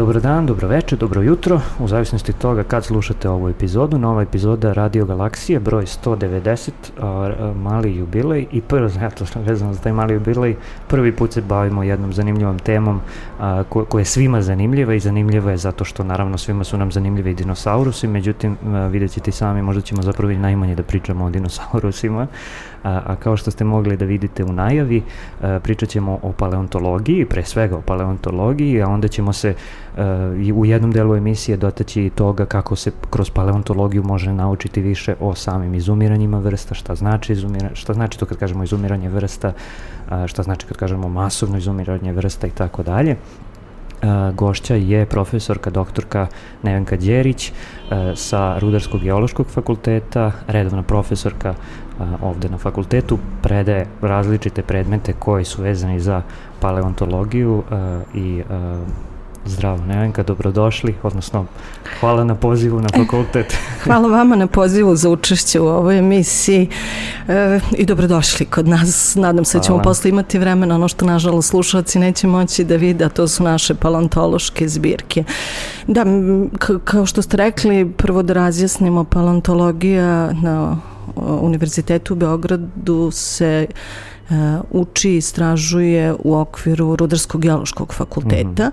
Dobar dan, dobro večer, dobro jutro, u zavisnosti od toga kad slušate ovu epizodu. Nova epizoda Radio Galaksije, broj 190, mali jubilej i vezano za taj mali jubilej, prvi put se bavimo jednom zanimljivom temom koja je svima zanimljiva i zanimljiva je zato što naravno svima su nam zanimljivi i dinosaurusi, međutim vidjet ćete i sami, možda ćemo zapravo i najmanje da pričamo o dinosaurusima, a kao što ste mogli da vidite u najavi, pričat ćemo o paleontologiji, pre svega o paleontologiji, a onda ćemo se u jednom delu emisije dotaći i toga kako se kroz paleontologiju može naučiti više o samim izumiranjima vrsta, šta znači to kad kažemo izumiranje vrsta, šta znači kad kažemo masovno izumiranje vrsta i tako dalje. Gošća je profesorka, doktorka Nevenka Đerić sa Rudarsko-geološkog fakulteta, redovna profesorka ovde na fakultetu, predaje različite predmete koji su vezani za paleontologiju i zdravo Nevenka, dobrodošli, odnosno hvala na pozivu na fakultet. Hvala vama na pozivu za učešće u ovoj emisiji i dobrodošli kod nas. Nadam se da ćemo posle imati vremena, ono što nažalost slušalci neće moći da vide, a to su naše paleontološke zbirke. Da, kao što ste rekli, prvo da razjasnimo, paleontologija na Univerzitetu u Beogradu se uči i istražuje u okviru Rudarsko-geološkog fakulteta.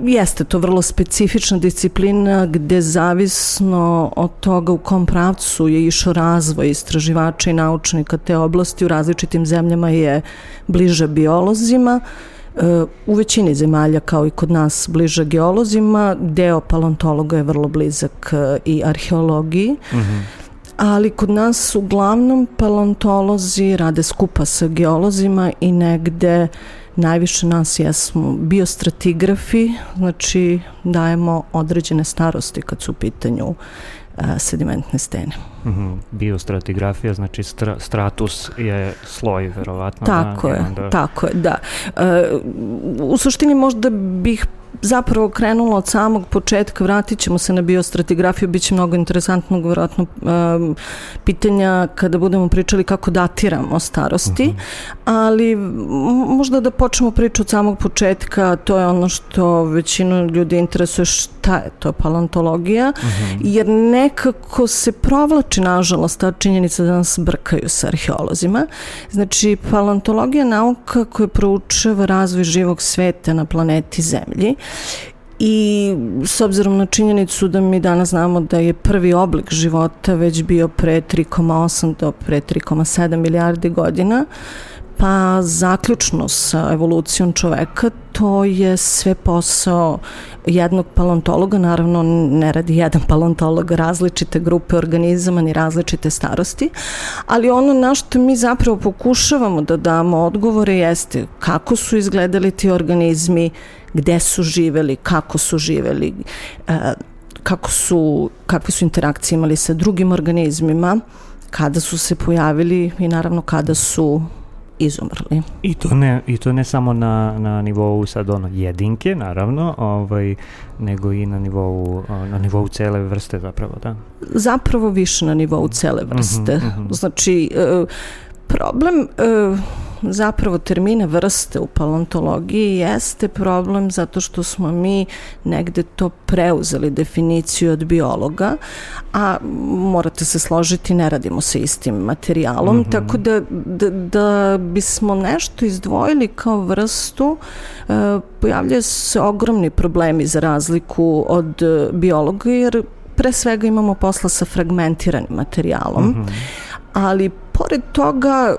Jeste to vrlo specifična disciplina gde zavisno od toga u kom pravcu je išao razvoj istraživača i naučnika te oblasti u različitim zemljama je bliže biolozima. U većini zemalja kao i kod nas bliže geolozima, deo paleontologa je vrlo blizak i arheologiji. Ali kod nas uglavnom paleontolozi rade skupa sa geolozima i negde najviše nas jesmo biostratigrafi, znači dajemo određene starosti kad su u pitanju sedimentne stene. Biostratigrafija, znači stratus je sloj, verovatno. Tako je, da. U suštini možda bih zapravo krenula od samog početka, vratit ćemo se na biostratigrafiju, bit će mnogo interesantnog vjerojatno pitanja kada budemo pričali kako datiramo starosti, ali možda da počnemo priču od samog početka, to je ono što većinu ljudi interesuje, šta je to paleontologija, jer nekako se provlači nažalost ta činjenica da nas brkaju sa arheolozima. Znači, paleontologija je nauka koja proučava razvoj živog sveta na planeti Zemlji i s obzirom na činjenicu da mi danas znamo da je prvi oblik života već bio pre 3,8 do pre 3,7 milijardi godina, pa zaključno sa evolucijom čoveka, to je sve posao jednog paleontologa, naravno ne radi jedan paleontolog različite grupe organizama ni različite starosti, ali ono na što mi zapravo pokušavamo da damo odgovore jeste kako su izgledali ti organizmi, gde su živeli, kako su živeli, kakve su interakcije imali sa drugim organizmima, kada su se pojavili i naravno kada su izumrli. I to ne samo na nivou sad jedinke, naravno, nego i na nivou cele vrste zapravo, da? Zapravo više na nivou cele vrste. Znači, problem zapravo termina vrste u paleontologiji jeste problem zato što smo mi negde to preuzeli definiciju od biologa, a morate se složiti, ne radimo sa istim materijalom, tako da bismo nešto izdvojili kao vrstu, pojavljaju se ogromni problemi za razliku od biologa, jer pre svega imamo posla sa fragmentiranim materijalom, ali pored toga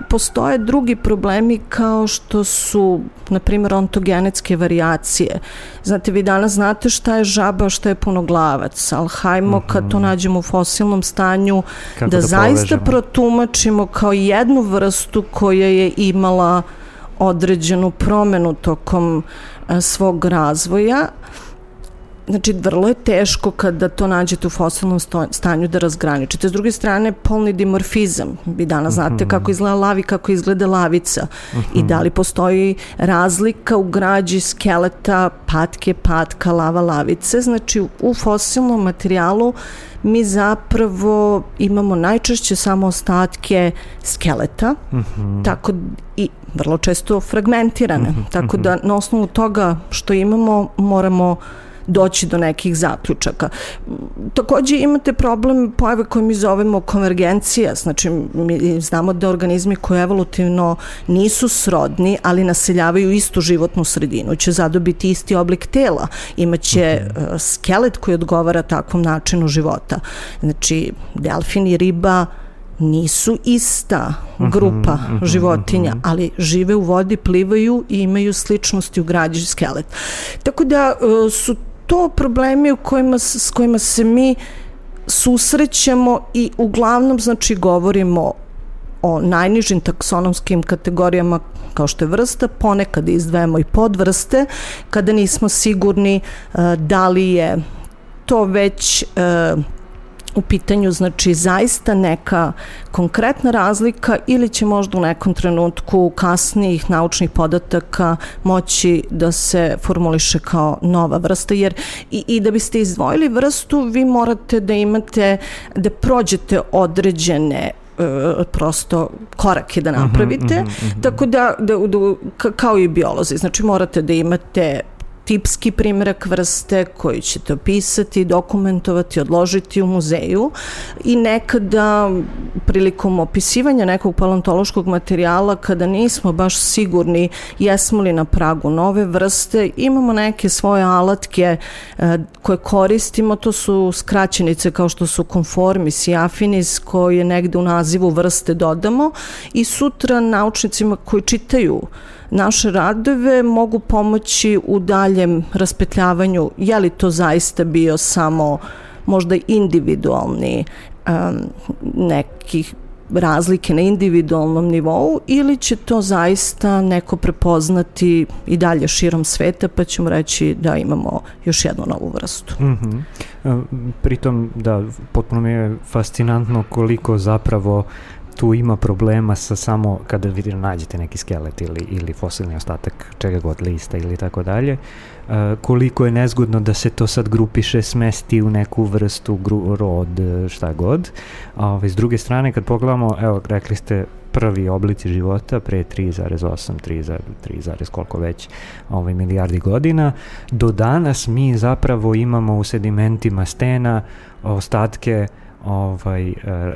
postoje drugi problemi kao što su, na primjer, ontogenetske varijacije. Znate, vi danas znate šta je žaba, šta je punoglavac, ali hajmo kad to nađemo u fosilnom stanju da zaista protumačimo kao jednu vrstu koja je imala određenu promenu tokom svog razvoja. Znači, vrlo je teško kada to nađete u fosilnom stanju da razgraničite. S druge strane, polni dimorfizam. Vi danas znate kako izgleda lav i kako izgleda lavica. I da li postoji razlika u građi skeleta, patke, patka, lava, lavice. Znači, u fosilnom materijalu mi zapravo imamo najčešće samo ostatke skeleta, tako i vrlo često fragmentirane. Tako da na osnovu toga što imamo moramo doći do nekih zaključaka. Takođe imate problem pojave koje mi zovemo konvergencija, znači mi znamo da organizmi koji evolutivno nisu srodni, ali naseljavaju istu životnu sredinu, će zadobiti isti oblik tela, imaće skelet koji odgovara takvom načinu života. Znači, delfin i riba nisu ista grupa životinja, ali žive u vodi, plivaju i imaju sličnosti u građi skelet. Tako da su to problemi s kojima se mi susrećemo i uglavnom, znači, govorimo o najnižim taksonomskim kategorijama kao što je vrsta, ponekad izdvajamo i podvrste kada nismo sigurni da li je to već u pitanju, znači, zaista neka konkretna razlika ili će možda u nekom trenutku kasnijih naučnih podataka moći da se formuliše kao nova vrsta, jer i da biste izdvojili vrstu vi morate da imate, da prođete određene prosto korake da napravite, tako da kao i biolozi, znači morate da imate tipski primjerak vrste koji ćete opisati, dokumentovati, odložiti u muzeju i nekada prilikom opisivanja nekog paleontološkog materijala, kada nismo baš sigurni jesmo li na pragu nove vrste, imamo neke svoje alatke koje koristimo, to su skraćenice kao što su conformis i affinis koje negde u nazivu vrste dodamo i sutra naučnicima koji čitaju naše radove mogu pomoći u daljem raspetljavanju je li to zaista bio samo možda individualni nekih razlike na individualnom nivou ili će to zaista neko prepoznati i dalje širom sveta pa ćemo reći da imamo još jednu novu vrstu. Pritom, da, potpuno mi je fascinantno koliko zapravo tu ima problema sa samo kada nađete neki skelet ili fosilni ostatak čega god, lista ili tako dalje, koliko je nezgodno da se to sad grupiše, smesti u neku vrstu, rod, šta god. S druge strane, kad pogledamo, evo, rekli ste prvi oblici života pre 3,8, 3, koliko već milijardi godina, do danas mi zapravo imamo u sedimentima stena ostatke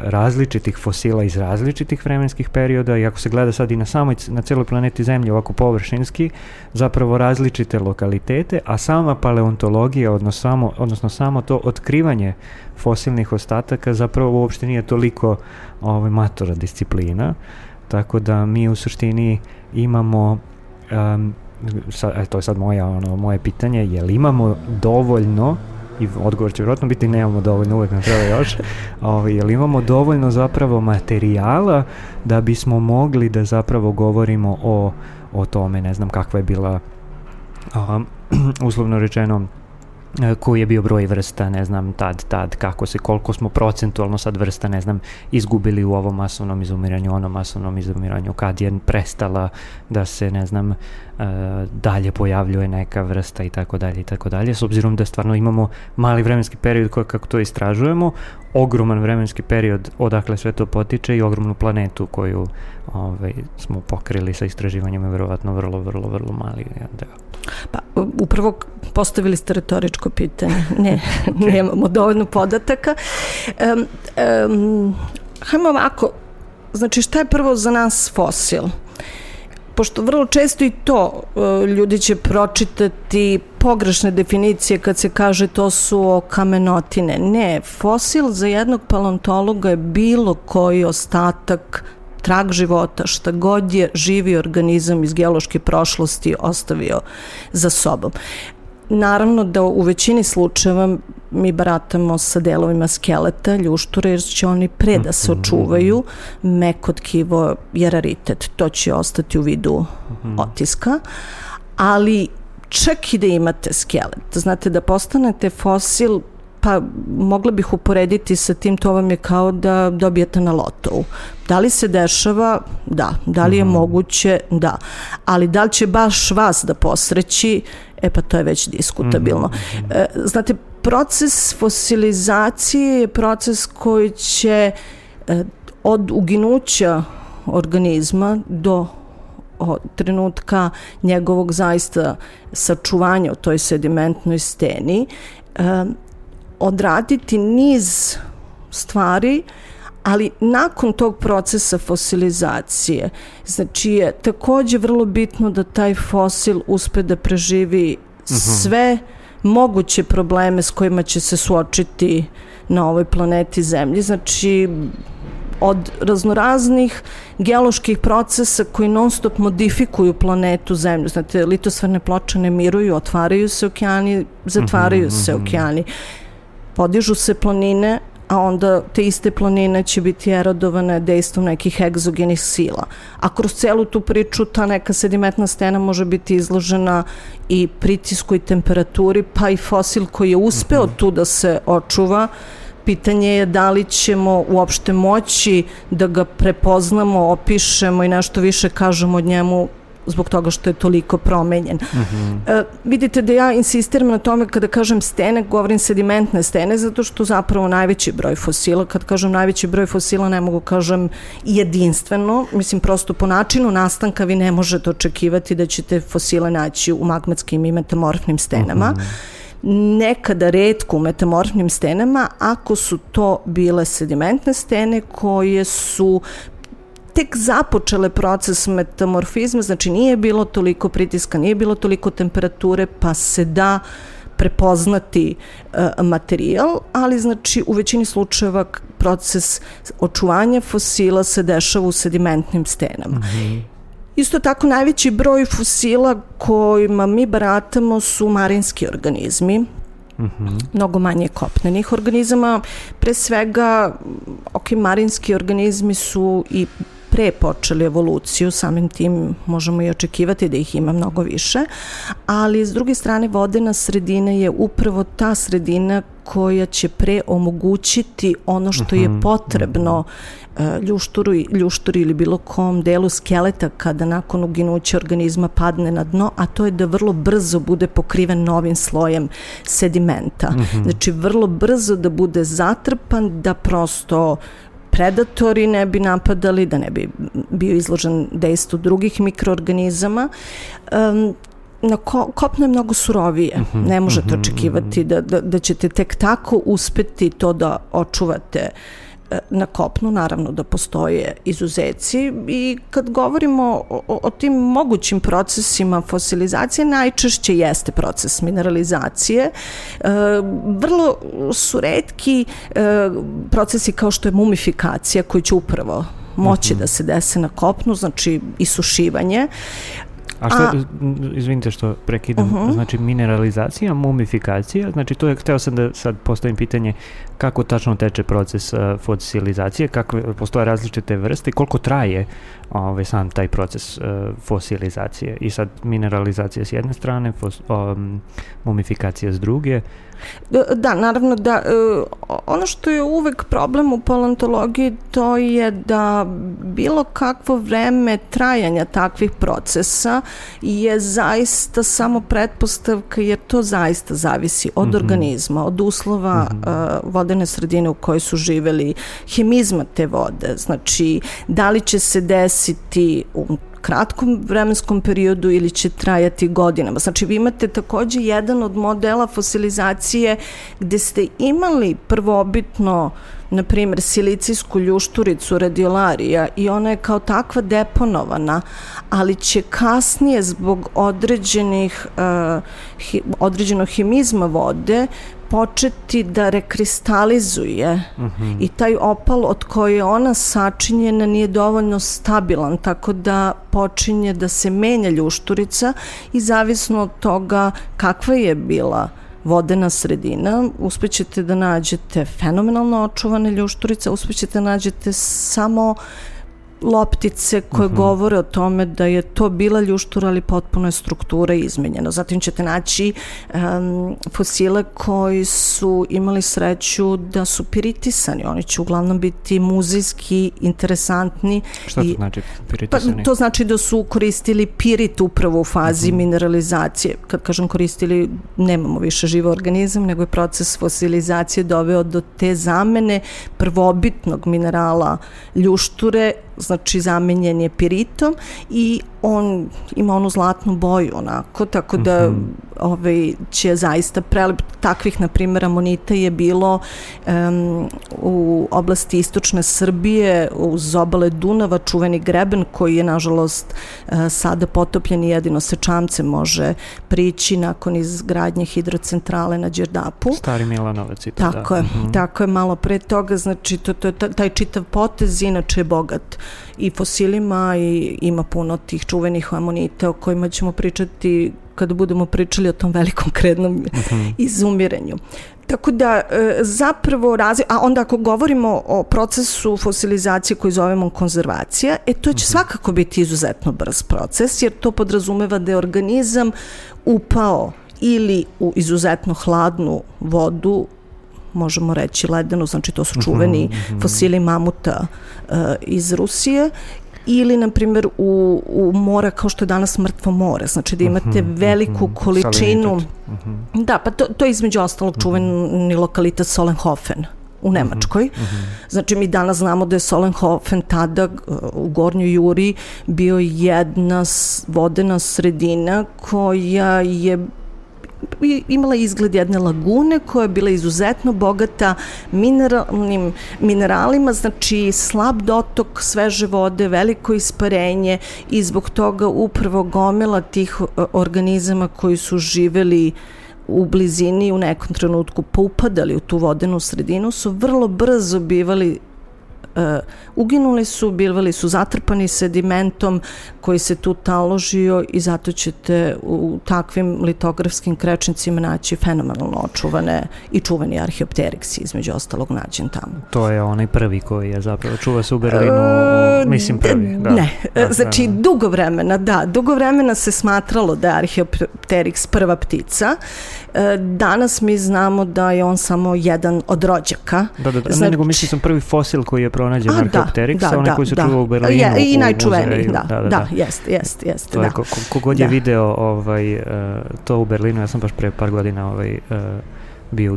različitih fosila iz različitih vremenskih perioda i ako se gleda sad i na celoj planeti Zemlji ovako zapravo različite lokalitete, a sama paleontologija, odnosno samo to otkrivanje fosilnih ostataka zapravo uopšte nije toliko matora disciplina, tako da mi u suštini imamo to je sad moje pitanje, je li imamo dovoljno, i odgovor će vjerojatno biti nemamo dovoljno, uvek nam treba još, jer imamo dovoljno zapravo materijala da bismo mogli da zapravo govorimo o tome, ne znam kakva je bila uslovno rečeno koji je bio broj vrsta, ne znam, tad, koliko smo procentualno sad vrsta, ne znam, izgubili u ovom masovnom izumiranju, onom masovnom izumiranju, kad je prestala da se, ne znam, dalje pojavljuje neka vrsta i tako dalje, s obzirom da stvarno imamo mali vremenski period kako to istražujemo, ogroman vremenski period odakle sve to potiče i ogromnu planetu koju smo pokrili sa istraživanjem, je verovatno vrlo mali deo. Pa, upravo postavili ste retoričko pitanje. Ne, nemamo dovoljno podataka. Hajmo ovako, znači šta je prvo za nas fosil? Pošto vrlo često i to ljudi će pročitati pogrešne definicije kad se kaže to su kamenotine. Ne, fosil za jednog paleontologa je bilo koji ostatak, trag života, šta god je živi organizam iz geološke prošlosti ostavio za sobom. Naravno da u većini slučajeva mi baratamo sa delovima skeleta, ljušture, jer će oni pre da se očuvaju, meko tkivo je raritet, to će ostati u vidu otiska, ali čak i da imate skelet. Znate, da postanete fosil, pa mogla bih uporediti sa tim, to vam je kao da dobijete na lotovu. Da li se dešava? Da. Da li je moguće? Da. Ali da li će baš vas da posreći? Pa to je već diskutabilno. Znate, proces fosilizacije je proces koji će od uginuća organizma do trenutka njegovog zaista sačuvanja u toj sedimentnoj steni odraditi niz stvari, ali nakon tog procesa fosilizacije, znači je takođe vrlo bitno da taj fosil uspe da preživi sve moguće probleme s kojima će se suočiti na ovoj planeti Zemlji. Znači, od raznoraznih geoloških procesa koji non stop modifikuju planetu Zemlju. Znate, litosferne ploče ne miruju, otvaraju se okeani, zatvaraju se okeani. Podižu se planine, a onda te iste planine će biti erodovane dejstvom nekih egzogenih sila. A kroz celu tu priču ta neka sedimentna stena može biti izložena i pritisku i temperaturi, pa i fosil koji je uspeo tu da se očuva. Pitanje je da li ćemo uopšte moći da ga prepoznamo, opišemo i nešto više kažemo od njemu zbog toga što je toliko promenjen. Vidite da ja insistiram na tome kada kažem stene, govorim sedimentne stene, zato što zapravo najveći broj fosila, kad kažem najveći broj fosila ne mogu kažem jedinstveno, mislim prosto po načinu nastanka vi ne možete očekivati da ćete fosile naći u magmatskim i metamorfnim stenama. Nekada retko u metamorfnim stenama, ako su to bile sedimentne stene koje su tek započele proces metamorfizma, znači nije bilo toliko pritiska, nije bilo toliko temperature, pa se da prepoznati materijal, ali znači u većini slučajeva proces očuvanja fosila se dešava u sedimentnim stenama. Isto tako najveći broj fosila kojima mi baratamo su marinski organizmi, mnogo manje kopnenih organizama. Pre svega, marinski organizmi su i pre počeli evoluciju, samim tim možemo i očekivati da ih ima mnogo više, ali s druge strane vodena sredina je upravo ta sredina koja će pre omogućiti ono što je potrebno ljušturu ili bilo kom delu skeleta kada nakon uginuća organizma padne na dno, a to je da vrlo brzo bude pokriven novim slojem sedimenta. Znači vrlo brzo da bude zatrpan, da prosto predatori ne bi napadali, da ne bi bio izložen dejstvu drugih mikroorganizama. Na kopno je mnogo surovije. Ne možete očekivati da ćete tek tako uspeti to da očuvate na kopnu, naravno da postoje izuzeci, i kad govorimo o tim mogućim procesima fosilizacije, najčešće jeste proces mineralizacije. Vrlo su retki procesi kao što je mumifikacija, koji će upravo moći da se dese na kopnu, znači isušivanje. A što, izvinite što prekidam, znači mineralizacija, mumifikacija, znači to je, hteo sam da sad postavim pitanje kako tačno teče proces fosilizacije, kakve postoje različite vrste i koliko traje sam taj proces fosilizacije. I sad mineralizacija s jedne strane, mumifikacija s druge. Da, naravno da. Ono što je uvek problem u paleontologiji, to je da bilo kakvo vreme trajanja takvih procesa je zaista samo pretpostavka, jer to zaista zavisi od organizma, od uslova vodene sredine u kojoj su živeli, hemizma te vode. Znači, da li će se desiti u kratkom vremenskom periodu ili će trajati godinama. Znači, vi imate takođe jedan od modela fosilizacije gde ste imali prvobitno, na primjer, silicijsku ljušturicu radiolarija i ona je kao takva deponovana, ali će kasnije zbog određenog hemizma vode početi da rekristalizuje i taj opal od koje je ona sačinjena nije dovoljno stabilan, tako da počinje da se menja ljušturica i zavisno od toga kakva je bila vodena sredina, uspećete da nađete fenomenalno očuvane ljušturice, uspećete da nađete samo loptice koje govore o tome da je to bila ljuštura, ali potpuno je struktura izmenjena. Zatim ćete naći fosile koji su imali sreću da su piritisani. Oni će uglavnom biti muzejski interesantni. Šta to znači piritisani? Pa, to znači da su koristili pirit upravo u fazi mineralizacije. Kad kažem koristili, nemamo više živ organizam, nego je proces fosilizacije doveo do te zamene prvobitnog minerala ljušture, znači zamenjen je piritom i on ima onu zlatnu boju onako, tako da će zaista prelep. Takvih, na primjer, amonita je bilo u oblasti istočne Srbije, uz obale Dunava, čuveni greben koji je nažalost sada potopljen i jedino se čamce može prići nakon izgradnje hidrocentrale na Đerdapu. Stari Milanovac i to, tako je, tako je, malo pre toga, znači taj čitav potez inače je bogat i fosilima i ima puno tih čuvenih amonita o kojima ćemo pričati kada budemo pričali o tom velikom krednom izumiranju. Tako da zapravo a onda ako govorimo o procesu fosilizacije koji zovemo konzervacija, to će svakako biti izuzetno brz proces, jer to podrazumeva da je organizam upao ili u izuzetno hladnu vodu, možemo reći ledenu, znači to su čuveni fosili mamuta iz Rusije, ili, na primjer, u mora kao što je danas Mrtvo more, znači da imate veliku količinu. Da, pa to je između ostalog čuveni lokalitet Solenhofen u Nemačkoj. Znači mi danas znamo da je Solenhofen tada u Gornjoj Juri bio jedna vodena sredina koja je imala izgled jedne lagune koja je bila izuzetno bogata mineralima, znači slab dotok sveže vode, veliko isparenje i zbog toga upravo gomila tih organizama koji su živeli u blizini u nekom trenutku poupadali u tu vodenu sredinu su vrlo brzo bivali uginuli su, bivali su zatrpani sedimentom koji se tu taložio i zato ćete u takvim litografskim krečnicima naći fenomenalno očuvane i čuveni arheopteriksi, između ostalog nađen tamo. To je onaj prvi koji je zapravo čuva se u Berlinu, mislim prvi. Da. Ne, znači dugo vremena se smatralo da je arheopteriks prva ptica. Danas mi znamo da je on samo jedan od rođaka. Znači, nego mislim sam prvi fosil koji je pronađen arheopteriksa, onaj koji se čuva u Berlinu. I najčuveniji, jeste. To je, kogod je video to u Berlinu, ja sam baš pre par godina bio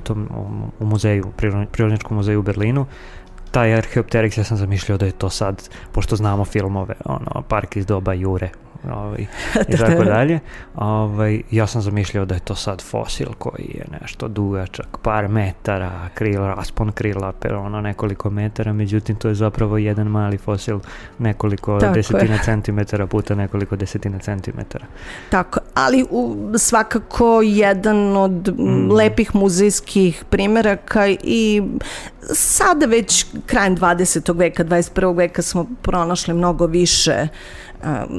u muzeju, Prirodnjačkom muzeju u Berlinu, taj arheopteriks, ja sam zamišljao da je to sad, pošto znamo filmove, Park iz doba Jure, i tako dalje. Ja sam zamišljao da je to sad fosil koji je nešto dugačak, par metara, raspon krila, nekoliko metara, međutim to je zapravo jedan mali fosil, nekoliko desetina centimetara puta nekoliko desetina centimetara. Tako, ali svakako jedan od lepih muzejskih primeraka i sada već krajem 20. veka, 21. veka smo pronašli mnogo više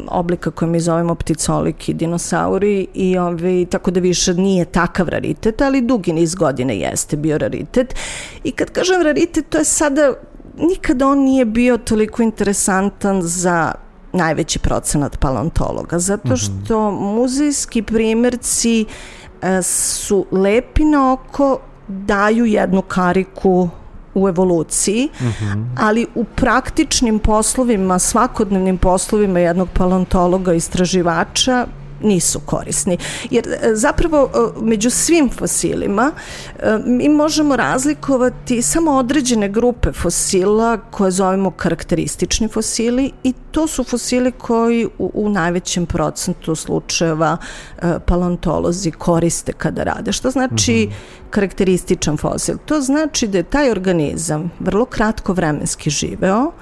oblika koje mi zovemo pticoliki dinosauri i tako da više nije takav raritet, ali dugi niz godina jeste bio raritet. I kad kažem raritet, to je sada, nikada on nije bio toliko interesantan za najveći procenat paleontologa, zato što muzejski primerci su lepi na oko, daju jednu kariku u evoluciji, ali u praktičnim poslovima, svakodnevnim poslovima jednog paleontologa, istraživača, nisu korisni. Jer zapravo među svim fosilima mi možemo razlikovati samo određene grupe fosila koje zovemo karakteristični fosili i to su fosili koji u najvećem procentu slučajeva paleontolozi koriste kada rade. Što znači karakterističan fosil? To znači da je taj organizam vrlo kratko vremenski živeo,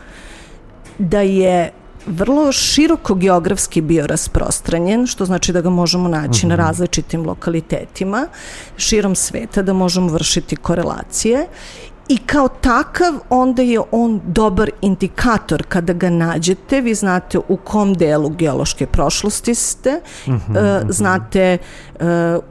da je vrlo široko geografski bio rasprostranjen, što znači da ga možemo naći na različitim lokalitetima širom sveta, da možemo vršiti korelacije I kao takav onda je on dobar indikator kada ga nađete, vi znate u kom delu geološke prošlosti ste, znate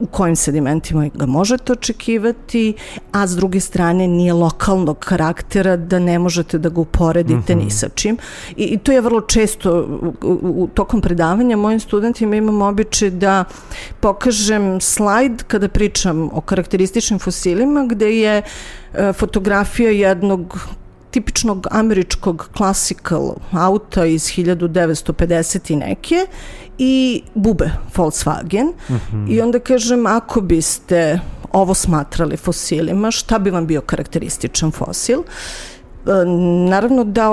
u kojim sedimentima ga možete očekivati, a s druge strane nije lokalnog karaktera da ne možete da ga uporedite ni sa čim. I to je vrlo često tokom predavanja mojim studentima imam običaj da pokažem slajd kada pričam o karakterističnim fosilima gde je fotografija jednog tipičnog američkog classical auta iz 1950 i neke i bube Volkswagen i onda kažem ako biste ovo smatrali fosilima, šta bi vam bio karakterističan fosil? Naravno da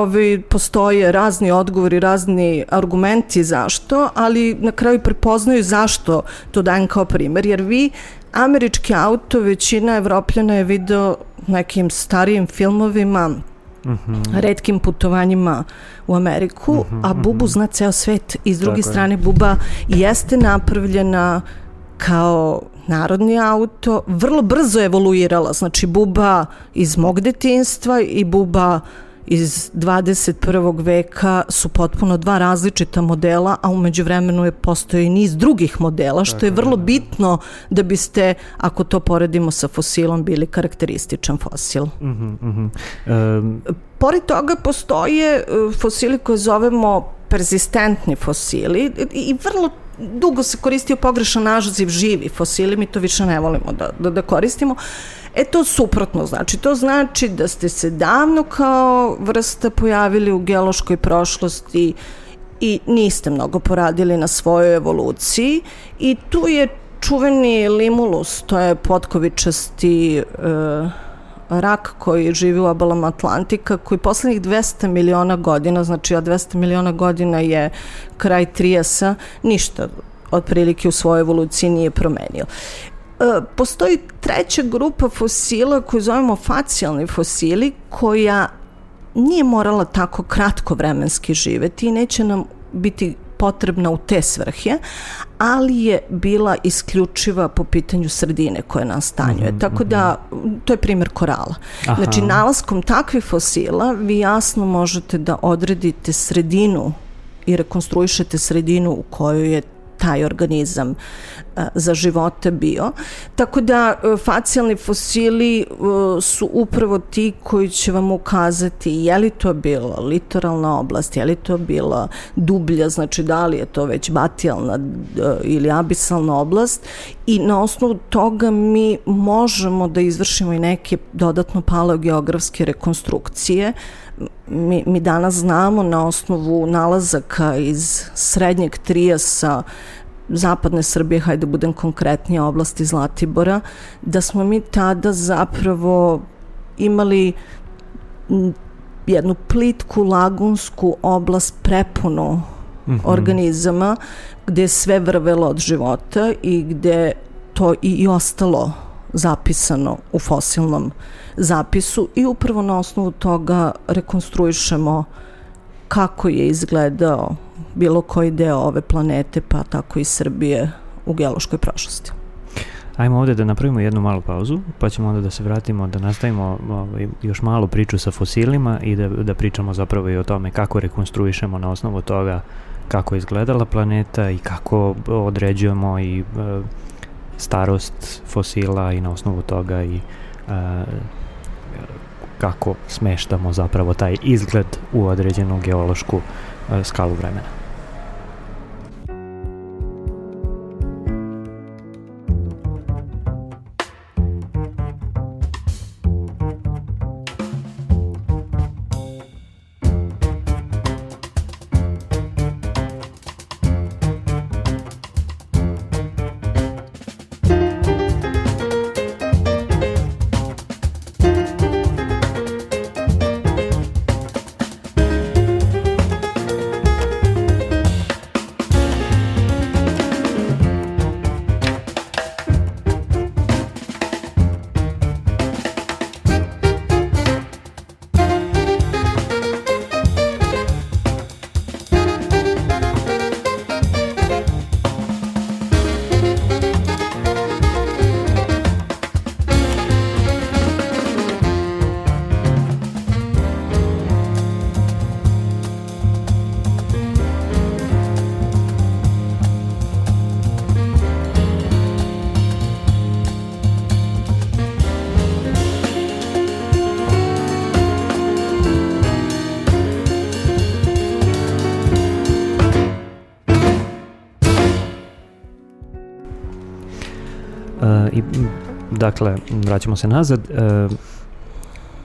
postoje razni odgovori, razni argumenti zašto, ali na kraju prepoznaju zašto to dajem kao primer, jer vi američki auto većina Evropljana je video nekim starijim filmovima, retkim putovanjima u Ameriku, a bubu zna ceo svet i s druge strane buba jeste napravljena kao narodni auto, vrlo brzo je evoluirala, znači buba iz mog detinjstva i buba iz 21. veka su potpuno dva različita modela, a umeđu vremenu postoji niz drugih modela, što je vrlo bitno da biste, ako to poredimo sa fosilom, bili karakterističan fosil. Pored toga postoje fosili koje zovemo perzistentni fosili i vrlo dugo se koristio pogrešan naziv živi fosili, mi to više ne volimo da koristimo. To suprotno znači. To znači da ste se davno kao vrsta pojavili u geološkoj prošlosti i niste mnogo poradili na svojoj evoluciji i tu je čuveni limulus, to je potkovičasti rak koji živi u obalama Atlantika, koji poslednjih 200 miliona godina, znači 200 miliona godina je kraj Trijasa, ništa otprilike u svojoj evoluciji nije promenio. Postoji treća grupa fosila koju zovemo facijalni fosili, koja nije morala tako kratko vremenski živeti i neće nam biti potrebna u te svrhe, ali je bila isključiva po pitanju sredine koje nas stanjuje. Tako da, to je primjer korala. Znači, nalaskom takvih fosila vi jasno možete da odredite sredinu i rekonstruišete sredinu u kojoj je taj organizam za života bio. Tako da facijalni fosili su upravo ti koji će vam ukazati je li to bila litoralna oblast, je li to bila dublja, znači da li je to već batijalna ili abisalna oblast i na osnovu toga mi možemo da izvršimo i neke dodatno paleogeografske rekonstrukcije. Mi danas znamo na osnovu nalazaka iz srednjeg Trijasa zapadne Srbije, hajde budem konkretnije, oblasti Zlatibora, da smo mi tada zapravo imali jednu plitku lagunsku oblast prepunu organizama gde je sve vrvelo od života i gde to i ostalo zapisano u fosilnom zapisu i upravo na osnovu toga rekonstruišemo kako je izgledao bilo koji deo ove planete, pa tako i Srbije u geološkoj prošlosti. Ajmo ovde da napravimo jednu malu pauzu, pa ćemo onda da se vratimo, da nastavimo još malu priču sa fosilima i da pričamo zapravo i o tome kako rekonstruišemo na osnovu toga kako je izgledala planeta i kako određujemo i starost fosila i na osnovu toga i kako smeštamo zapravo taj izgled u određenu geološku skalu vremena. dakle, vraćamo se nazad,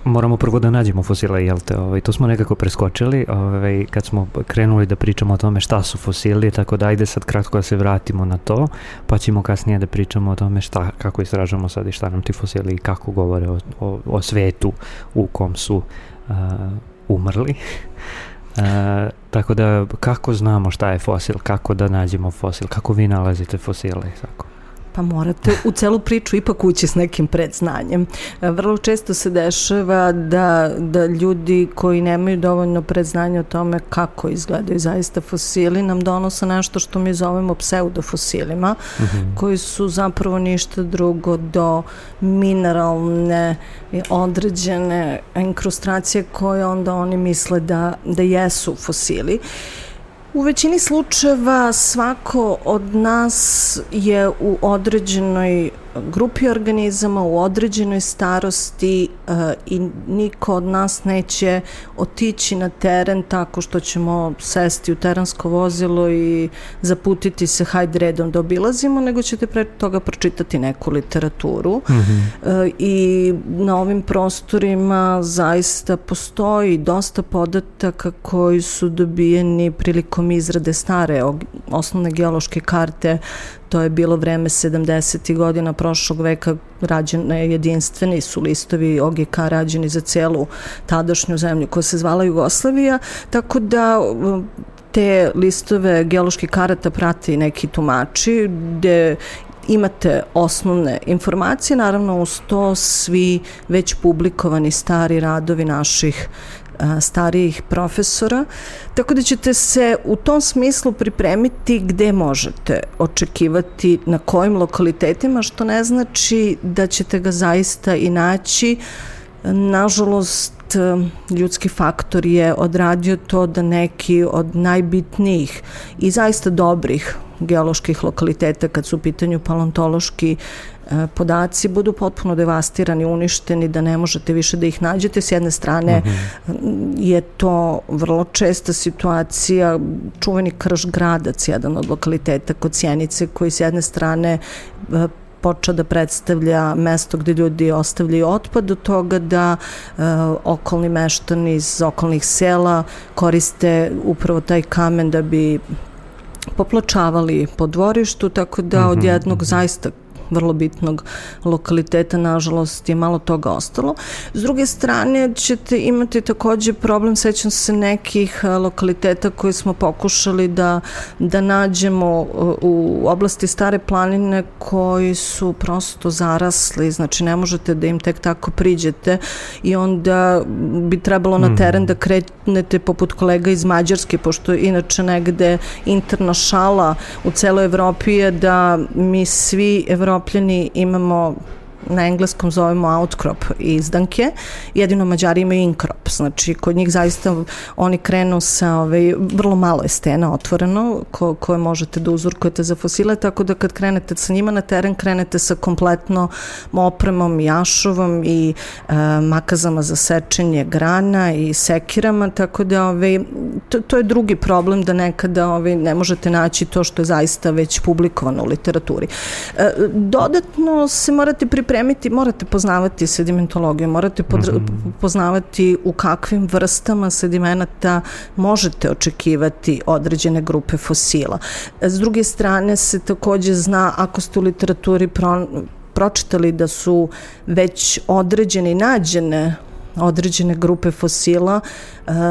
moramo prvo da nađemo fosile, jel te? To smo nekako preskočili kad smo krenuli da pričamo o tome šta su fosili, tako da ajde sad kratko da se vratimo na to, pa ćemo kasnije da pričamo o tome kako istražujemo sad i šta nam ti fosili i kako govore o svetu u kom su umrli. Tako da, kako znamo šta je fosil, kako da nađemo fosil, kako vi nalazite fosile i tako? Pa morate u celu priču ipak ući s nekim predznanjem. Vrlo često se dešava da ljudi koji nemaju dovoljno predznanja o tome kako izgledaju zaista fosili nam donose nešto što mi zovemo pseudofosilima, koji su zapravo ništa drugo do mineralne određene inkrustacije koje onda oni misle da jesu fosili. U većini slučajeva svako od nas je u određenoj grupi organizama, u određenoj starosti i niko od nas neće otići na teren tako što ćemo sesti u terensko vozilo i zaputiti se hajde redom da obilazimo, nego ćete pre toga pročitati neku literaturu. I na ovim prostorima zaista postoji dosta podataka koji su dobijeni prilikom izrade stare osnovne geološke karte. To je bilo vreme 70. godina prošlog veka, rađene jedinstveni su listovi OGK rađeni za celu tadašnju zemlju koja se zvala Jugoslavija, tako da te listove geoloških karata prati neki tumači gde imate osnovne informacije, naravno uz to svi već publikovani stari radovi naših starijih profesora, tako da ćete se u tom smislu pripremiti gde možete očekivati, na kojim lokalitetima, što ne znači da ćete ga zaista i naći. Nažalost, ljudski faktor je odradio to da neki od najbitnijih i zaista dobrih geoloških lokaliteta, kad su u pitanju paleontološki podaci, budu potpuno devastirani, uništeni, da ne možete više da ih nađete. S jedne strane je to vrlo česta situacija, čuveni Krš Gradac, jedan od lokaliteta kod Sjenice, koji s jedne strane počeo da predstavlja mesto gde ljudi ostavljaju otpad, do toga da okolni meštani iz okolnih sela koriste upravo taj kamen da bi popločavali po dvorištu, tako da od jednog zaista vrlo bitnog lokaliteta, nažalost, je malo toga ostalo. S druge strane ćete imati takođe problem, sećam se nekih lokaliteta koje smo pokušali da nađemo u oblasti Stare planine koji su prosto zarasli, znači ne možete da im tek tako priđete i onda bi trebalo na teren da krenete poput kolega iz Mađarske, pošto inače negde interna šala u celoj Evropi je da mi svi Evropljani imamo, na engleskom zovemo outcrop izdanke, jedino Mađari imaju inkrop, znači kod njih zaista oni krenu sa vrlo malo je stena otvoreno koje možete da uzorkujete za fosile, tako da kad krenete sa njima na teren, krenete sa kompletno opremom, jašovom i makazama za sečenje grana i sekirama, tako da to je drugi problem, da nekada ne možete naći to što je zaista već publikovano u literaturi. Dodatno se morate pripremiti, morate poznavati sedimentologiju, morate poznavati u kakvim vrstama sedimenata možete očekivati određene grupe fosila. S druge strane se takođe zna, ako ste u literaturi pročitali da su već određene i nađene određene grupe fosila,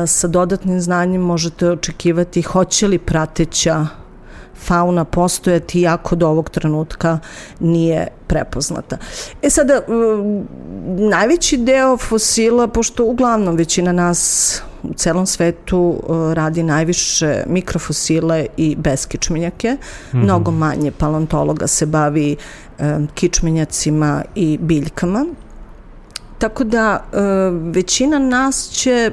sa dodatnim znanjem možete očekivati hoće li prateća fauna postojati, iako do ovog trenutka nije prepoznata. Sada, najveći deo fosila, pošto uglavnom većina nas u celom svetu radi najviše mikrofosile i beskičmenjake, mnogo manje paleontologa se bavi kičmenjacima i biljkama, tako da većina nas će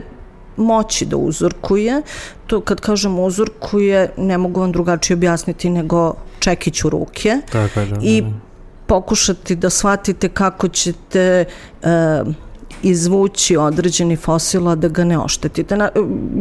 moći da uzorkuje. To kad kažem uzorkuje, ne mogu vam drugačije objasniti nego čekić u ruke i pokušati da shvatite kako ćete izvući određeni fosil, a da ga ne oštetite.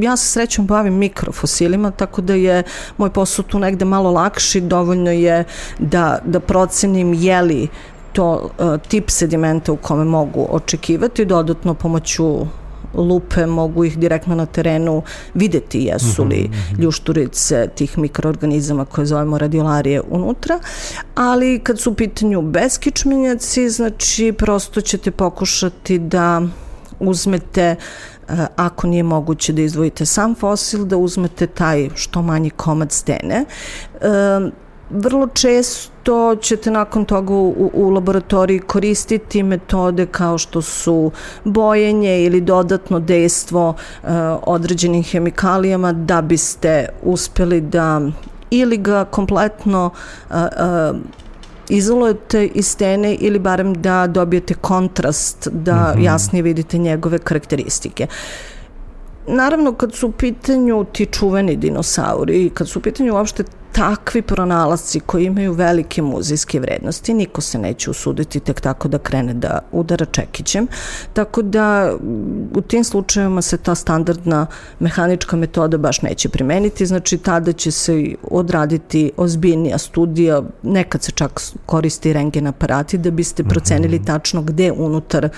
Ja se srećom bavim mikrofosilima, tako da je moj posao tu negde malo lakši, dovoljno je da procenim je li to tip sedimenta u kome mogu očekivati, dodatno pomoću lupe mogu ih direktno na terenu videti jesu li ljušturice tih mikroorganizama koje zovemo radiolarije unutra, ali kad su u pitanju beskičmenjaci, znači prosto ćete pokušati da uzmete, ako nije moguće da izdvojite sam fosil, da uzmete taj što manji komad stene. Vrlo često ćete nakon toga u laboratoriji koristiti metode kao što su bojenje ili dodatno dejstvo određenim hemikalijama da biste uspeli da ili ga kompletno izolujete iz stene ili barem da dobijete kontrast, da jasnije vidite njegove karakteristike. Naravno, kad su u pitanju ti čuveni dinosauri i kad su u pitanju uopšte takvi pronalasci koji imaju velike muzejske vrednosti, niko se neće usuditi tek tako da krene da udara čekićem, tako da u tim slučajevima se ta standardna mehanička metoda baš neće primeniti, znači tada će se odraditi ozbiljnija studija, nekad se čak koristi rentgen aparati da biste procenili tačno gde unutar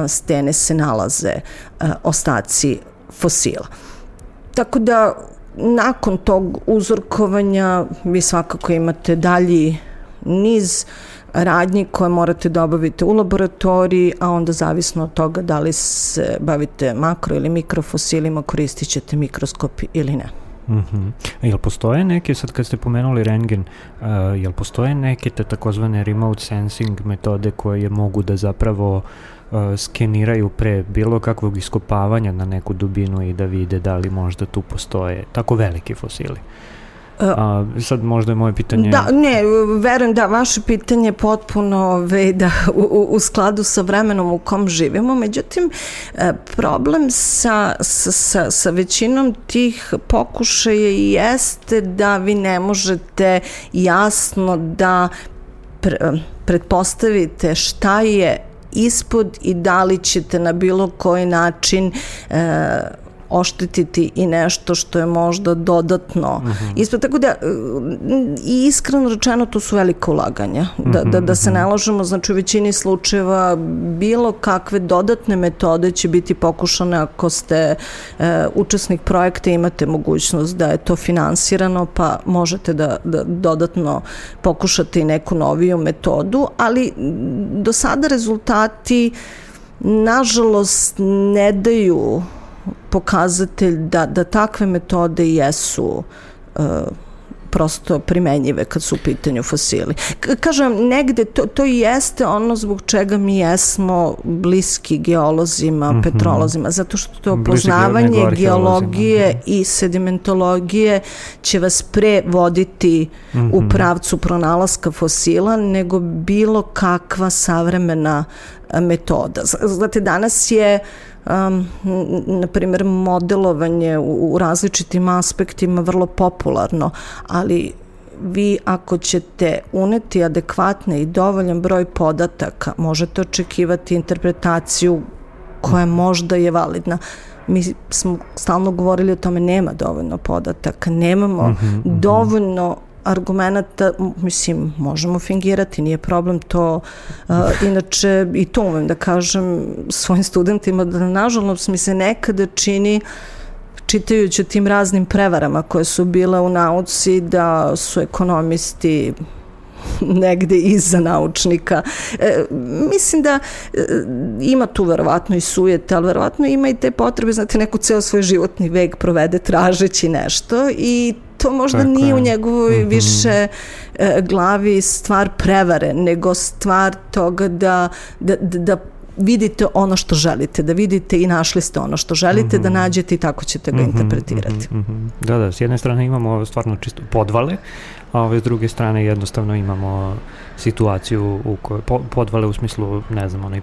stene se nalaze ostaci fosila. Tako da nakon tog uzorkovanja vi svakako imate dalji niz radnji koje morate da obavite u laboratoriji, a onda zavisno od toga da li se bavite makro ili mikrofosilima, koristit ćete mikroskop ili ne. Jel postoje neke, sad kad ste pomenuli rentgen, jel postoje neke te takozvane remote sensing metode koje mogu da zapravo skeniraju pre bilo kakvog iskopavanja na neku dubinu i da vide da li možda tu postoje tako veliki fosili? Sad možda je moje pitanje... Da, ne, verujem da vaše pitanje je potpuno u skladu sa vremenom u kom živimo, međutim problem sa većinom tih pokušaja jeste da vi ne možete jasno da pretpostavite šta je ispod i da li ćete na bilo koji način oštetiti i nešto što je možda dodatno ispod. Tako da, i iskreno rečeno, to su velika ulaganja. Da se ne lažemo, znači u većini slučajeva bilo kakve dodatne metode će biti pokušane ako ste učesnik projekta, imate mogućnost da je to finansirano, pa možete da dodatno pokušate i neku noviju metodu, ali do sada rezultati nažalost ne daju pokazatelj da takve metode jesu prosto primenjive kad su u pitanju fosili. Kažem, negde to jeste ono zbog čega mi jesmo bliski geolozima, petrolozima, zato što poznavanje geologije i sedimentologije će vas pre voditi u pravcu pronalaska fosila nego bilo kakva savremena metoda. Znate, danas je na primjer modelovanje u različitim aspektima vrlo popularno, ali vi ako ćete uneti adekvatne i dovoljan broj podataka, možete očekivati interpretaciju koja možda je validna. Mi smo stalno govorili o tome, nema dovoljno podataka, nemamo dovoljno argumenta, mislim, možemo fingirati, nije problem to. Inače, i to umem da kažem svojim studentima, da nažalost mi se nekada čini, čitajući o tim raznim prevarama koje su bile u nauci, da su ekonomisti negde iza naučnika. Mislim da ima tu verovatno i sujete, ali verovatno ima i te potrebe, znate, neko ceo svoj životni vek provede tražeći nešto i to možda nije u njegovoj više glavi stvar prevare, nego stvar toga da vidite ono što želite, da vidite i našli ste ono što želite da nađete i tako ćete ga interpretirati. Da, s jedne strane imamo stvarno čisto podvale, a s druge strane jednostavno imamo situaciju u kojoj podvale u smislu, ne znam, onaj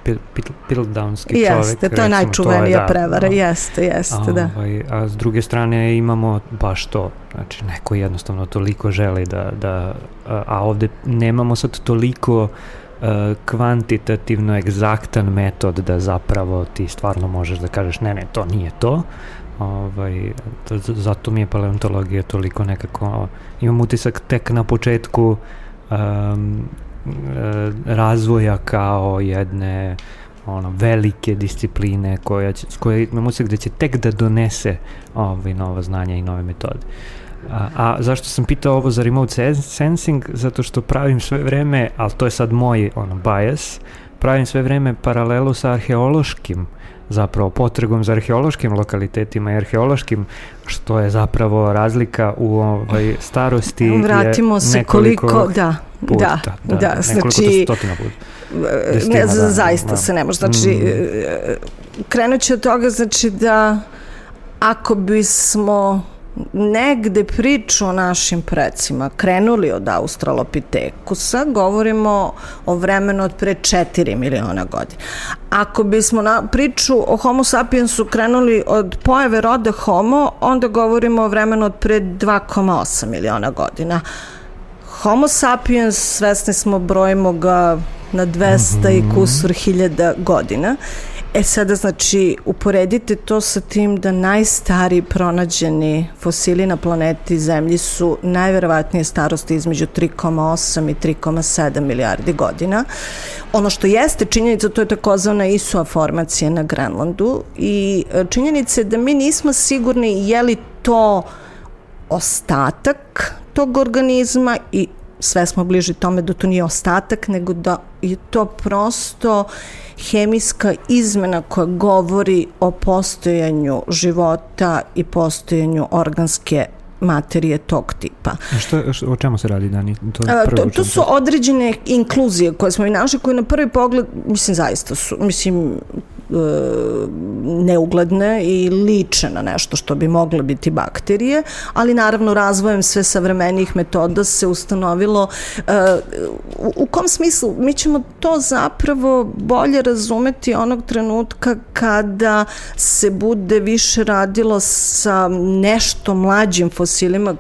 Piltdownski čovjek. Jeste, to je najčuvenija prevara, jeste, da. A s druge strane imamo baš to, znači neko jednostavno toliko želi a ovde nemamo sad toliko kvantitativno egzaktan metod da zapravo ti stvarno možeš da kažeš ne, to nije to. Zato mi je paleontologija toliko nekako, imam utisak tek na početku razvoja kao jedne velike discipline koja imam utisak da će tek da donese nova znanja i nove metode. A zašto sam pitao ovo za remote sensing? Zato što pravim sve vreme, ali to je sad moj bias, pravim sve vreme paralelu sa arheološkim, zapravo potragom za arheološkim lokalitetima i arheološkim, što je zapravo razlika u starosti. Vratimo se koliko, da, nekoliko stotina puta. Zaista se ne može. Znači, krenut ću od toga, znači da ako bismo negde priču o našim precima krenuli od Australopitekusa, govorimo o vremenu od pre 4 miliona godina. Ako bismo priču o Homo sapiensu krenuli od pojave roda Homo, onda govorimo o vremenu od pre 2,8 miliona godina. Homo sapiens, svesni smo, brojimo ga na 200 i kusur hiljada godina. Sada, znači, uporedite to sa tim da najstariji pronađeni fosili na planeti Zemlji su najverovatnije starosti između 3,8 i 3,7 milijardi godina. Ono što jeste činjenica, to je takozvana Isua formacija na Grenlandu i činjenica je da mi nismo sigurni je li to ostatak tog organizma i sve smo bliži tome da to nije ostatak, nego da je to prosto hemijska izmena koja govori o postojanju života i postojanju organske materije tog tipa. O čemu se radi, Dani? To su određene inkluzije koje smo i našli, koje na prvi pogled, mislim, zaista su, neugledne i liče na nešto što bi mogle biti bakterije, ali naravno razvojem sve savremenijih metoda se ustanovilo u kom smislu mi ćemo to zapravo bolje razumeti onog trenutka kada se bude više radilo sa nešto mlađim fosilima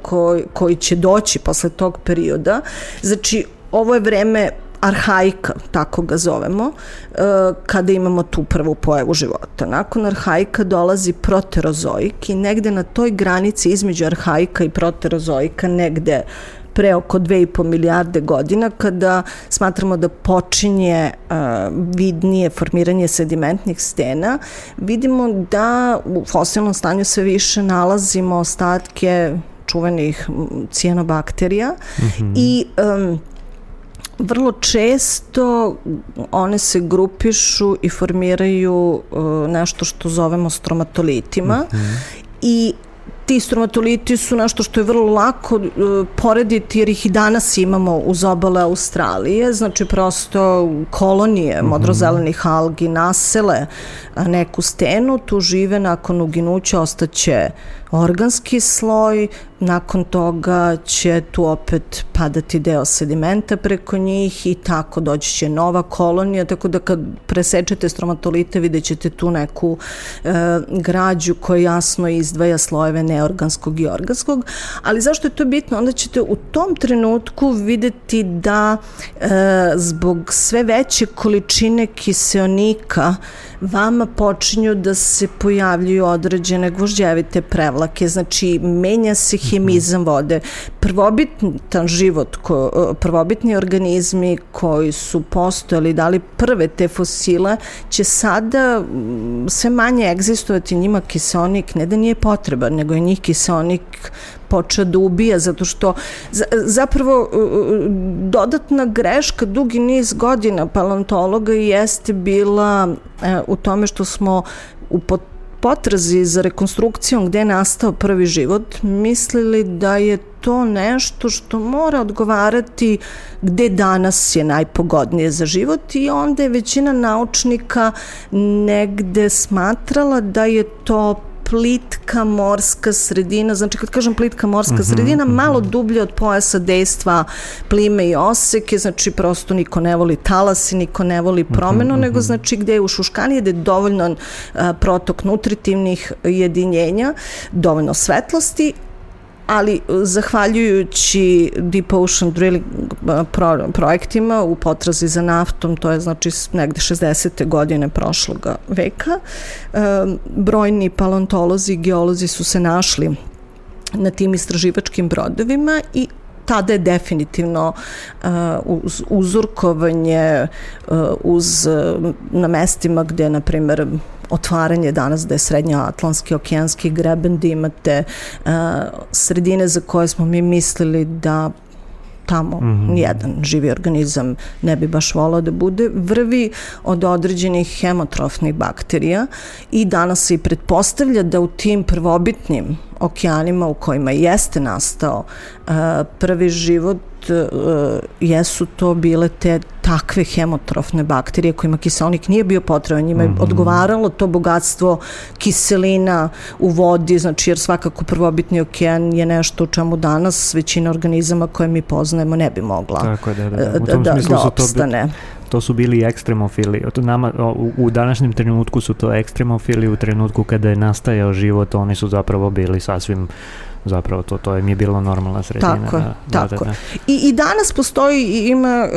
koji će doći posle tog perioda. Znači, ovo je vreme arhaika, tako ga zovemo, kada imamo tu prvu pojavu života. Nakon arhaika dolazi proterozoik i negde na toj granici između arhaika i proterozoika, negde pre oko 2,5 milijarde godina, kada smatramo da počinje vidnije formiranje sedimentnih stena, vidimo da u fosilnom stanju sve više nalazimo ostatke čuvenih cijanobakterija i vrlo često one se grupišu i formiraju nešto što zovemo stromatolitima i ti stromatoliti su nešto što je vrlo lako porediti jer ih i danas imamo uz obale Australije, znači prosto kolonije modrozelenih algi nasele neku stenu, tu žive, nakon uginuća ostaće organski sloj, nakon toga će tu opet padati deo sedimenta preko njih i tako doći će nova kolonija, tako da kad presečete stromatolite vidjet ćete tu neku građu koja jasno izdvaja slojeve neorganskog i organskog, ali zašto je to bitno? Onda ćete u tom trenutku videti da zbog sve veće količine kiseonika vama počinju da se pojavljuju određene gvožđevite prevlake, znači menja se hemizam vode. Prvobitan život, prvobitni organizmi koji su postojali, dali prve te fosile, će sada sve manje egzistovati, njima kiseonik ne da nije potreban, nego je njih kiseonik počeo da ubija, zato što zapravo dodatna greška dugi niz godina paleontologa jeste bila u tome što smo u potrazi za rekonstrukcijom gde je nastao prvi život mislili da je to nešto što mora odgovarati gde danas je najpogodnije za život i onda je većina naučnika negde smatrala da je to plitka morska sredina, znači kad kažem plitka morska sredina, malo dublje od pojasa dejstva plime i oseke, znači prosto niko ne voli talas i niko ne voli promenu, nego znači gde je ušuškanije, gde je dovoljno protok nutritivnih jedinjenja, dovoljno svetlosti, ali zahvaljujući Deep Ocean Drilling projektima u potrazi za naftom, to je znači negde 60. godine prošloga veka, brojni paleontolozi i geolozi su se našli na tim istraživačkim brodovima i tada je definitivno uz uzorkovanje na mestima gde, na primer, otvaranje danas da je srednjoatlantski okeanski greben, da imate sredine za koje smo mi mislili da tamo nijedan živi organizam ne bi baš volao da bude, vrvi od određenih hemotrofnih bakterija i danas se i pretpostavlja da u tim prvobitnim okeanima u kojima jeste nastao prvi život jesu to bile te takve hemotrofne bakterije kojima kiseonik nije bio potreban, njima je odgovaralo to bogatstvo kiselina u vodi, znači jer svakako prvobitni okean je nešto u čemu danas većina organizama koje mi poznajemo ne bi mogla da opstane. To su bili ekstremofili. U današnjem trenutku su to ekstremofili, u trenutku kada je nastajao život oni su zapravo bili sasvim zapravo to im je bilo normalna sredina. Tako. I danas postoji, ima,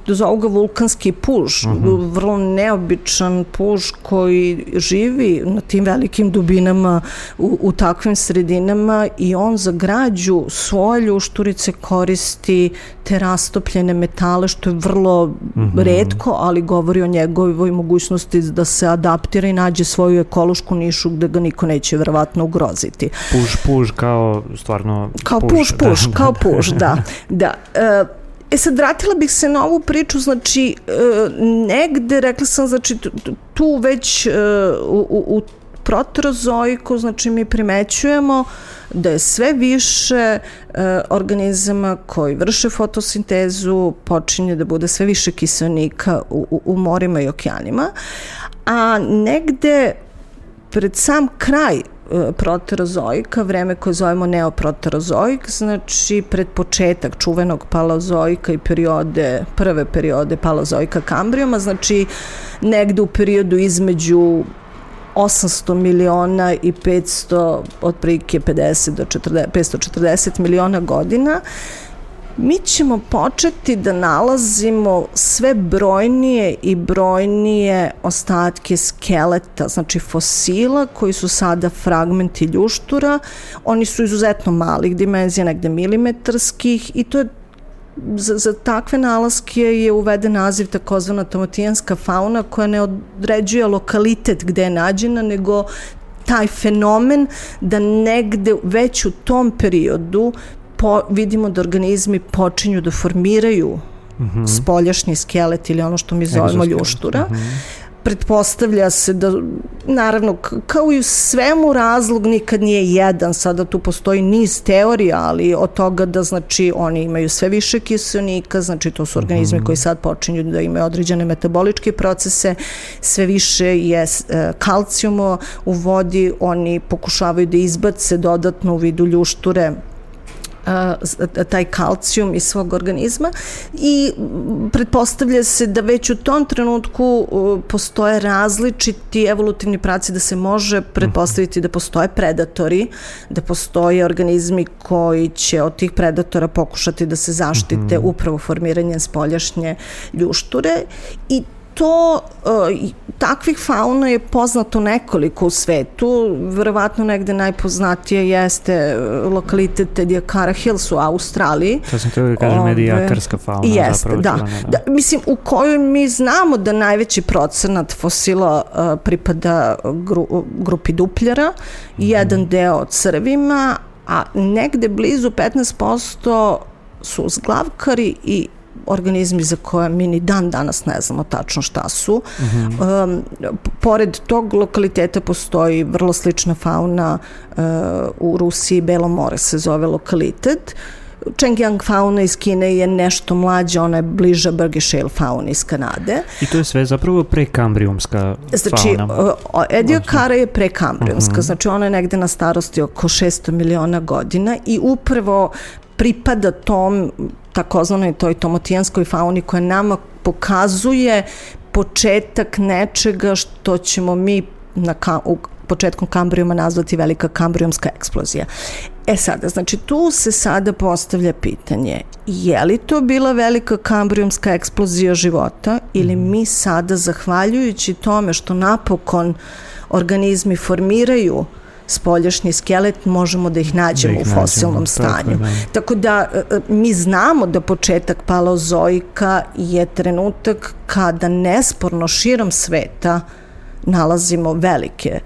zovu ga vulkanski puž, vrlo neobičan puž koji živi na tim velikim dubinama u takvim sredinama i on za građu svoje ljušturice koristi te rastopljene metale, što je vrlo retko, ali govori o njegovoj mogućnosti da se adaptira i nađe svoju ekološku nišu gde ga niko neće verovatno ugroziti. Puž kao stvarno kao puž, da. Sad vratila bih se na ovu priču, znači negde, rekla sam, znači tu već u proterozoiku, znači mi primećujemo da je sve više organizama koji vrše fotosintezu, počinje da bude sve više kiseonika u morima i okeanima, a negde pred sam kraj proterozoika, vreme koje zovemo neoproterozoik, znači pred početak čuvenog paleozoika i prve periode paleozoika Kambrijuma, znači negde u periodu između 800 miliona i 500, otprilike 50 do 540 miliona godina, mi ćemo početi da nalazimo sve brojnije i brojnije ostatke skeleta, znači fosila koji su sada fragmenti ljuštura. Oni su izuzetno malih dimenzija, negde milimetarskih, i to je za takve nalaske je uveden naziv takozvana tomotijanska fauna, koja ne određuje lokalitet gde je nađena, nego taj fenomen da negde već u tom periodu vidimo da organizmi počinju da formiraju spoljašnji skelet ili ono što mi zovemo ljuštura. Pretpostavlja se da, naravno, kao i u svemu, razlog nikad nije jedan, sada tu postoji niz teorija, ali od toga da, znači, oni imaju sve više kiseonika, znači to su organizmi koji sad počinju da imaju određene metaboličke procese, sve više je kalcijuma u vodi, oni pokušavaju da izbace dodatno u vidu ljušture taj kalcijum iz svog organizma i pretpostavlja se da već u tom trenutku postoje različiti evolutivni pravci, da se može pretpostaviti da postoje predatori, da postoje organizmi koji će od tih predatora pokušati da se zaštite upravo formiranjem spoljašnje ljušture, i to, takvih fauna je poznato nekoliko u svetu, verovatno negde najpoznatije jeste lokalitet Ediacara Hills u Australiji. To sam teo da kažem, ediakarska fauna. Jeste, da. Mislim, u kojoj mi znamo da najveći procenat fosila pripada grupi dupljara, jedan deo crvima, a negde blizu 15% su zglavkari i organizmi za koje mi ni dan danas ne znamo tačno šta su. Pored tog lokaliteta postoji vrlo slična fauna u Rusiji, Belo more se zove lokalitet. Chengjiang fauna iz Kine je nešto mlađa, ona je bliža Burgess-Shale fauni iz Kanade. I to je sve zapravo prekambrijumska fauna. Znači, Ediacara je prekambrijumska, znači ona je negde na starosti oko 600 miliona godina i upravo pripada tom takozvanoj toj tomotijanskoj fauni koja nama pokazuje početak nečega što ćemo mi početkom Kambrijuma nazvati velika kambrijumska eksplozija. Sada, znači tu se sada postavlja pitanje, je li to bila velika kambrijumska eksplozija života ili mi sada, zahvaljujući tome što napokon organizmi formiraju spoljašnji skelet, možemo da ih nađemo u fosilnom stanju. Tako da mi znamo da početak paleozoika je trenutak kada nesporno širom sveta nalazimo velike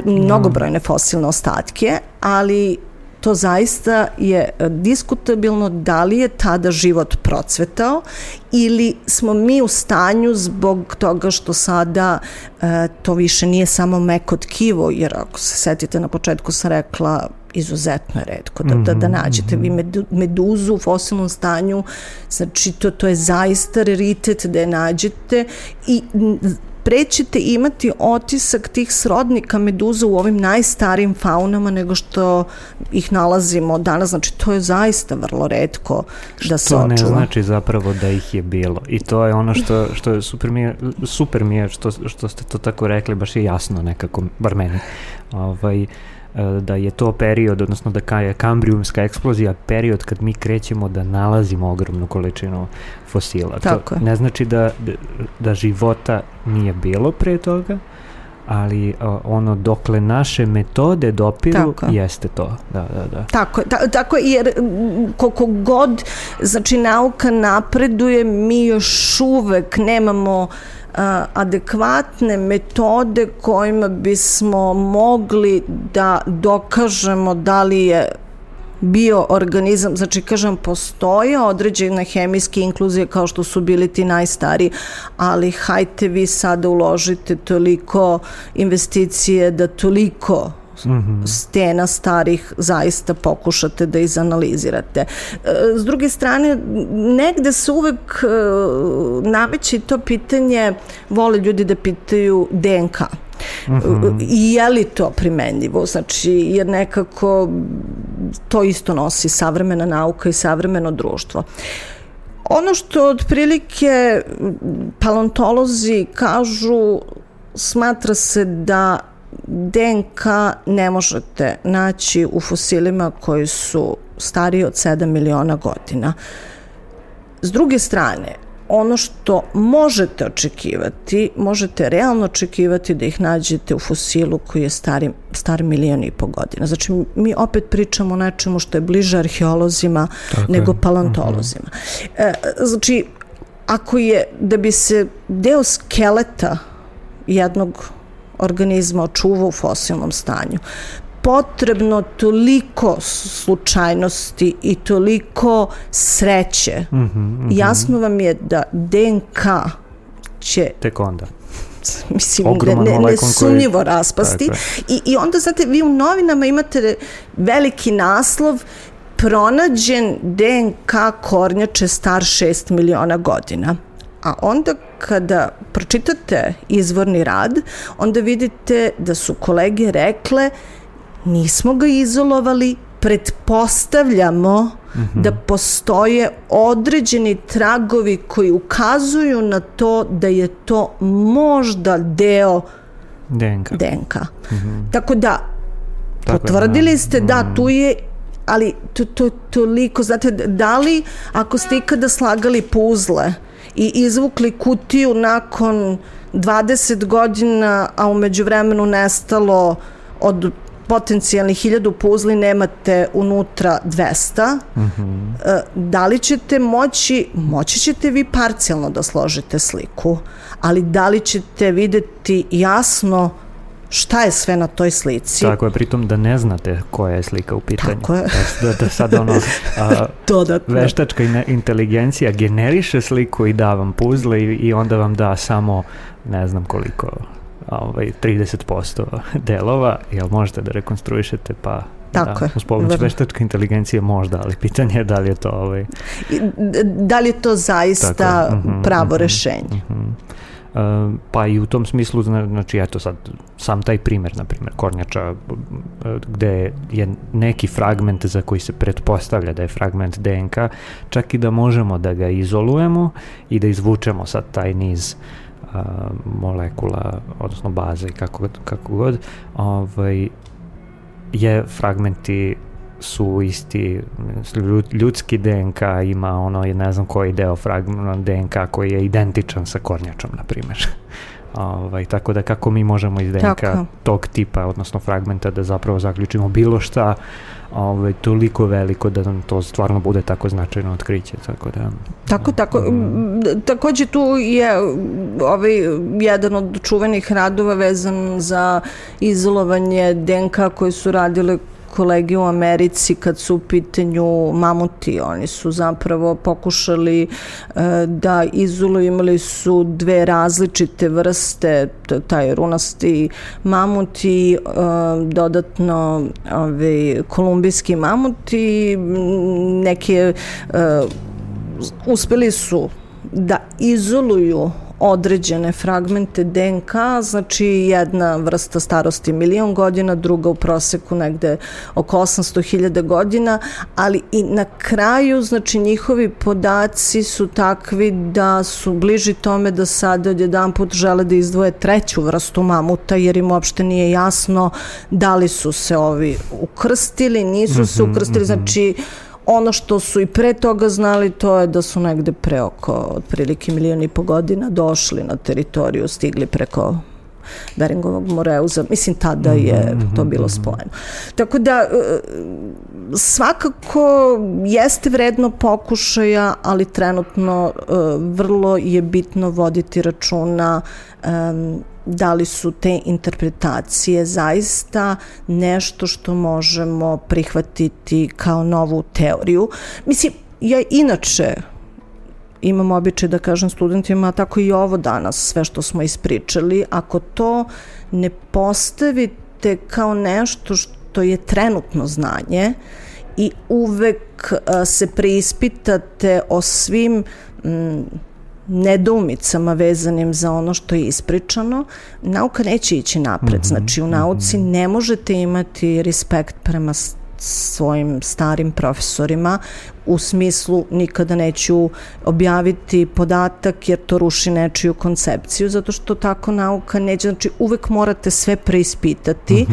mnogobrojne fosilne ostatke, ali to zaista je diskutabilno da li je tada život procvetao ili smo mi u stanju zbog toga što sada to više nije samo meko tkivo, jer ako se setite na početku sam rekla izuzetno je retko da nađete vi meduzu u fosilnom stanju, znači to je zaista raritet da je nađete i prećete imati otisak tih srodnika meduza u ovim najstarijim faunama nego što ih nalazimo danas, znači to je zaista vrlo retko da se očuva. To ne znači zapravo da ih je bilo i to je ono što je super mi je što ste to tako rekli, baš je jasno nekako, bar meni, da je to period, odnosno da je kambrijumska eksplozija period kad mi krećemo da nalazimo ogromnu količinu fosila. Tako to ne znači da života nije bilo pre toga, ali ono dokle naše metode dopiru jeste to. Da. Tako jer koliko god znači nauka napreduje, mi još uvek nemamo adekvatne metode kojima bismo mogli da dokažemo da li je bioorganizam, znači kažem postoje određene hemijske inkluzije kao što su bili ti najstariji, ali hajte vi sada uložite toliko investicije da toliko stena starih zaista pokušate da izanalizirate. S druge strane, negde se uvek nameće to pitanje, vole ljudi da pitaju DNK. I je li to primenljivo? Znači, jer nekako to isto nosi savremena nauka i savremeno društvo. Ono što otprilike paleontolozi kažu, smatra se da DNK ne možete naći u fosilima koji su stariji od 7 miliona godina. S druge strane, ono što možete očekivati, možete realno očekivati da ih nađete u fosilu koji je star 1,5 miliona godina. Znači, mi opet pričamo o nečemu što je bliže arheolozima nego paleontolozima. Znači, ako je, da bi se deo skeleta jednog organizma očuva u fosilnom stanju, potrebno toliko slučajnosti i toliko sreće. Jasno vam je da DNK će tek onda nesumnjivo raspasti i onda znate, vi u novinama imate veliki naslov: pronađen DNK kornjače star 6 miliona godina. A onda kada pročitate izvorni rad, onda vidite da su kolege rekle: nismo ga izolovali, pretpostavljamo da postoje određeni tragovi koji ukazuju na to da je to možda deo DNK. Tako da, potvrdili ste da tu je, ali to toliko, znate, da li ako ste ikada slagali puzle i izvukli kutiju nakon 20 godina, a u međuvremenu nestalo od potencijalnih 1000 puzli, nemate unutra 200, da li ćete moći ćete vi parcijalno da složite sliku, ali da li ćete videti jasno šta je sve na toj slici? Tako je, pritom da ne znate koja je slika u pitanju. Tako je. Da sad veštačka inteligencija generiše sliku i da vam puzle i onda vam da samo ne znam koliko 30% delova, jel možete da rekonstruišete, pa uz pomoć veštačke inteligencije možda, ali pitanje je da li je to da li je to zaista pravo rešenje. Pa i u tom smislu, znači eto sad, sam taj primer, na primjer, kornjača, gde je neki fragment za koji se pretpostavlja da je fragment DNK, čak i da možemo da ga izolujemo i da izvučemo sad taj niz molekula, odnosno baze i kako god, je fragmenti su isti, ljudski DNK ima ne znam koji deo fragmenta DNK koji je identičan sa kornjačom, na primjer. Tako da kako mi možemo iz DNK tog tipa, odnosno fragmenta, da zapravo zaključimo bilo šta toliko veliko da nam to stvarno bude tako značajno otkriće. Tako. Takođe tu je jedan od čuvenih radova vezan za izolovanje DNK koje su radile kolege u Americi kad su u pitanju mamuti. Oni su zapravo pokušali da izoluju, imali su dve različite vrste, taj runasti mamut i dodatno kolumbijski mamut i neke uspeli su da izoluju određene fragmente DNK, znači jedna vrsta starosti 1.000.000 godina, druga u proseku negde oko 800.000 godina, ali i na kraju, znači njihovi podaci su takvi da su bliži tome da sada odjedanput žele da izdvoje treću vrstu mamuta, jer im uopšte nije jasno da li su se ovi ukrstili, nisu se ukrstili, znači ono što su i pre toga znali, to je da su negde pre oko otprilike 1.500.000 godina došli na teritoriju, stigli preko Beringovog moreuza. Mislim, tada je to bilo spojeno. Tako da, svakako jeste vredno pokušaja, ali trenutno vrlo je bitno voditi računa da li su te interpretacije zaista nešto što možemo prihvatiti kao novu teoriju. Mislim, ja inače imam običaj da kažem studentima, tako i ovo danas, sve što smo ispričali, ako to ne postavite kao nešto što je trenutno znanje i uvek se preispitate o svim nedoumicama vezanim za ono što je ispričano, nauka neće ići napred. Znači, u nauci ne možete imati respekt prema svojim starim profesorima, u smislu nikada neću objaviti podatak jer to ruši nečiju koncepciju, zato što tako nauka neće, znači uvek morate sve preispitati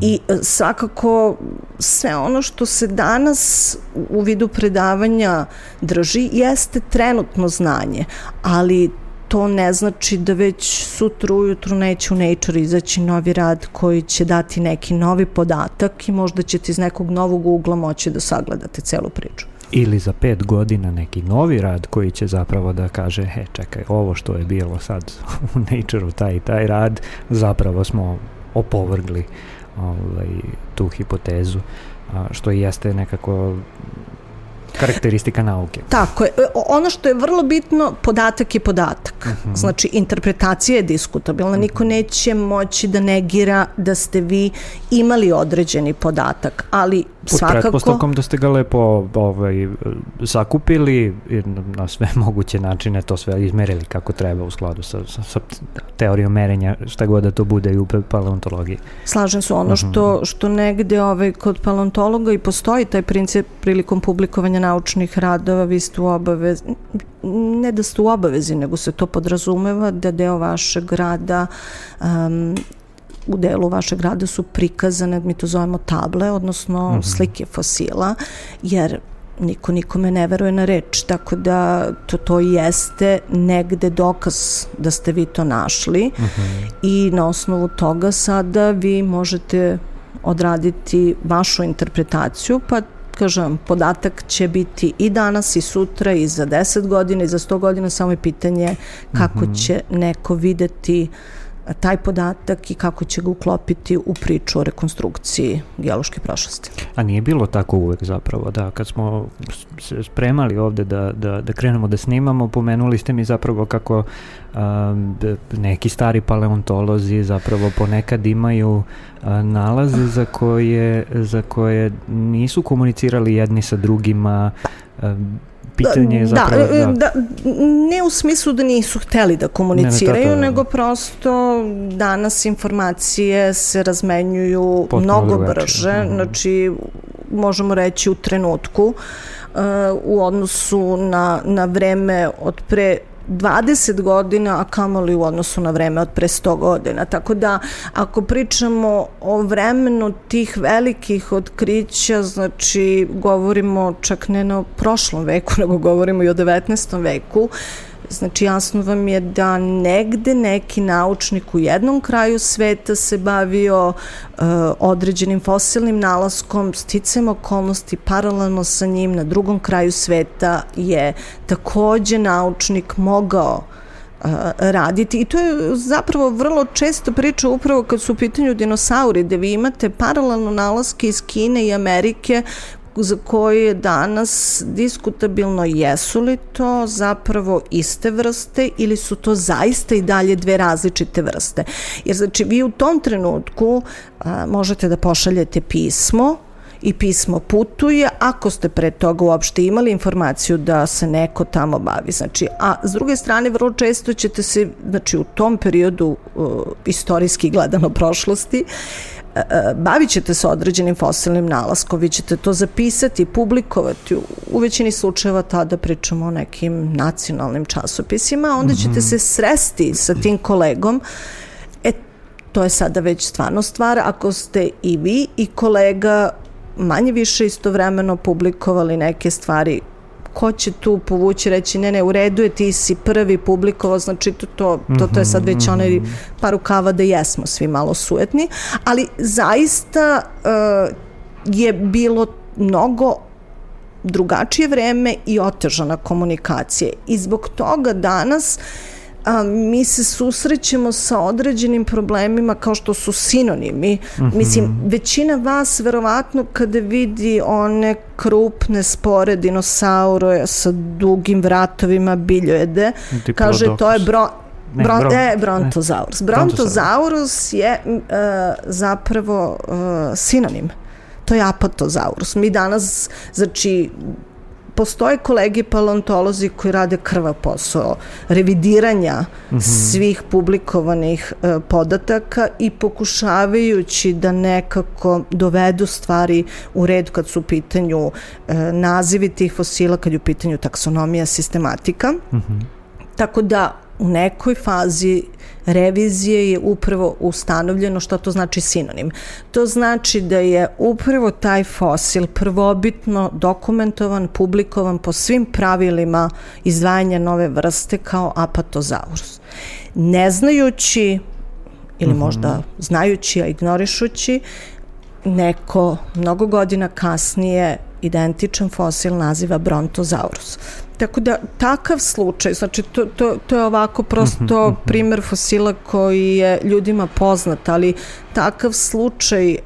i svakako sve ono što se danas u vidu predavanja drži jeste trenutno znanje, ali to ne znači da već sutra ujutru neće u Nature izaći novi rad koji će dati neki novi podatak i možda ćete iz nekog novog ugla moći da sagledate celu priču. Ili za 5 godina neki novi rad koji će zapravo da kaže, čekaj, ovo što je bilo sad u Nature-u, taj rad, zapravo smo opovrgli tu hipotezu, što i jeste nekako karakteristika nauke. Tako je. Ono što je vrlo bitno, podatak je podatak. Znači, interpretacija je diskutabilna. Niko neće moći da negira da ste vi imali određeni podatak, ali svakako... Pod pretpostavkom da ste ga lepo sakupili na sve moguće načine, to sve izmerili kako treba u skladu sa teorijom merenja, šta god da to bude i u paleontologiji. Slažem se, ono što negde kod paleontologa i postoji taj princip prilikom publikovanja naučnih radova, vi ste u obavezi, ne da ste u obavezi, nego se to podrazumeva da deo vašeg rada u delu vašeg rada su prikazane, mi to zovemo table, odnosno slike fosila, jer niko nikome ne veruje na reč, tako da to jeste negde dokaz da ste vi to našli i na osnovu toga sada vi možete odraditi vašu interpretaciju, pa kažem, podatak će biti i danas i sutra i za 10 godina i za 100 godina, samo je pitanje kako će neko videti taj podatak i kako će ga uklopiti u priču o rekonstrukciji geološke prošlosti. A nije bilo tako uvek zapravo, da, kad smo se spremali ovde da krenemo da snimamo, pomenuli ste mi zapravo kako neki stari paleontolozi zapravo ponekad imaju nalaze za koje nisu komunicirali jedni sa drugima. Pitanje je zapravo... Ne u smislu da nisu hteli da komuniciraju, nego prosto danas informacije se razmenjuju mnogo brže, znači možemo reći u trenutku, u odnosu na vreme od pre 20 godina, a kamoli u odnosu na vreme od pre 100 godina. Tako da, ako pričamo o vremenu tih velikih otkrića, znači govorimo čak ne na prošlom veku, nego govorimo i o 19. veku, Znači, jasno vam je da negde neki naučnik u jednom kraju sveta se bavio određenim fosilnim nalaskom, sticajem okolnosti, paralelno sa njim na drugom kraju sveta je takođe naučnik mogao raditi. I to je zapravo vrlo često priča upravo kad su u pitanju dinosauri, da vi imate paralelno nalaske iz Kine i Amerike za koje je danas diskutabilno jesu li to zapravo iste vrste ili su to zaista i dalje dve različite vrste. Jer znači vi u tom trenutku možete da pošaljete pismo i pismo putuje ako ste pre toga uopšte imali informaciju da se neko tamo bavi. Znači, a s druge strane vrlo često ćete se, znači u tom periodu istorijski gledano prošlosti, bavit ćete se određenim fosilnim nalaskom, vi ćete to zapisati, publikovati, u većini slučajeva tada pričamo o nekim nacionalnim časopisima, onda ćete se sresti sa tim kolegom, to je sada već stvarno stvar, ako ste i vi i kolega manje više istovremeno publikovali neke stvari, ko će tu povući, reći ne, u redu je, ti si prvi publikovao, znači to je sad već onaj par rukava da jesmo svi malo sujetni, ali zaista je bilo mnogo drugačije vreme i otežana komunikacija i zbog toga danas mi se susrećemo sa određenim problemima kao što su sinonimi. Mislim, većina vas verovatno kada vidi one krupne spore dinosaure sa dugim vratovima biljojede, kaže to je Brontosaurus. Brontosaurus je zapravo sinonim. To je Apatosaurus. Mi danas, znači, postoje kolege paleontolozi koji rade krvav posao revidiranja svih publikovanih podataka i pokušavajući da nekako dovedu stvari u red kad su u pitanju nazivi tih fosila, kad je u pitanju taksonomija, sistematika. Tako da u nekoj fazi revizije je upravo ustanovljeno šta to znači sinonim. To znači da je upravo taj fosil prvobitno dokumentovan, publikovan po svim pravilima izdvajanja nove vrste kao Apatosaurus. Ne znajući, ili možda znajući, a ignorišući, neko mnogo godina kasnije identičan fosil naziva Brontosaurus. Tako da, takav slučaj, znači to je ovako prosto primer fosila koji je ljudima poznat, ali takav slučaj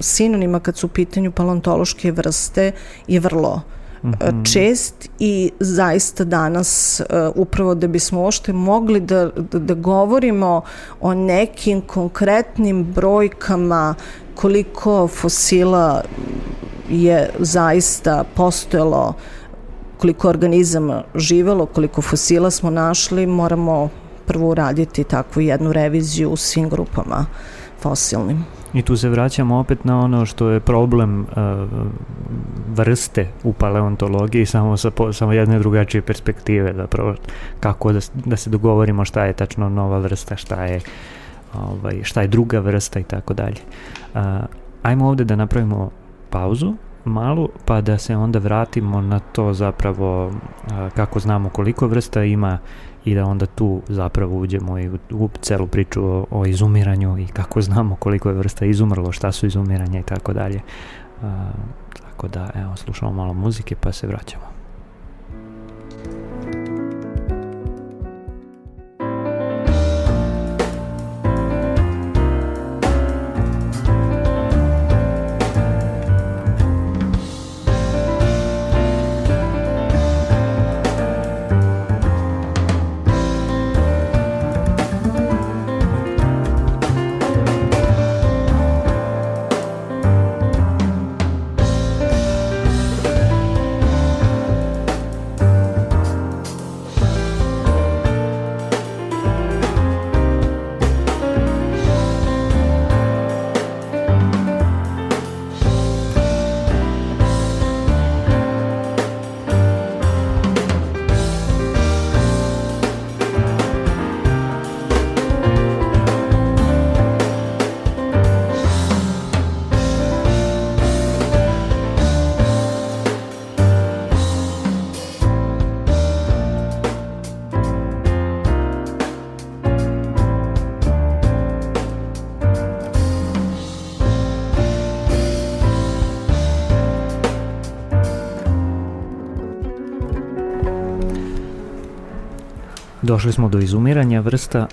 sinonima kad su u pitanju paleontološke vrste je vrlo čest i zaista danas upravo da bismo uopšte mogli da govorimo o nekim konkretnim brojkama koliko fosila je zaista postojalo, koliko organizama živelo, koliko fosila smo našli, moramo prvo uraditi takvu jednu reviziju u svim grupama fosilnim. I tu se vraćamo opet na ono što je problem vrste u paleontologiji, samo jedne drugačije perspektive, zapravo kako da se dogovorimo šta je tačno nova vrsta, šta je druga vrsta i tako dalje. Ajmo ovde da napravimo pauzu malu, pa da se onda vratimo na to zapravo kako znamo koliko vrsta ima i da onda tu zapravo uđemo i u celu priču o izumiranju i kako znamo koliko je vrsta izumrlo, šta su izumiranja i tako dalje. Tako da, evo, slušamo malo muzike pa se vraćamo. Došli smo do izumiranja vrsta,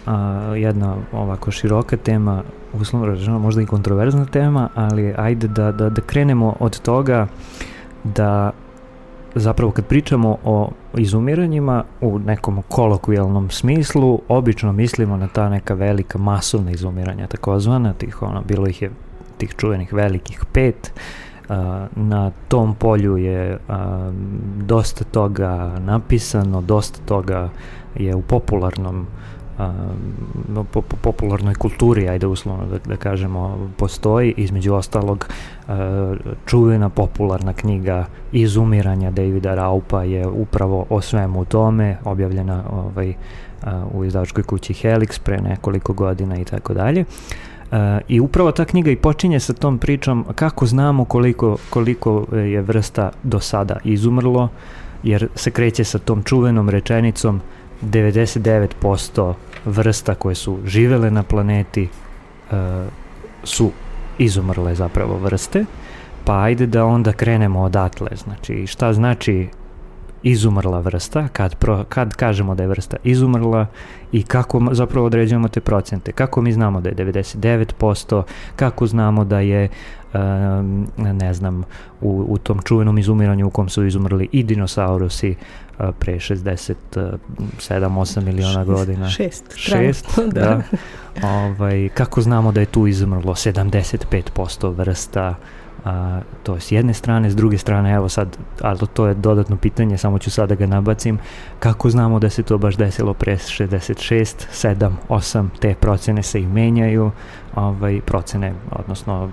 jedna ovako široka tema, uslovno rečeno možda i kontroverzna tema, ali ajde da krenemo od toga da zapravo kad pričamo o izumiranjima u nekom kolokvijalnom smislu, obično mislimo na ta neka velika masovna izumiranja, takozvana, bilo ih je tih čuvenih velikih 5. Na tom polju je dosta toga napisano, dosta toga je u popularnoj kulturi, ajde uslovno da kažemo, postoji. Između ostalog, čuvena popularna knjiga Izumiranja Davida Raupa je upravo o svemu tome, objavljena u izdavačkoj kući Helix pre nekoliko godina i tako dalje. I upravo ta knjiga i počinje sa tom pričom kako znamo koliko je vrsta do sada izumrlo, jer se kreće sa tom čuvenom rečenicom 99% vrsta koje su živele na planeti su izumrle zapravo vrste, pa ajde da onda krenemo odatle. Znači, šta znači izumrla vrsta, kad kažemo da je vrsta izumrla i kako zapravo određujemo te procente, kako mi znamo da je 99%, kako znamo da je ne znam, u tom čuvenom izumiranju u kom su izumrli i dinosaurusi pre 67-8 miliona godina. 6, da. Kako znamo da je tu izumrlo 75% vrsta, to je s jedne strane, s druge strane, evo sad, ali to je dodatno pitanje, samo ću sada ga nabacim, kako znamo da se to baš desilo pre 66, 7, 8, te procene se i menjaju, procene, odnosno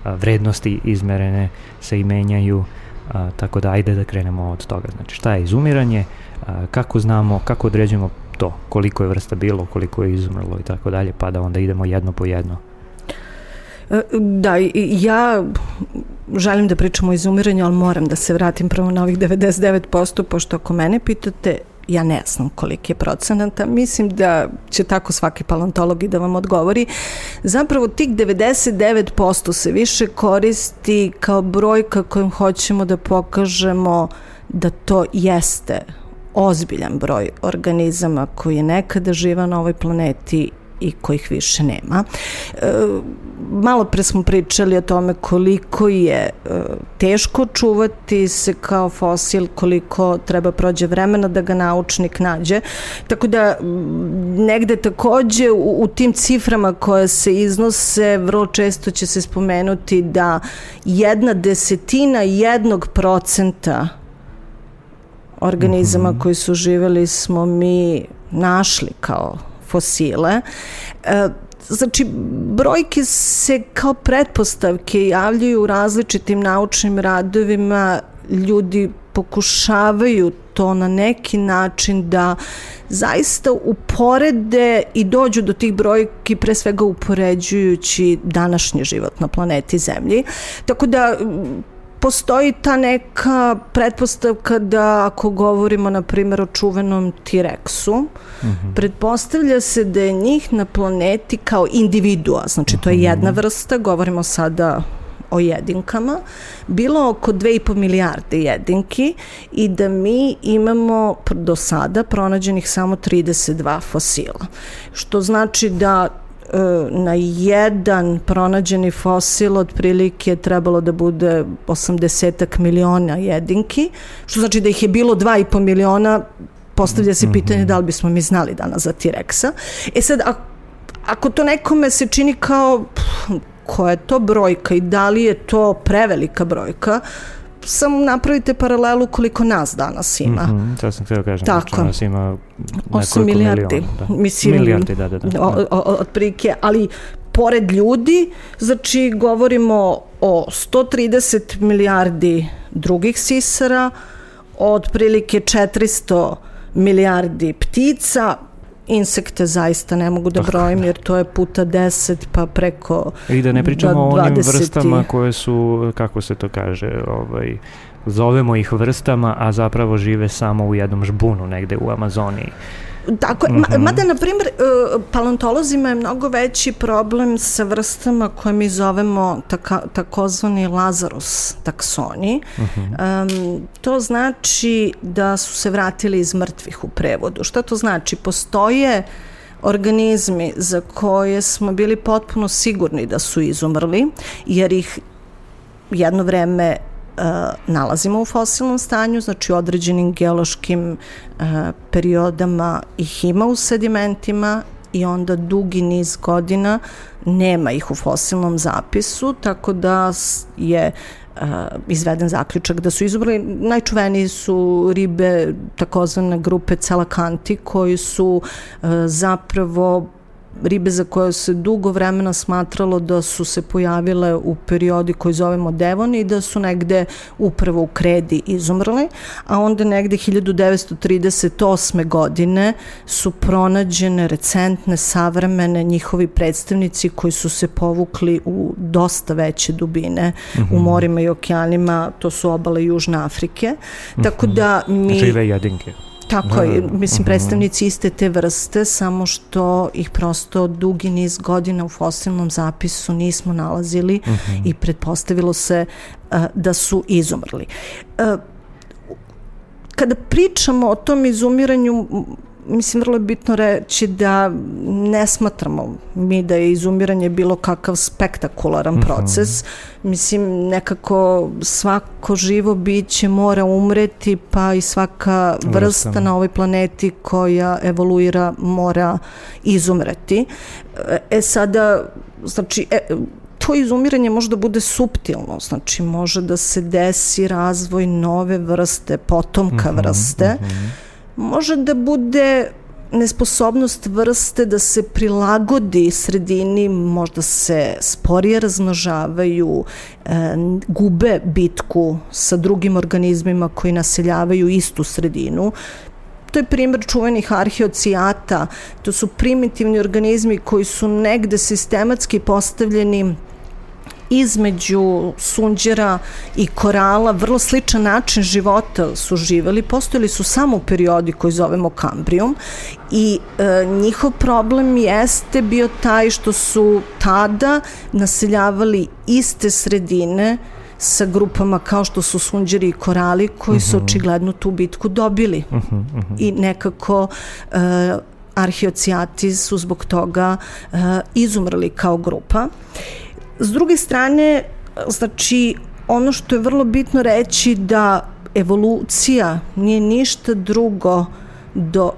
vrednosti izmerene se i menjaju, tako da ajde da krenemo od toga. Znači, šta je izumiranje, kako znamo, kako određujemo to, koliko je vrsta bilo, koliko je izumrlo i tako dalje, pa da onda idemo jedno po jedno. Da, ja želim da pričam o izumiranju, ali moram da se vratim prvo na ovih 99%, pošto ako mene pitate, ja ne znam koliki je procenata, mislim da će tako svaki paleontolog i da vam odgovori. Zapravo tih 99% se više koristi kao brojka kojom hoćemo da pokažemo da to jeste ozbiljan broj organizama koji je nekada živao na ovoj planeti i kojih više nema. Malo pre smo pričali o tome koliko je teško čuvati se kao fosil, koliko treba prođe vremena da ga naučnik nađe. Tako da negde takođe u tim ciframa koje se iznose vrlo često će se spomenuti da 1/10 organizama koji su živeli smo mi našli kao fosile. Znači, brojke se kao pretpostavke javljaju u različitim naučnim radovima, ljudi pokušavaju to na neki način da zaista uporede i dođu do tih brojki, pre svega upoređujući današnji život na planeti Zemlji. Tako da postoji ta neka pretpostavka da ako govorimo na primjer o čuvenom T-Rexu, pretpostavlja se da je njih na planeti kao individua, znači to je jedna vrsta, govorimo sada o jedinkama, bilo oko 2,5 milijarde jedinki i da mi imamo do sada pronađenih samo 32 fosila. Što znači da na jedan pronađeni fosil otprilike trebalo da bude 80 miliona jedinki, što znači da ih je bilo 2,5 miliona, postavlja se pitanje da li bismo mi znali danas za T-Rexa. Sad, ako to nekome se čini kao koja je to brojka i da li je to prevelika brojka, samo napravite paralelu koliko nas danas ima. To sam htio kažem. Tako. Nas ima 8 milijardi. Milijardi, da. Otprilike, ali pored ljudi, znači govorimo o 130 milijardi drugih sisara, otprilike 400 milijardi ptica, insekte zaista ne mogu da brojim jer to je puta 10 pa preko 20. I da ne pričamo o onim vrstama koje su, kako se to kaže, zovemo ih vrstama, a zapravo žive samo u jednom žbunu negde u Amazoniji. Tako, mada, na primjer, paleontolozima je mnogo veći problem sa vrstama koje mi zovemo takozvani Lazarus taksoni. To znači da su se vratili iz mrtvih u prevodu. Šta to znači? Postoje organizmi za koje smo bili potpuno sigurni da su izumrli, jer ih jedno vreme nalazimo u fosilnom stanju, znači u određenim geološkim periodama ih ima u sedimentima i onda dugi niz godina nema ih u fosilnom zapisu, tako da je izveden zaključak da su izumrli. Najčuveniji su ribe takozvane grupe celakanti, koji su zapravo ribe za koje se dugo vremena smatralo da su se pojavile u periodi koji zovemo Devon i da su negde upravo u kredi izumrli, a onda negde 1938. godine su pronađene recentne, savremene njihovi predstavnici koji su se povukli u dosta veće dubine u morima i okeanima, to su obale Južne Afrike. Tako da mi... Žive jedinke. Tako je, mislim, predstavnici iste te vrste, samo što ih prosto dugi niz godina u fosilnom zapisu nismo nalazili i pretpostavilo se da su izumrli. Kada pričamo o tom izumiranju, mislim, vrlo je bitno reći da ne smatramo mi da je izumiranje bilo kakav spektakularan proces. Mislim, nekako svako živo biće mora umreti, pa i svaka vrsta na ovoj planeti koja evoluira mora izumreti. Sada, znači, to izumiranje može da bude suptilno, znači može da se desi razvoj nove vrste, potomka vrste, može da bude nesposobnost vrste da se prilagodi sredini, možda se sporije razmnožavaju, gube bitku sa drugim organizmima koji naseljavaju istu sredinu. To je primjer čuvenih arheocijata, to su primitivni organizmi koji su negde sistematski postavljeni između sunđera i korala, vrlo sličan način života su živeli, postojali su samo u periodi koji zovemo Kambrijum i njihov problem jeste bio taj što su tada naseljavali iste sredine sa grupama kao što su sunđeri i korali koji su očigledno tu bitku dobili i nekako arheocijati su zbog toga izumrli kao grupa. S druge strane, znači, ono što je vrlo bitno reći da evolucija nije ništa drugo do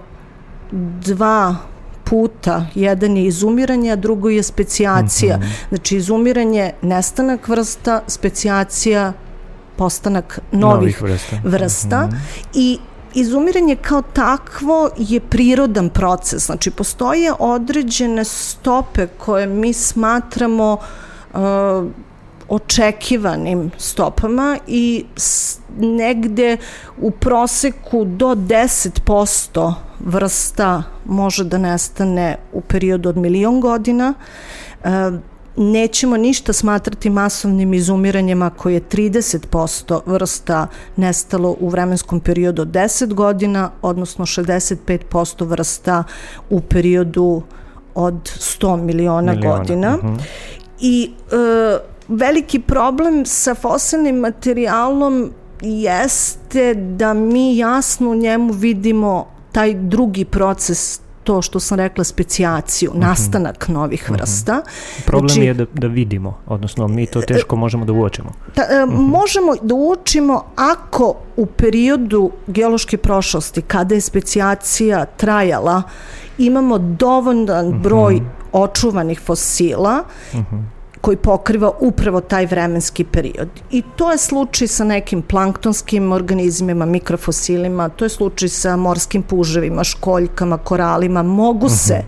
dva puta. Jedan je izumiranje, a drugo je specijacija. Znači, izumiranje, nestanak vrsta, specijacija, postanak novih vrsta. I izumiranje kao takvo je prirodan proces. Znači, postoje određene stope koje mi smatramo očekivanim stopama i negde u proseku do 10% vrsta može da nestane u periodu od 1.000.000 godina. Nećemo ništa smatrati masovnim izumiranjem ako je 30% vrsta nestalo u vremenskom periodu od 10 godina, odnosno 65% vrsta u periodu od 100 miliona godina. I veliki problem sa fosilnim materijalom jeste da mi jasno u njemu vidimo taj drugi proces, to što sam rekla, specijaciju, nastanak novih vrsta. Problem znači, je da vidimo, odnosno mi to teško možemo da uočimo. Možemo da uočimo ako u periodu geološke prošlosti, kada je specijacija trajala, imamo dovoljan broj očuvanih fosila koji pokriva upravo taj vremenski period. I to je slučaj sa nekim planktonskim organizmima, mikrofosilima, to je slučaj sa morskim puževima, školjkama, koralima, mogu se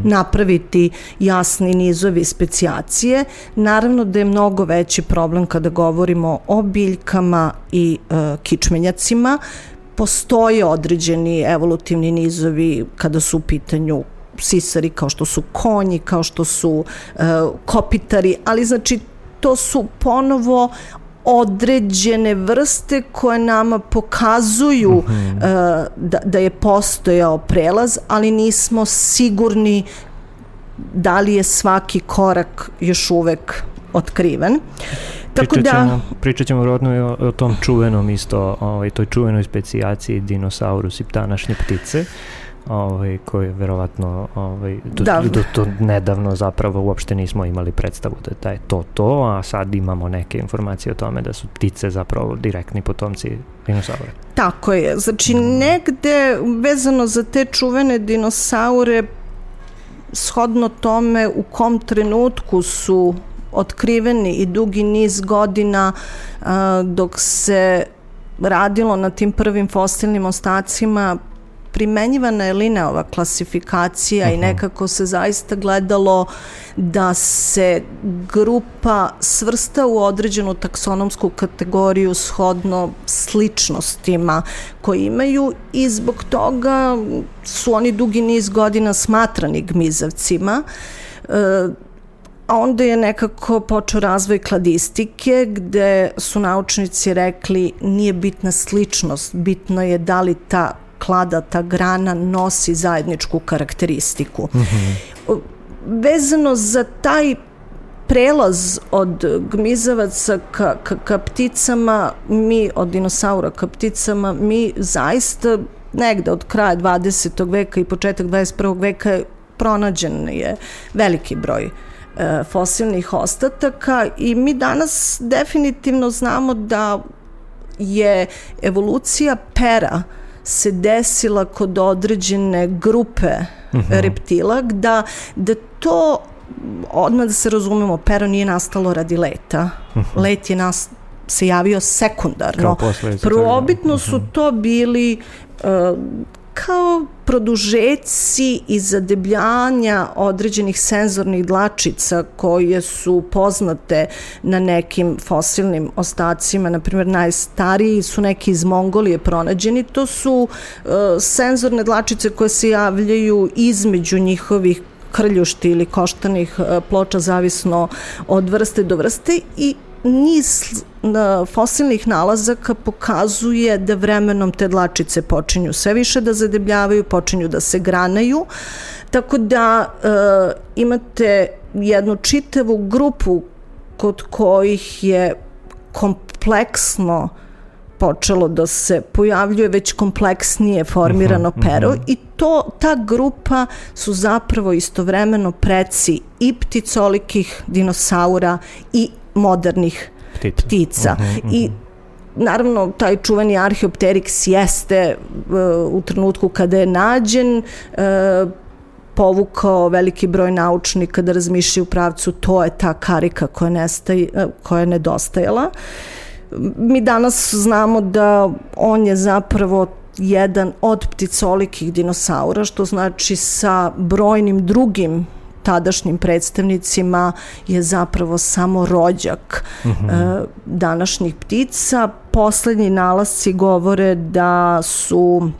napraviti jasni nizovi specijacije. Naravno da je mnogo veći problem kada govorimo o biljkama i kičmenjacima. Postoje određeni evolutivni nizovi kada su u pitanju sisari, kao što su konji, kao što su kopitari, ali znači to su ponovo određene vrste koje nama pokazuju da je postojao prelaz, ali nismo sigurni da li je svaki korak još uvek otkriven. Pričat ćemo vjerojatno o tom čuvenom isto, toj čuvenoj specijaciji Dinosaurus i današnje ptice, koje verovatno do nedavno zapravo uopšte nismo imali predstavu da je to, a sad imamo neke informacije o tome da su ptice zapravo direktni potomci dinosaura. Tako je, znači negde vezano za te čuvene dinosaure, shodno tome u kom trenutku su otkriveni i dugi niz godina dok se radilo na tim prvim fosilnim ostacima, primenjivana je linearna klasifikacija i nekako se zaista gledalo da se grupa svrsta u određenu taksonomsku kategoriju shodno sličnostima koje imaju i zbog toga su oni dugi niz godina smatrani gmizavcima. A onda je nekako počeo razvoj kladistike gde su naučnici rekli nije bitna sličnost, bitno je da li ta klada, ta grana nosi zajedničku karakteristiku. Vezano za taj prelaz od gmizavaca ka pticama, od dinosaura ka pticama, mi zaista negde od kraja 20. veka i početak 21. veka pronađen je veliki broj fosilnih ostataka i mi danas definitivno znamo da je evolucija pera se desila kod određene grupe reptila, da to, odmah da se razumemo, pero nije nastalo radi leta. Let je se javio sekundarno. Prvobitno su to bili kao produžeci i zadebljanja određenih senzornih dlačica koje su poznate na nekim fosilnim ostacima, na primjer najstariji su neki iz Mongolije pronađeni, to su senzorne dlačice koje se javljaju između njihovih krljušti ili koštanih ploča, zavisno od vrste do vrste, i niz fosilnih nalazaka pokazuje da vremenom te dlačice počinju sve više da zadebljavaju, počinju da se granaju, tako da imate jednu čitavu grupu kod kojih je kompleksno počelo da se pojavljuje već kompleksnije formirano pero i ta grupa su zapravo istovremeno preci i pticolikih dinosaura i modernih ptica. I naravno taj čuveni Archaeopteryx jeste u trenutku kada je nađen povukao veliki broj naučnika da razmišljaju u pravcu, to je ta karika koja je nedostajala. Mi danas znamo da on je zapravo jedan od pticolikih dinosaura, što znači sa brojnim drugim tadašnjim predstavnicima je zapravo samo rođak današnjih ptica. Poslednji nalasci govore da su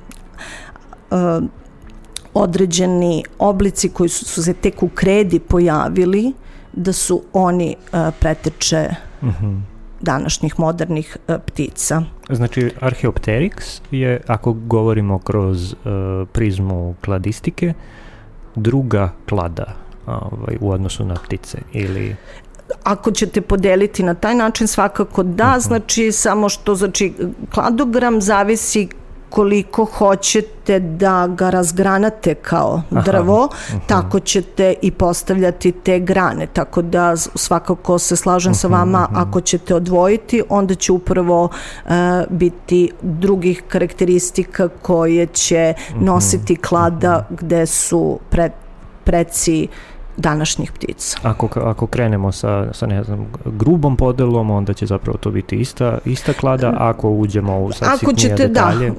određeni oblici koji su se tek u kredi pojavili, da su oni preteče današnjih modernih ptica. Znači, Archaeopteryx je, ako govorimo kroz prizmu kladistike, druga klada u odnosu na ptice, ili... Ako ćete podeliti na taj način, svakako da, znači samo što, znači, kladogram zavisi koliko hoćete da ga razgranate kao drvo, tako ćete i postavljati te grane, tako da svakako se slažem sa vama, ako ćete odvojiti, onda će upravo biti drugih karakteristika koje će nositi klada gde su preci današnjih ptica. Ako krenemo sa ne znam, grubom podelom, onda će zapravo to biti ista klada, ako uđemo u sitnije detalje.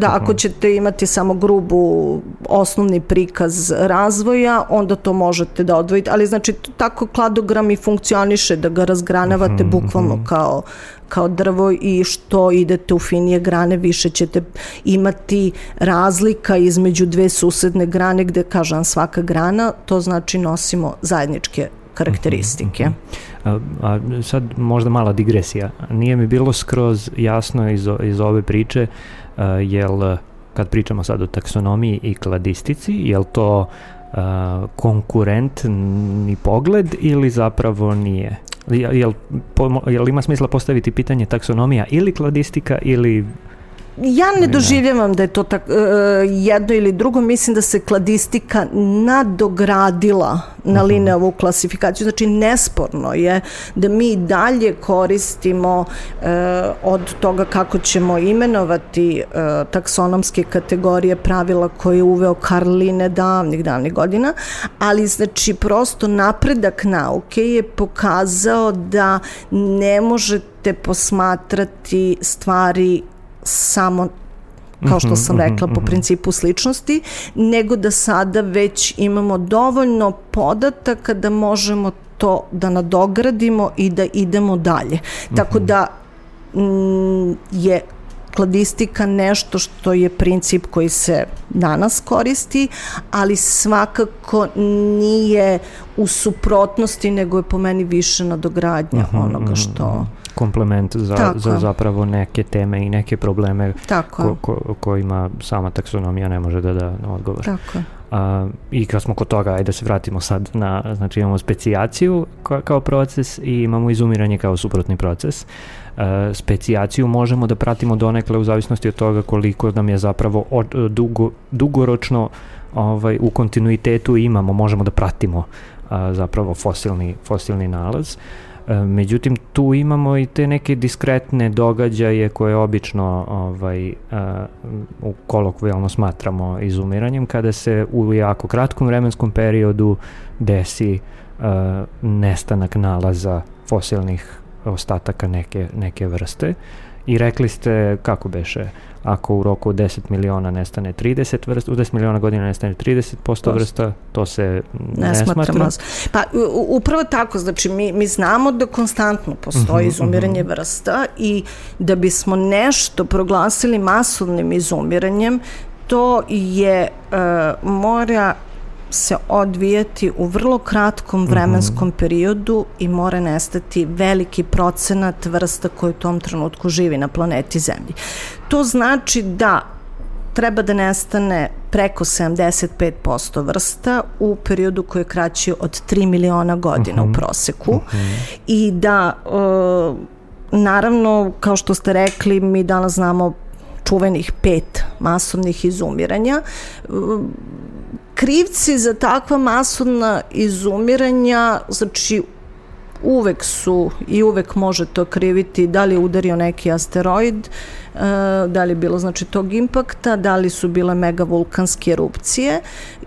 Ako ćete imati samo grubu osnovni prikaz razvoja, onda to možete da odvojite, ali znači tako kladogram i funkcioniše da ga razgranavate bukvalno kao drvo i što idete u finije grane, više ćete imati razlika između dve susedne grane gde, kažem, svaka grana, to znači nosimo zajedničke karakteristike. A sad možda mala digresija. Nije mi bilo skroz jasno iz ove priče, jel kad pričamo sad o taksonomiji i kladistici, jel to konkurentni pogled ili zapravo nije? Jel ima smisla postaviti pitanje taksonomija ili kladistika ili... Ja ne doživljavam da je to jedno ili drugo, mislim da se kladistika nadogradila na Linneovu klasifikaciju, znači nesporno je da mi dalje koristimo od toga kako ćemo imenovati taksonomske kategorije, pravila koje je uveo Karl Linne davnih godina, ali znači prosto napredak nauke je pokazao da ne možete posmatrati stvari samo, kao što sam rekla, po principu sličnosti, nego da sada već imamo dovoljno podataka da možemo to da nadogradimo i da idemo dalje. Tako da je kladistika nešto što je princip koji se danas koristi, ali svakako nije u suprotnosti, nego je po meni više nadogradnja onoga što... komplement za zapravo neke teme i neke probleme kojima sama taksonomija ne može da odgovor. Tako. I kad smo kod toga, ajde da se vratimo sad znači imamo specijaciju kao proces i imamo izumiranje kao suprotni proces. Specijaciju možemo da pratimo donekle u zavisnosti od toga koliko nam je zapravo dugoročno u kontinuitetu možemo da pratimo zapravo fosilni nalaz. Međutim, tu imamo i te neke diskretne događaje koje obično kolokvijalno smatramo izumiranjem, kada se u jako kratkom vremenskom periodu desi nestanak nalaza fosilnih ostataka neke vrste. I rekli ste, kako beše, ako u roku od 10 miliona nestane 30 vrsta, u 10 miliona godina nestane 30% vrsta, to se ne smatra. Pa upravo tako, znači mi znamo da konstantno postoji izumiranje vrsta i da bismo nešto proglasili masovnim izumiranjem, to je mora se odvijati u vrlo kratkom vremenskom periodu i mora nestati veliki procenat vrsta koji u tom trenutku živi na planeti Zemlji. To znači da treba da nestane preko 75% vrsta u periodu koji je kraći od 3 miliona godina u proseku i da naravno, kao što ste rekli, mi danas znamo čuvenih 5 masovnih izumiranja. Krivci za takva masovna izumiranja, znači uvek su i uvek može to kriviti da li je udario neki asteroid, da li je bilo znači tog impakta, da li su bile megavulkanske erupcije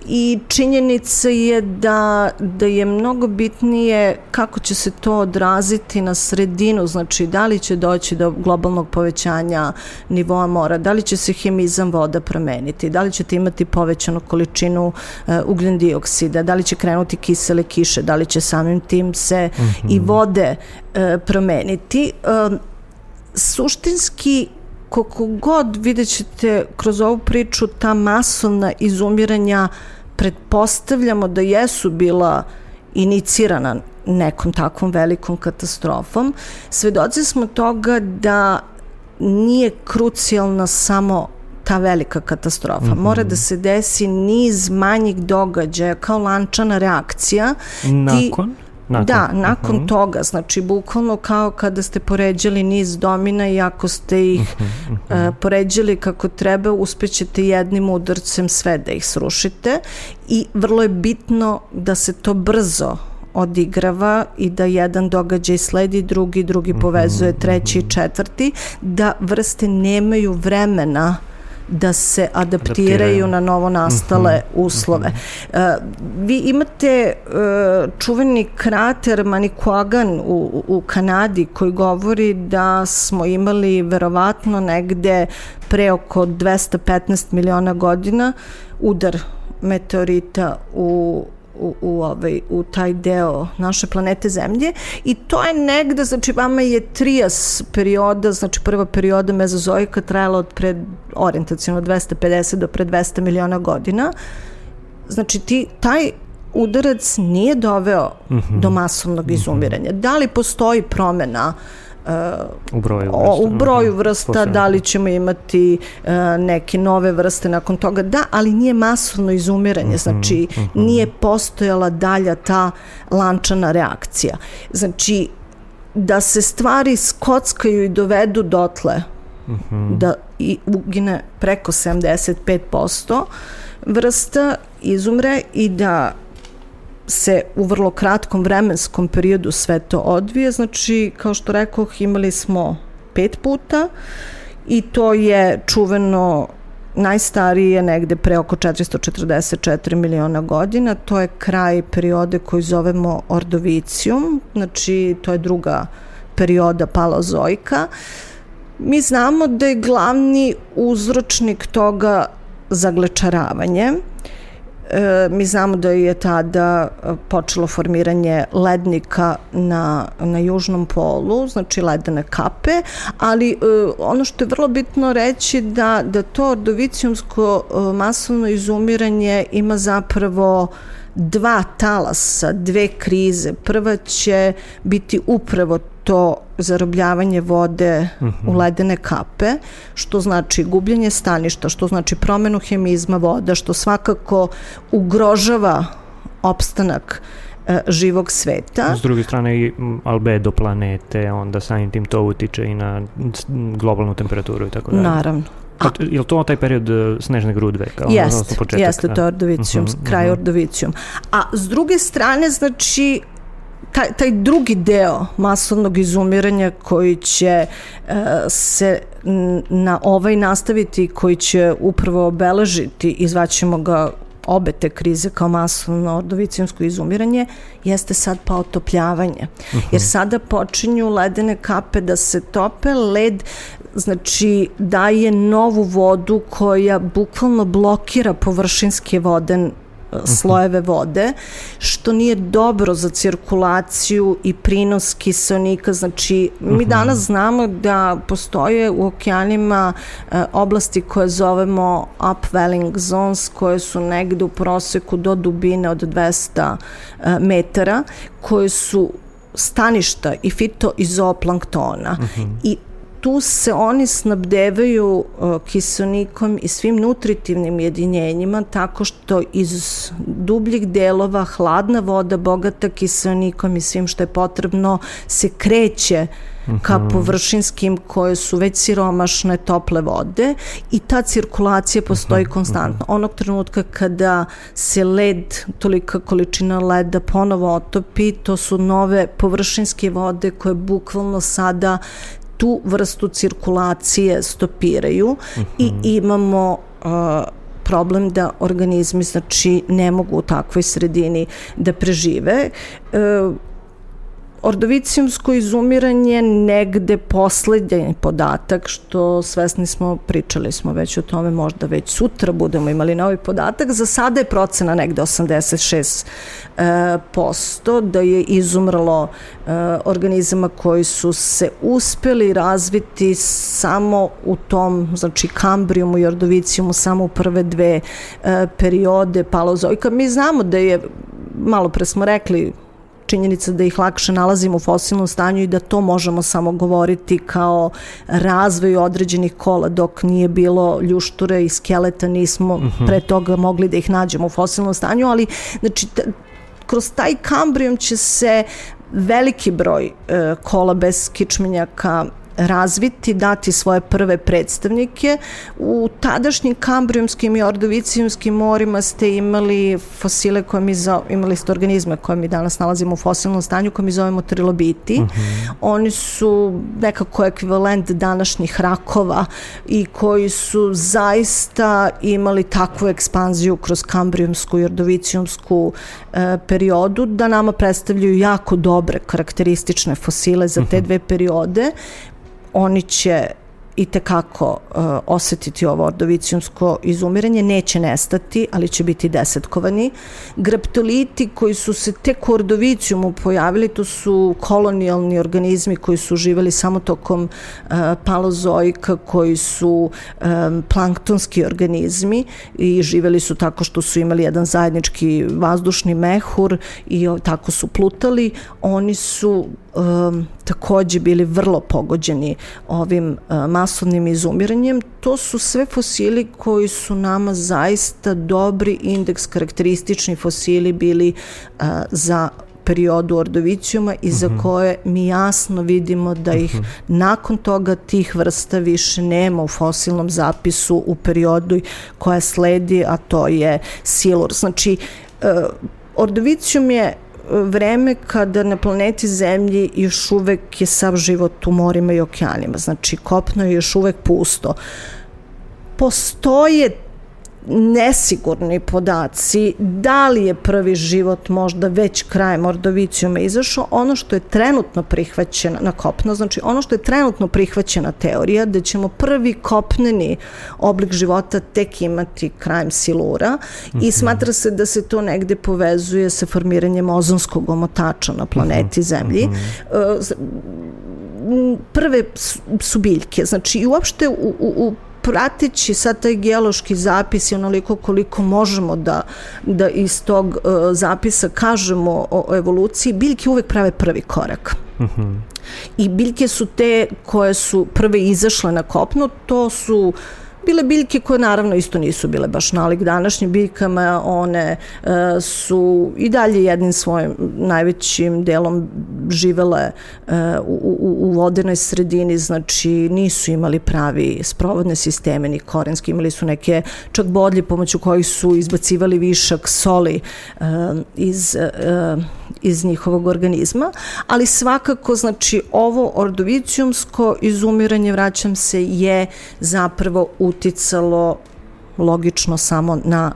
i činjenica je da je mnogo bitnije kako će se to odraziti na sredinu, znači da li će doći do globalnog povećanja nivoa mora, da li će se hemizam voda promeniti, da li ćete imati povećanu količinu ugljen dioksida, da li će krenuti kisele kiše, da li će samim tim se i vode promeniti. Suštinski, koliko god vidjet ćete kroz ovu priču, ta masovna izumiranja pretpostavljamo da jesu bila inicirana nekom takvom velikom katastrofom. Svedoci smo toga da nije krucijalna samo ta velika katastrofa. Mora da se desi niz manjih događaja kao lančana reakcija. Nakon toga, znači bukvalno kao kada ste poređali niz domina i ako ste ih poređali kako treba, uspećete jednim udarcem sve da ih srušite i vrlo je bitno da se to brzo odigrava i da jedan događaj sledi drugi povezuje treći i četvrti, da vrste nemaju vremena da se adaptiraju na novo nastale uslove. Vi imate čuveni krater Manicouagan u Kanadi koji govori da smo imali verovatno negde pre oko 215 miliona godina udar meteorita u taj deo naše planete Zemlje i to je negde, znači vama je trias perioda, znači prva perioda mezozoika trajala od orijentaciono 250 do pre 200 miliona godina. Znači taj udarac nije doveo do masovnog izumiranja. Da li postoji promena u broju vrsta, da li ćemo imati neke nove vrste nakon toga, da, ali nije masovno izumiranje, znači nije postojala dalja ta lančana reakcija. Znači, da se stvari skockaju i dovedu dotle, da i ugine preko 75% vrsta, izumre i da se u vrlo kratkom vremenskom periodu sve to odvije. Znači, kao što rekoh, imali smo 5 puta i to je čuveno najstarije negde pre oko 444 miliona godina. To je kraj periode koju zovemo Ordovicijum, znači to je druga perioda Paleozoika. Mi znamo da je glavni uzročnik toga zaglečaravanje. Mi znamo da je tada počelo formiranje lednika na južnom polu, znači ledene kape, ali ono što je vrlo bitno reći da to ordovicijumsko masovno izumiranje ima zapravo 2 talasa, 2 krize. Prva će biti upravo to zarobljavanje vode u ledene kape, što znači gubljenje staništa, što znači promenu hemizma voda, što svakako ugrožava opstanak živog sveta. S druge strane i albedo planete, onda samim tim to utiče i na globalnu temperaturu i tako dalje. Naravno. Je li to taj period snežne grudve? Jeste, to je Ordovicijum, kraj Ordovicijum. A s druge strane, znači, taj drugi deo masovnog izumiranja koji će se na ovaj nastaviti, koji će upravo obeležiti, izvaćemo ga obe te krize kao masovno ordovicijumsko izumiranje, jeste sad pa otopljavanje. Jer sada počinju ledene kape da se tope, led znači daje novu vodu koja bukvalno blokira površinske vode, slojeve vode, što nije dobro za cirkulaciju i prinos kiseonika. Znači, mi danas znamo da postoje u okeanima oblasti koje zovemo upwelling zones, koje su negde u proseku do dubine od 200 metara, koje su staništa i fitoizoplanktona. I tu se oni snabdevaju kiseonikom i svim nutritivnim jedinjenjima tako što iz dubljih delova hladna voda bogata kiseonikom i svim što je potrebno se kreće ka površinskim koje su već siromašne tople vode i ta cirkulacija postoji konstantno. Onog trenutka kada se led, tolika količina leda ponovo otopi, to su nove površinske vode koje bukvalno sada tu vrstu cirkulacije stopiraju i imamo problem da organizmi, znači, ne mogu u takvoj sredini da prežive. Ordovicijumsko izumiranje negde poslednji podatak, što svesni smo, pričali smo već o tome, možda već sutra budemo imali novi podatak, za sada je procena negde 86% da je izumrlo organizama koji su se uspeli razviti samo u tom, znači, kambrijumu i ordovicijumu, samo u prve 2 periode Paleozoika. Mi znamo da je, malo pre smo rekli, činjenica da ih lakše nalazimo u fosilnom stanju i da to možemo samo govoriti kao razvoj određenih kola, dok nije bilo ljušture i skeleta, nismo pre toga mogli da ih nađemo u fosilnom stanju, ali znači kroz taj kambrijum će se veliki broj kola bez kičmenjaka razviti, dati svoje prve predstavnike. U tadašnjim kambrijumskim i ordovicijumskim morima ste imali fosile imali ste organizme koje mi danas nalazimo u fosilnom stanju, koje mi zovemo trilobiti. Oni su nekako ekvivalent današnjih rakova i koji su zaista imali takvu ekspanziju kroz kambrijumsku i ordovicijumsku periodu da nama predstavljaju jako dobre karakteristične fosile za te 2 periode. Oni će itekako osetiti ovo ordovicijumsko izumiranje, neće nestati, ali će biti desetkovani. Graptoliti koji su se tek u ordovicijumu pojavili, to su kolonijalni organizmi koji su živeli samo tokom paleozoika, koji su planktonski organizmi i živeli su tako što su imali jedan zajednički vazdušni mehur i tako su plutali. Oni su takođe bili vrlo pogođeni ovim masovnim izumiranjem. To su sve fosili koji su nama zaista dobri indeks, karakteristični fosili bili za periodu ordovicijuma i za koje mi jasno vidimo da ih nakon toga tih vrsta više nema u fosilnom zapisu u periodu koja sledi, a to je silur. Znači, ordovicijum je vreme kada na planeti Zemlji još uvek je sav život u morima i okeanima, znači kopno je još uvek pusto. Postoje nesigurni podaci da li je prvi život možda već krajem ordovicijuma izašao. Ono što je trenutno prihvaćeno na kopno, znači ono što je trenutno prihvaćena teorija da ćemo prvi kopneni oblik života tek imati krajem silura i smatra se da se to negde povezuje sa formiranjem ozonskog omotača na planeti Zemlji. Prve su biljke, znači i uopšte u prateći sad taj geološki zapis i onoliko koliko možemo da iz tog zapisa kažemo o evoluciji, biljke uvek prave prvi korak. I biljke su te koje su prve izašle na kopno, to su bile biljke koje naravno isto nisu bile baš nalik današnjim biljkama, one su i dalje jednim svojim najvećim delom živele u vodenoj sredini, znači nisu imali pravi sprovodne sisteme ni korenski, imali su neke čak bodlje pomoću kojih su izbacivali višak soli iz njihovog organizma, ali svakako znači ovo ordovicijumsko izumiranje, vraćam se, je zapravo uticalo logično samo na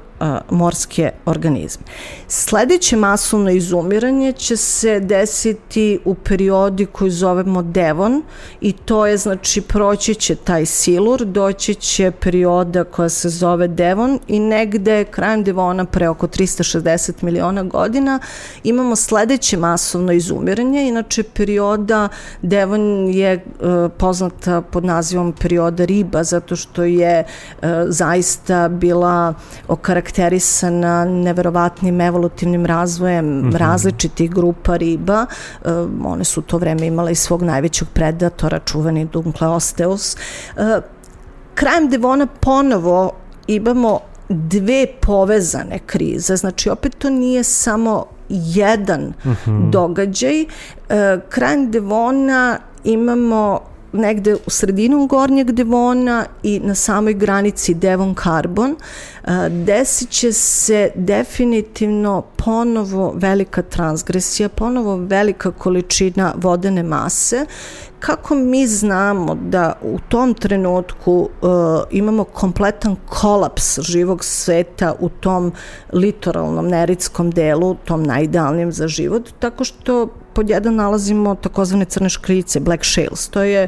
morske organizme. Sledeće masovno izumiranje će se desiti u periodi koji zovemo Devon i to je, znači, proći će taj silur, doći će perioda koja se zove Devon i negde krajem Devona pre oko 360 miliona godina imamo sledeće masovno izumiranje. Inače, perioda Devon je poznata pod nazivom perioda riba zato što je zaista bila okarakterisana neverovatnim evolutivnim razvojem različitih grupa riba. One su u to vreme imale i svog najvećeg predatora, čuveni Dunkleosteus. Krajem Devona ponovo imamo dve povezane krize, znači opet to nije samo jedan događaj. Krajem Devona imamo negde u sredinu gornjeg Devona i na samoj granici Devon-Karbon, desit će se definitivno ponovo velika transgresija, ponovo velika količina vodene mase. Kako mi znamo da u tom trenutku imamo kompletan kolaps živog sveta u tom litoralnom neritskom delu, tom najidealnijem za život, tako što pod jedan nalazimo takozvane crne škriljice, black shales. To je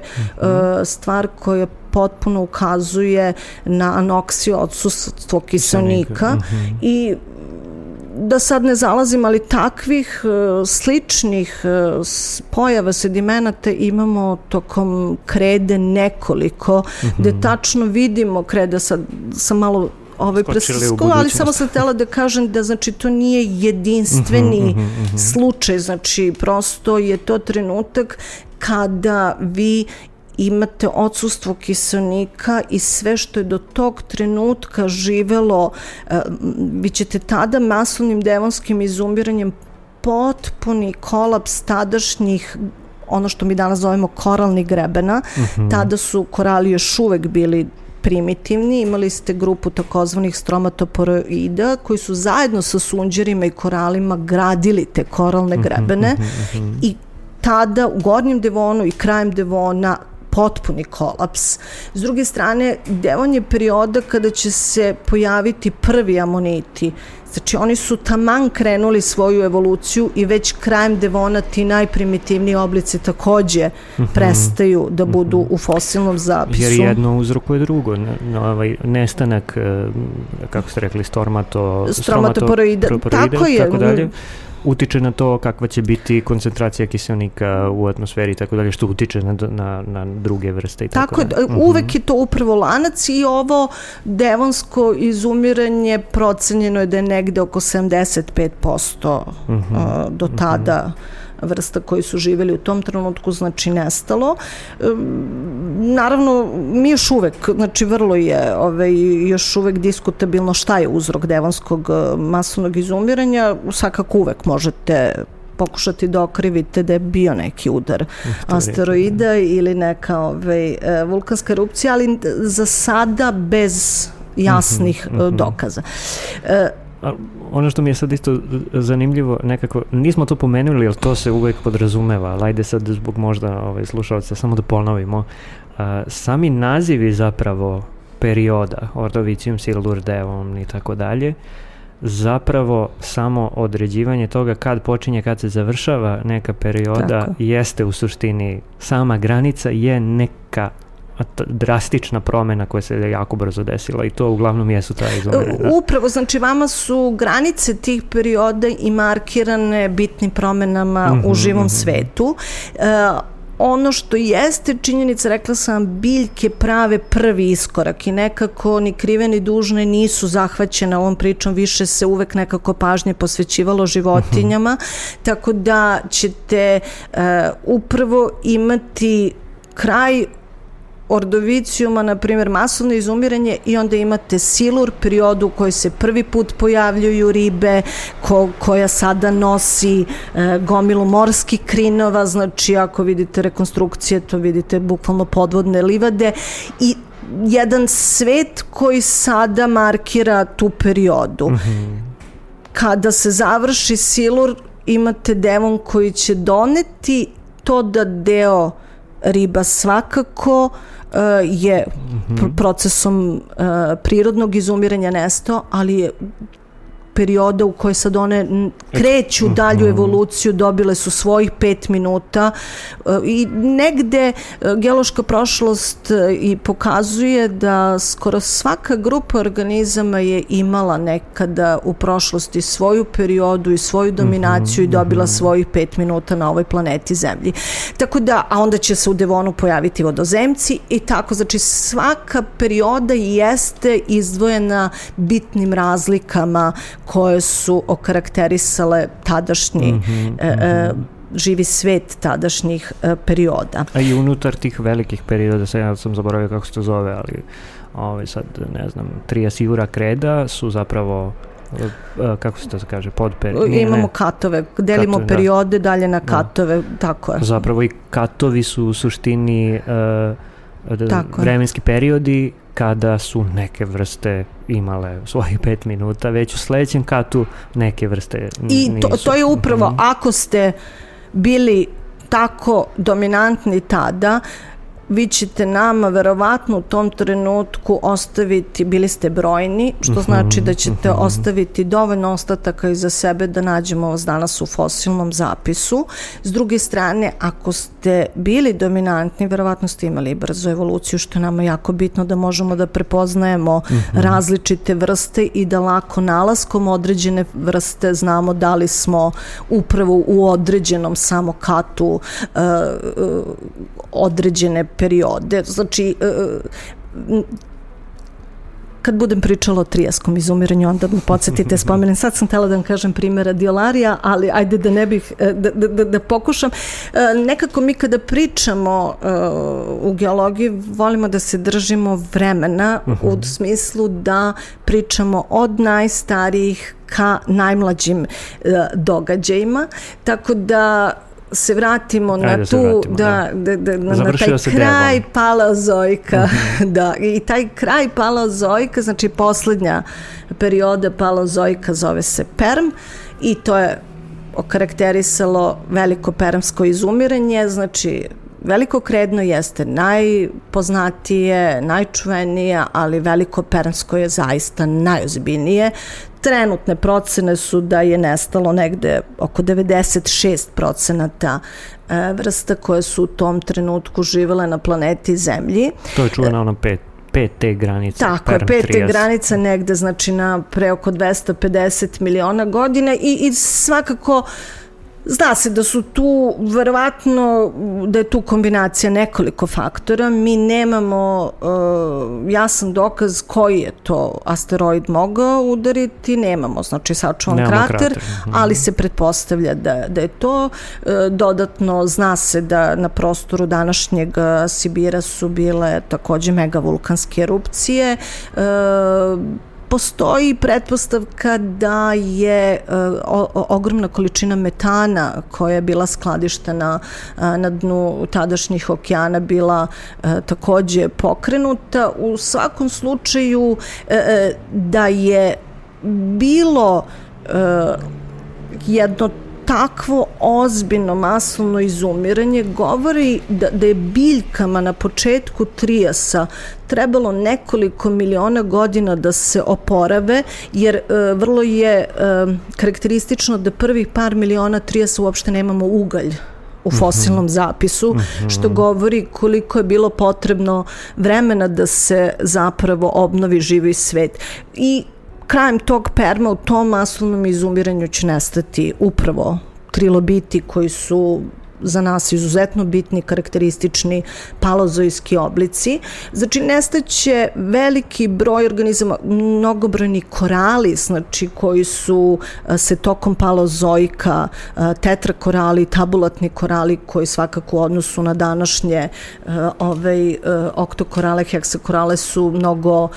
stvar koja potpuno ukazuje na anoksiju, odsustvo kiseonika i da sad ne zalazim, ali takvih sličnih pojava sedimenata imamo tokom krede nekoliko, gde tačno vidimo kreda, sad sam malo preskočila, ali samo sam htela da kažem da znači to nije jedinstveni slučaj, znači prosto je to trenutak kada vi imate odsustvo kiseonika i sve što je do tog trenutka živelo, vi ćete tada masovnim devonskim izumiranjem potpuni kolaps tadašnjih, ono što mi danas zovemo koralnih grebena. Tada su korali još uvek bili primitivni, imali ste grupu takozvanih stromatoporoida koji su zajedno sa sunđerima i koralima gradili te koralne grebene i tada u gornjem Devonu i krajem Devona potpuni kolaps. S druge strane, Devon je perioda kada će se pojaviti prvi amoniti. Znači oni su taman krenuli svoju evoluciju i već krajem Devona ti najprimitivniji oblici takođe prestaju da budu u fosilnom zapisu. Jer jedno uzrokuje drugo. Nestanak, kako ste rekli, stromatoporoida, tako dalje, utiče na to kakva će biti koncentracija kiseonika u atmosferi i tako dalje, što utiče na druge vrste i tako dalje. Uvek je to upravo lanac i ovo devonsko izumiranje procenjeno je da je negde oko 75% do tada vrsta koji su živjeli u tom trenutku, znači nestalo. Naravno, mi još uvek, znači vrlo je još uvek diskutabilno šta je uzrok devonskog masovnog izumiranja. Svakako uvek možete pokušati da okrivite da je bio neki udar asteroida ili neka vulkanska erupcija, ali za sada bez jasnih dokaza. Ono što mi je sad isto zanimljivo, nekako, nismo to pomenuli, ali to se uvek podrazumeva, ali ajde sad zbog možda slušalca samo da ponovimo. Sami nazivi zapravo perioda, Ordovicium, Silur, Devon i tako dalje, zapravo samo određivanje toga kad počinje, kad se završava neka perioda, jeste u suštini, sama granica je neka drastična promena koja se jako brzo desila i to uglavnom jesu ta izumiranja. Upravo, znači vama su granice tih perioda i markirane bitnim promenama u živom svetu. Ono što jeste činjenica, rekla sam, biljke prave prvi iskorak i nekako ni krive ni dužne nisu zahvaćene ovom pričom, više se uvek nekako pažnje posvećivalo životinjama, tako da ćete upravo imati kraj Ordovicijuma, na primjer, masovno izumiranje i onda imate Silur, periodu u kojoj se prvi put pojavljuju ribe, koja sada nosi gomilu morskih krinova, znači ako vidite rekonstrukcije, to vidite bukvalno podvodne livade i jedan svet koji sada markira tu periodu. Kada se završi Silur, imate Devon koji će doneti to da deo riba svakako je procesom prirodnog izumiranja nestao, ali je perioda u kojoj sad one kreću dalju evoluciju, dobile su svojih 5 minuta i negde geološka prošlost i pokazuje da skoro svaka grupa organizama je imala nekada u prošlosti svoju periodu i svoju dominaciju i dobila svojih 5 minuta na ovoj planeti Zemlji. Tako da, a onda će se u Devonu pojaviti vodozemci i tako, znači svaka perioda jeste izdvojena bitnim razlikama koje su okarakterisale tadašnji živi svet tadašnjih perioda. A i unutar tih velikih perioda, sad ja sam zaboravio kako se to zove, ali sad ne znam, Triasijura kreda su zapravo, kako se to kaže, imamo katove, delimo periode dalje na katove, tako je. Zapravo i katovi su u suštini vremenski periodi kada su neke vrste imale svojih 5 minuta, već u sledećem katu neke vrste nisu. I to je upravo, ako ste bili tako dominantni tada, vi ćete nama verovatno u tom trenutku ostaviti, bili ste brojni, što znači da ćete ostaviti dovoljno ostataka iza sebe da nađemo vas danas u fosilnom zapisu. S druge strane, ako ste bili dominantni, verovatno ste imali brzu evoluciju, što je nama jako bitno da možemo da prepoznajemo različite vrste i da lako nalaskom određene vrste znamo da li smo upravo u određenom samo katu određene periode. Znači, kad budem pričala o trijaskom izumiranju, onda me podsjetite, spomenem. Sad sam htjela da vam kažem primjer radiolaria, ali ajde da ne bih, da pokušam. Nekako mi kada pričamo u geologiji, volimo da se držimo vremena u smislu da pričamo od najstarijih ka najmlađim događajima, tako da se vratimo na tu, na taj kraj paleozoika. I taj kraj paleozoika, znači poslednja perioda paleozoika zove se Perm i to je okarakterisalo veliko permsko izumiranje, znači Veliko Kredno jeste najpoznatije, najčuvenije, ali Veliko Pernsko je zaista najozbiljnije. Trenutne procene su da je nestalo negde oko 96% vrsta koje su u tom trenutku živele na planeti Zemlji. To je čuvena ona 5T granica. Tako je, 5T granica negde, znači na pre oko 250 miliona godina i svakako zna se da su tu, verovatno da je tu kombinacija nekoliko faktora. Mi nemamo jasan dokaz koji je to asteroid mogao udariti, nemamo, znači sačuvan krater, ali se pretpostavlja da je to. Dodatno zna se da na prostoru današnjeg Sibira su bile takođe megavulkanske erupcije. Postoji pretpostavka da je ogromna količina metana koja je bila skladištena na dnu tadašnjih okeana bila takođe pokrenuta. U svakom slučaju da je bilo jedno takvo ozbiljno masovno izumiranje govori da je biljkama na početku Trijasa trebalo nekoliko miliona godina da se oporave, jer vrlo je karakteristično da prvih par miliona Trijasa uopšte nemamo ugalj u fosilnom zapisu, što govori koliko je bilo potrebno vremena da se zapravo obnovi živi svet. I krajem tog Perma u tom masovnom izumiranju će nestati upravo trilobiti koji su za nas izuzetno bitni, karakteristični paleozoiski oblici. Znači, nestaće veliki broj organizama, mnogobrojni korali, znači, koji su se tokom paleozoika, tetrakorali, tabulatni korali, koji svakako u odnosu na današnje oktokorale, heksakorale su mnogo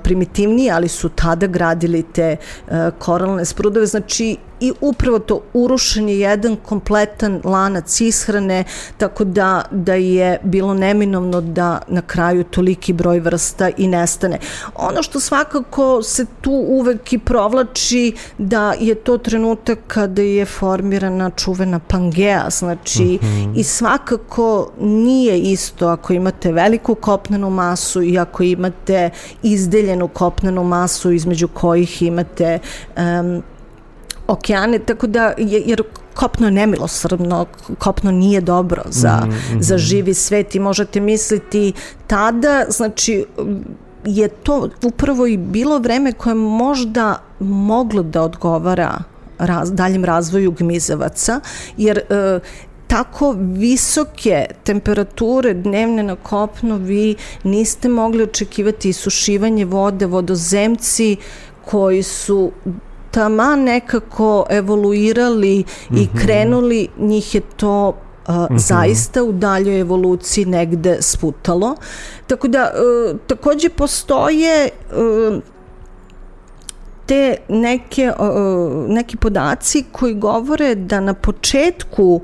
primitivniji, ali su tada gradili te koralne sprudove. Znači, i upravo to urušen je jedan kompletan lanac ishrane, tako da je bilo neminovno da na kraju toliki broj vrsta i nestane. Ono što svakako se tu uvek i provlači da je to trenutak kada je formirana čuvena Pangea, znači i svakako nije isto ako imate veliku kopnenu masu i ako imate izdeljenu kopnenu masu između kojih imate okeane, tako da, jer kopno je nemilosrdno, kopno nije dobro za živi svet i možete misliti tada, znači, je to upravo i bilo vreme koje možda moglo da odgovara daljem razvoju gmizavaca, jer tako visoke temperature dnevne na kopnu vi niste mogli očekivati isušivanje vode, vodozemci koji su taman nekako evoluirali i krenuli, njih je to zaista u daljoj evoluciji negde sputalo. Tako da, takođe postoje te neki podaci koji govore da na početku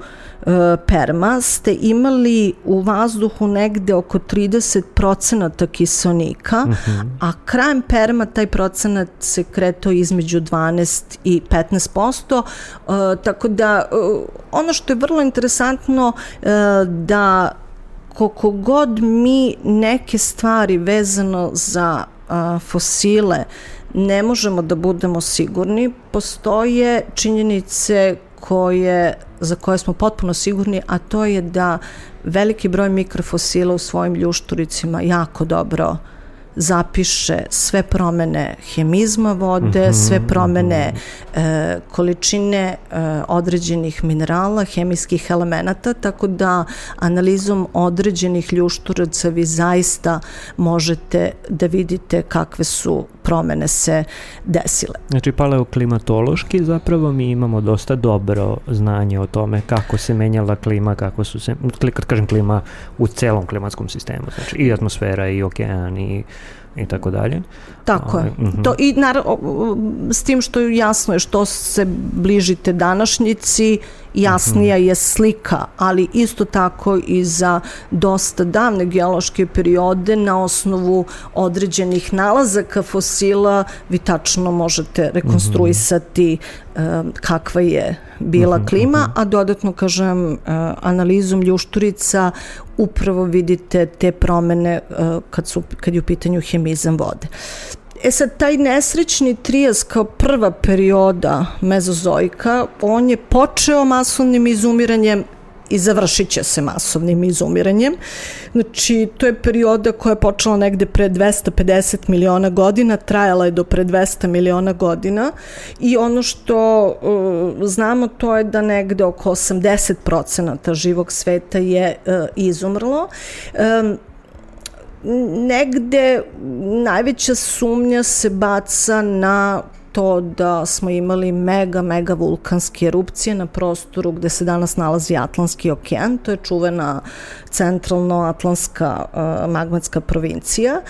Perma ste imali u vazduhu negde oko 30% kiseonika, a krajem Perma taj procenat se kretao između 12 i 15%, tako da ono što je vrlo interesantno da koliko god mi neke stvari vezano za fosile ne možemo da budemo sigurni, postoje činjenice za koje smo potpuno sigurni, a to je da veliki broj mikrofosila u svojim ljušturicima jako dobro zapiše sve promene hemizma vode, sve promene količine određenih minerala, hemijskih elemenata, tako da analizom određenih ljušturaca vi zaista možete da vidite kakve su promene se desile. Znači, paleoklimatološki zapravo mi imamo dosta dobro znanje o tome kako se menjala klima, kako su se, kad kažem klima, u celom klimatskom sistemu, znači i atmosfera i okean i tako dalje. Tako je. To, i naravno, s tim što je jasno je što se bližite današnjici jasnija je slika, ali isto tako i za dosta davne geološke periode na osnovu određenih nalazaka fosila vi tačno možete rekonstruisati kakva je bila klima, a dodatno, kažem, analizom ljušturica upravo vidite te promene kad je u pitanju hemizam vode. Sad, taj nesrećni trias kao prva perioda mezozoika, on je počeo masovnim izumiranjem i završit će se masovnim izumiranjem. Znači, to je perioda koja je počela negde pre 250 miliona godina, trajala je do pre 200 miliona godina i ono što znamo to je da negde oko 80% živog sveta je izumrlo. Negde najveća sumnja se baca na to da smo imali mega vulkanske erupcije na prostoru gde se danas nalazi Atlantski okean, to je čuvena centralno-atlantska magmatska provincija.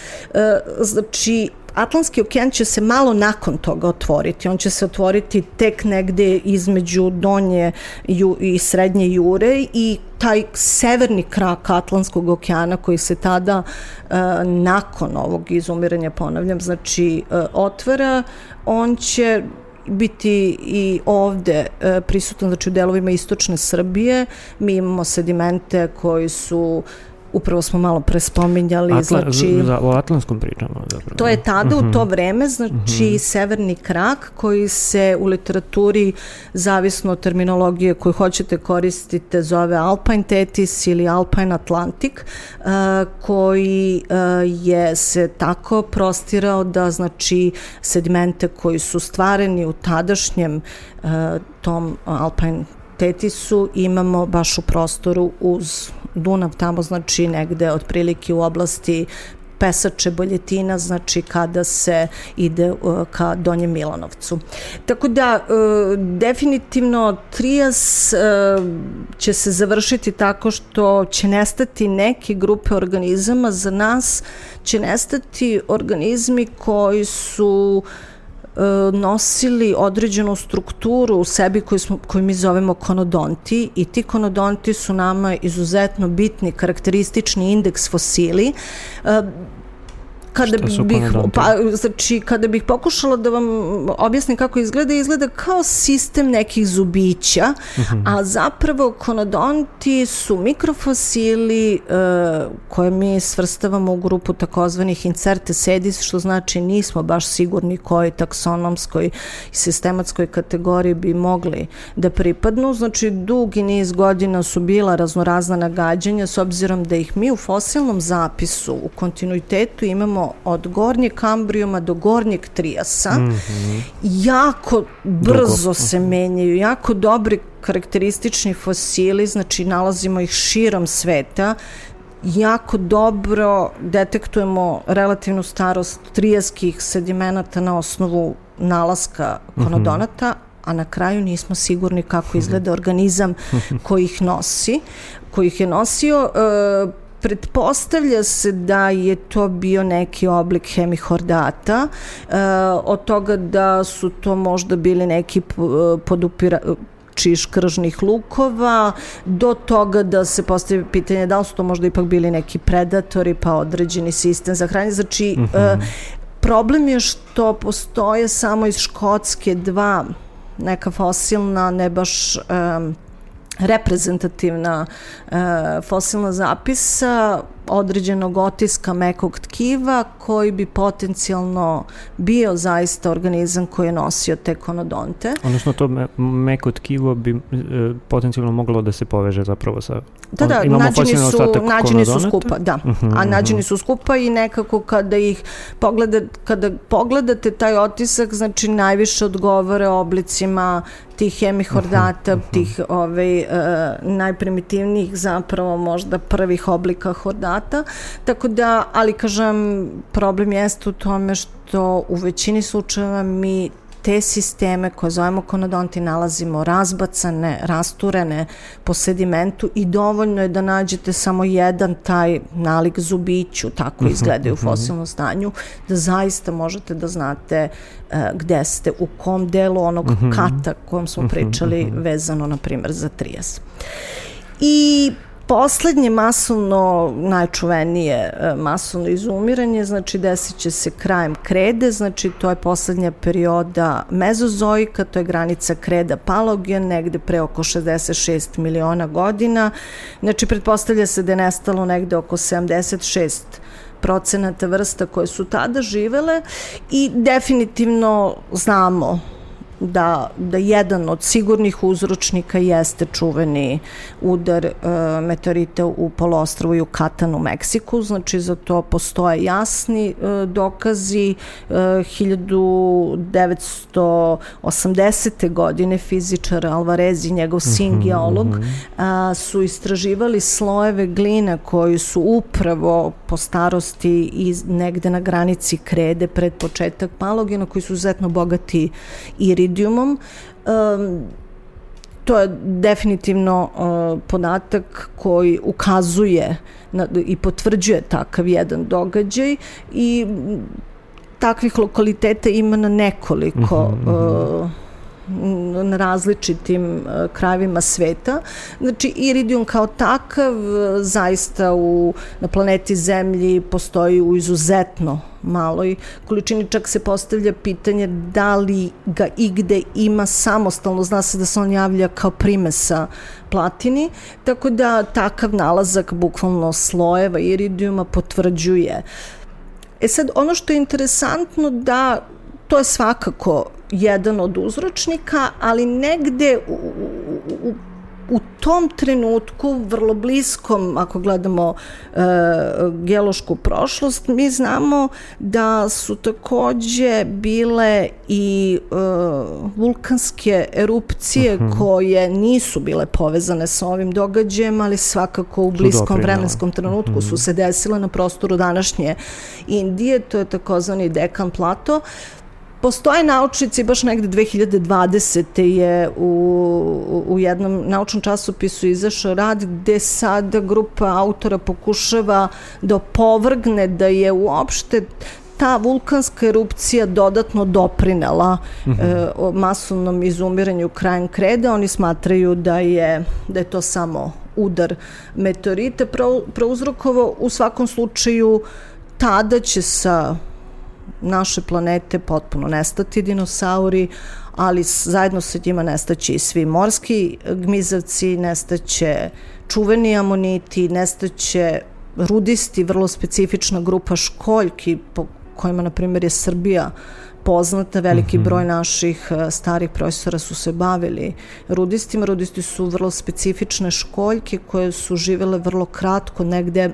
Znači, Atlantski okean će se malo nakon toga otvoriti. On će se otvoriti tek negde između donje i srednje Jure i taj severni krak Atlantskog okeana koji se tada nakon ovog izumiranja, ponavljam, znači otvara, on će biti i ovde prisutan, znači u delovima istočne Srbije. Mi imamo sedimente koji su, upravo smo malo pre spominjali, o Atlantskom pričamo. Zapravo. To je tada, u to vreme, znači severni krak koji se u literaturi, zavisno od terminologije koju hoćete koristite, zove Alpine Tethys ili Alpine Atlantic, koji je se tako prostirao da, znači, sedimente koji su stvareni u tadašnjem tom Alpine Tethisu imamo baš u prostoru uz Dunav, tamo, znači negde otprilike u oblasti Pesače, Boljetina, znači kada se ide ka Donjem Milanovcu. Tako da, definitivno trias će se završiti tako što će nestati neke grupe organizama, za nas će nestati organizmi koji su nosili određenu strukturu u sebi koju mi zovemo konodonti, i ti konodonti su nama izuzetno bitni, karakteristični indeks fosili. Kada bih pokušala da vam objasnim kako izgleda kao sistem nekih zubića, a zapravo konodonti su mikrofosili koje mi svrstavamo u grupu takozvanih incertes edis, što znači nismo baš sigurni kojoj taksonomskoj i sistematskoj kategoriji bi mogli da pripadnu. Znači, dugi niz godina su bila raznorazna nagađanja, s obzirom da ih mi u fosilnom zapisu u kontinuitetu imamo od gornjeg Kambrijuma do gornjeg Trijasa. Jako brzo se menjaju, jako dobri karakteristični fosili, znači nalazimo ih širom sveta, jako dobro detektujemo relativnu starost trijaskih sedimenata na osnovu nalaska konodonata, a na kraju nismo sigurni kako izgleda organizam koji ih je nosio. Pretpostavlja se da je to bio neki oblik hemihordata, od toga da su to možda bili neki podupirači škržnih lukova, do toga da se postavi pitanje da li su to možda ipak bili neki predatori, pa određeni sistem za hranjenje. Znači, problem je što postoje samo iz Škotske dva neka fosilna, ne baš reprezentativna fosilna zapisa određenog otiska mekog tkiva koji bi potencijalno bio zaista organizam koji je nosio te konodonte. Odnosno to meko tkivo bi potencijalno moglo da se poveže zapravo sa... Da, nađeni su skupa, da. A nađeni su skupa i nekako kada pogledate taj otisak, znači najviše odgovore oblicima tih hemihordata, tih najprimitivnijih zapravo možda prvih oblika hordata. Tako da, ali kažem, problem jeste u tome što u većini slučajeva mi te sisteme koje zovemo konodonti nalazimo razbacane, rasturene po sedimentu i dovoljno je da nađete samo jedan taj nalik zubiću, tako izgledaju u fosilnom stanju, da zaista možete da znate gde ste, u kom delu onog kata kojem smo pričali vezano, na primjer, za trijez. I poslednje masovno, najčuvenije masovno izumiranje, znači desit će se krajem krede, znači to je poslednja perioda mezozoika, to je granica kreda Paleogen, negde pre oko 66 miliona godina, znači pretpostavlja se da je nestalo negde oko 76% vrsta koje su tada živele i definitivno znamo da jedan od sigurnih uzročnika jeste čuveni udar meteorita u poluostrvu Yucatan u Meksiku, znači za to postoje jasni dokazi. 1980. godine fizičar Alvarez i njegov sin geolog su istraživali slojeve glina koji su upravo po starosti negde na granici krede pred početak Paleogena, koji su izuzetno bogati iridijumom. To je definitivno podatak koji ukazuje i potvrđuje takav jedan događaj i takvih lokaliteta ima na nekoliko na različitim krajevima sveta. Znači, iridijum kao takav zaista na planeti Zemlji postoji u izuzetno maloj količini, čak se postavlja pitanje da li ga igde ima samostalno, zna se da se on javlja kao primesa platini, tako da takav nalazak bukvalno slojeva iridijuma potvrđuje. Sad, ono što je interesantno da to je svakako jedan od uzročnika, ali negde u tom trenutku, vrlo bliskom, ako gledamo geološku prošlost, mi znamo da su takođe bile i vulkanske erupcije koje nisu bile povezane sa ovim događajem, ali svakako u bliskom vremenskom trenutku su se desile na prostoru današnje Indije, to je takozvani Dekan plato. Postoje naučnici, baš negde 2020. je u jednom naučnom časopisu izašao rad gde sada grupa autora pokušava da opovrgne da je uopšte ta vulkanska erupcija dodatno doprinela masovnom izumiranju krajem kreda. Oni smatraju da je to samo udar meteorita prouzrokovao. U svakom slučaju tada će sa naše planete potpuno nestati dinosauri, ali zajedno sa njima nestaće i svi morski gmizavci, nestaće čuveni amoniti, nestaće rudisti, vrlo specifična grupa školjki po kojima, na primjer, je Srbija poznata. Veliki broj naših starih profesora su se bavili rudistima. Rudisti su vrlo specifične školjke koje su živele vrlo kratko, negde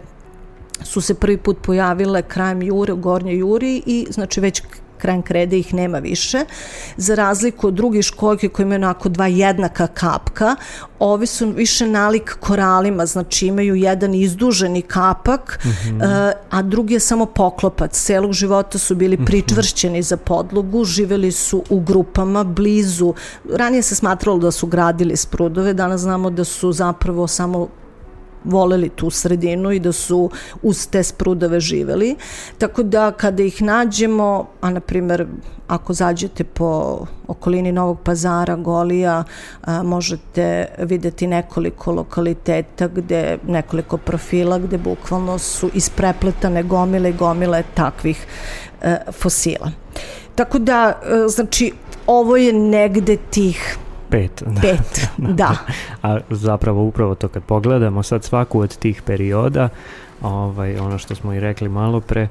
su se prvi put pojavile krajem jure, u Gornjoj Juri i znači već krajem krede ih nema više. Za razliku od drugih školjki koji imaju onako dva jednaka kapka, ovi su više nalik koralima, znači imaju jedan izduženi kapak, a drugi je samo poklopac. Celog života su bili pričvršćeni za podlogu, živeli su u grupama, blizu. Ranije se smatralo da su gradili sprudove, danas znamo da su zapravo samo voleli tu sredinu i da su uz te sprudove živeli. Tako da kada ih nađemo, a na primjer ako zađete po okolini Novog Pazara, Golija, možete videti nekoliko lokaliteta gde, nekoliko profila gde bukvalno su isprepletane gomile i gomile takvih fosila. Tako da, znači, ovo je negde tih Pet, da. A zapravo upravo to kad pogledamo sad svaku od tih perioda, ono što smo i rekli malo pre,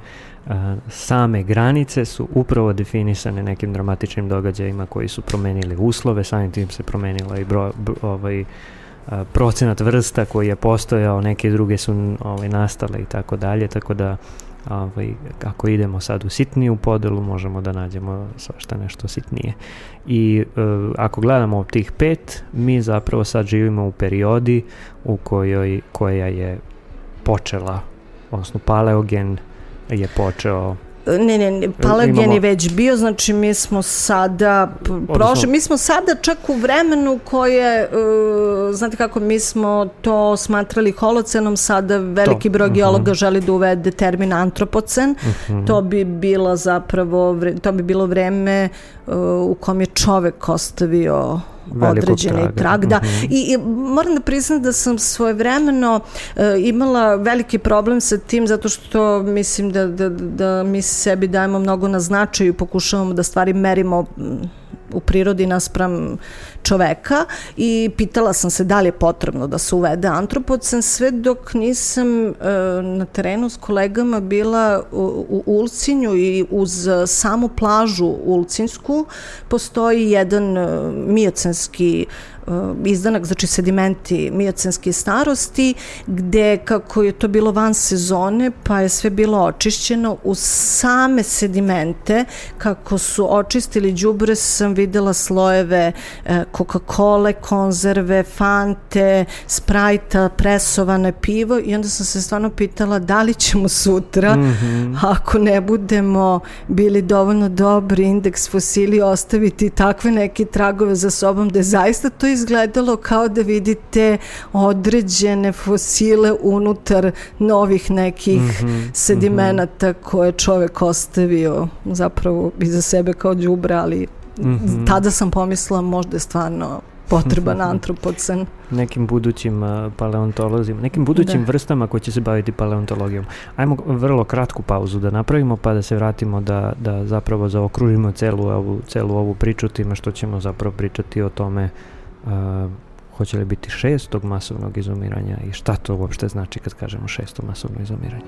same granice su upravo definisane nekim dramatičnim događajima koji su promenili uslove, samim tim se promenila i procenat vrsta koji je postojao, neke druge su nastale i tako dalje, tako da ako idemo sad u sitniju podelu, možemo da nađemo svašta nešto sitnije. I ako gledamo tih 5, mi zapravo sad živimo u periodi u koja je počela, odnosno Paleogen je počeo Ne, palagen je već bio, znači mi smo sada mi smo sada čak u vremenu koje, znate kako, mi smo to smatrali holocenom, sada veliki broj geologa želi da uvede termin antropocen, to bi bilo vreme u kom je čovek ostavio određeni trag. Da. I moram da priznam da sam svojevremeno imala veliki problem sa tim, zato što mislim da mi sebi dajemo mnogo na značaju i pokušavamo da stvari merimo u prirodi naspram čoveka i pitala sam se da li je potrebno da se uvede antropocen, sve dok nisam na terenu s kolegama bila u Ulcinju i uz samu plažu Ulcinsku postoji jedan miocenski izdanak, znači sedimenti miocenske starosti, gde kako je to bilo van sezone, pa je sve bilo očišćeno, u same sedimente, kako su očistili đubre, sam videla slojeve Coca-Cola, konzerve, Fante, Sprajta, presovane pivo i onda sam se stvarno pitala da li ćemo sutra, ako ne budemo bili dovoljno dobri, indeks fosili ostaviti takve neke tragove za sobom, da je zaista to izgledalo kao da vidite određene fosile unutar novih nekih sedimenata koje čovek ostavio zapravo iza sebe kao đubre, ali tada sam pomislila možda je stvarno potreban antropocen. Nekim budućim paleontolozima, nekim budućim vrstama koji će se baviti paleontologijom. Ajmo vrlo kratku pauzu da napravimo pa da se vratimo da zapravo zaokružimo celu ovu priču time što ćemo zapravo pričati o tome hoće li biti 6. masovnog izumiranja i šta to uopšte znači kad kažemo 6. masovno izumiranje.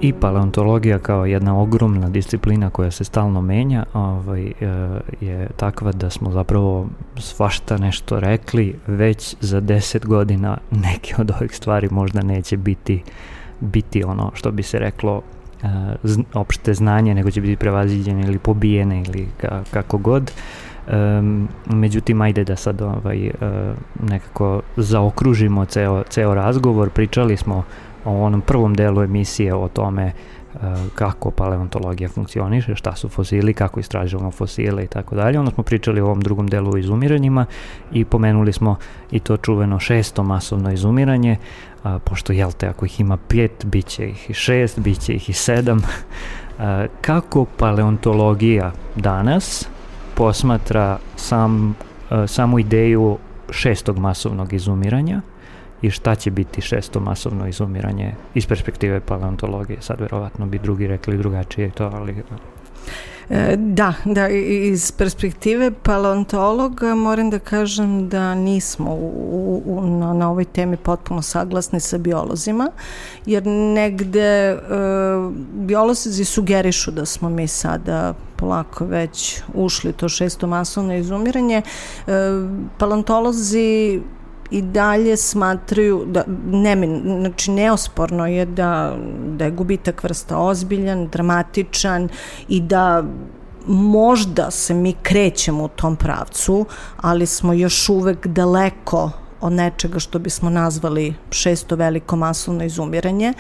I paleontologija kao jedna ogromna disciplina koja se stalno menja je takva da smo zapravo svašta nešto rekli, već za 10 godina neke od ovih stvari možda neće biti ono što bi se reklo opšte znanje, nego će biti prevaziđene ili pobijene ili kako god. Međutim, ajde da sad nekako zaokružimo ceo razgovor. Pričali smo o onom prvom delu emisije o tome kako paleontologija funkcioniše, šta su fosili, kako istražujemo fosile i tako dalje. Onda smo pričali o ovom drugom delu o izumiranjima i pomenuli smo i to čuveno 6. masovno izumiranje, pošto ako ih ima 5, bit će ih i 6, bit će ih i 7. Kako paleontologija danas posmatra samu ideju 6. masovnog izumiranja i šta će biti 6. masovno izumiranje iz perspektive paleontologije? Sad verovatno bi drugi rekli drugačije to, ali... Da, iz perspektive paleontologa moram da kažem da nismo na ovoj temi potpuno saglasni sa biolozima, jer negde biolozi sugerišu da smo mi sada polako već ušli to 6. masovno izumiranje. Paleontolozi i dalje smatraju da znači neosporno je da je gubitak vrsta ozbiljan, dramatičan i da možda se mi krećemo u tom pravcu, ali smo još uvek daleko od nečega što bismo nazvali 6. veliko masovno izumiranje,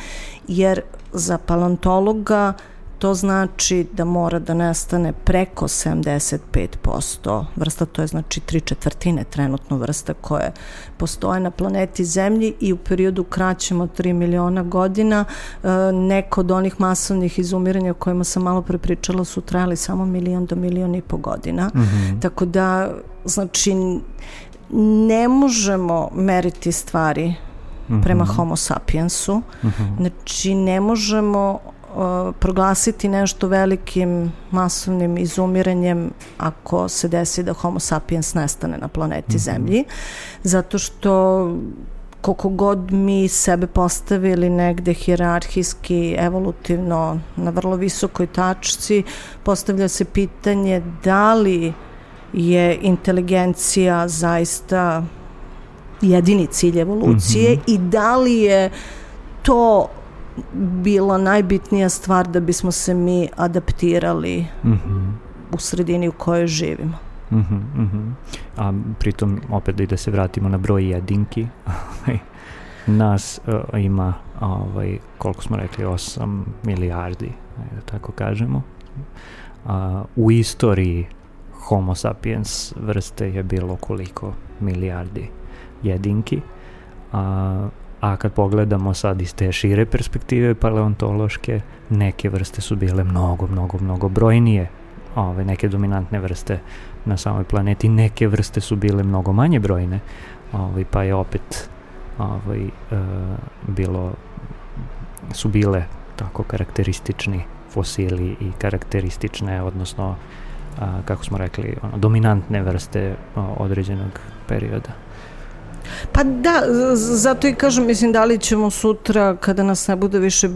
jer za paleontologa to znači da mora da nestane preko 75% vrsta, to je znači 3/4 trenutno vrsta koje postoje na planeti Zemlji i u periodu kraćem od 3 miliona godina neko od onih masovnih izumiranja o kojima sam malo pre pričala su trajali samo 1 do 1,5 miliona godina. Tako da, znači, ne možemo meriti stvari prema Homo sapiensu. Znači, ne možemo proglasiti nešto velikim masovnim izumiranjem ako se desi da Homo sapiens nestane na planeti Zemlji, zato što koliko god mi sebe postavili negde hijerarhijski, evolutivno na vrlo visokoj tačci, postavlja se pitanje da li je inteligencija zaista jedini cilj evolucije i da li je to bila najbitnija stvar da bismo se mi adaptirali u sredini u kojoj živimo. A pritom opet da se vratimo na broj jedinki, nas ima koliko smo rekli 8 milijardi, da tako kažemo. U istoriji Homo sapiens vrste je bilo koliko milijardi jedinki, a kad pogledamo sad iz te šire perspektive paleontološke, neke vrste su bile mnogo brojnije, neke dominantne vrste na samoj planeti, neke vrste su bile mnogo manje brojne, pa je opet su bile tako karakteristični fosili i karakteristične, odnosno kako smo rekli, dominantne vrste određenog perioda. Pa da, zato i kažem, mislim, da li ćemo sutra, kada nas ne bude više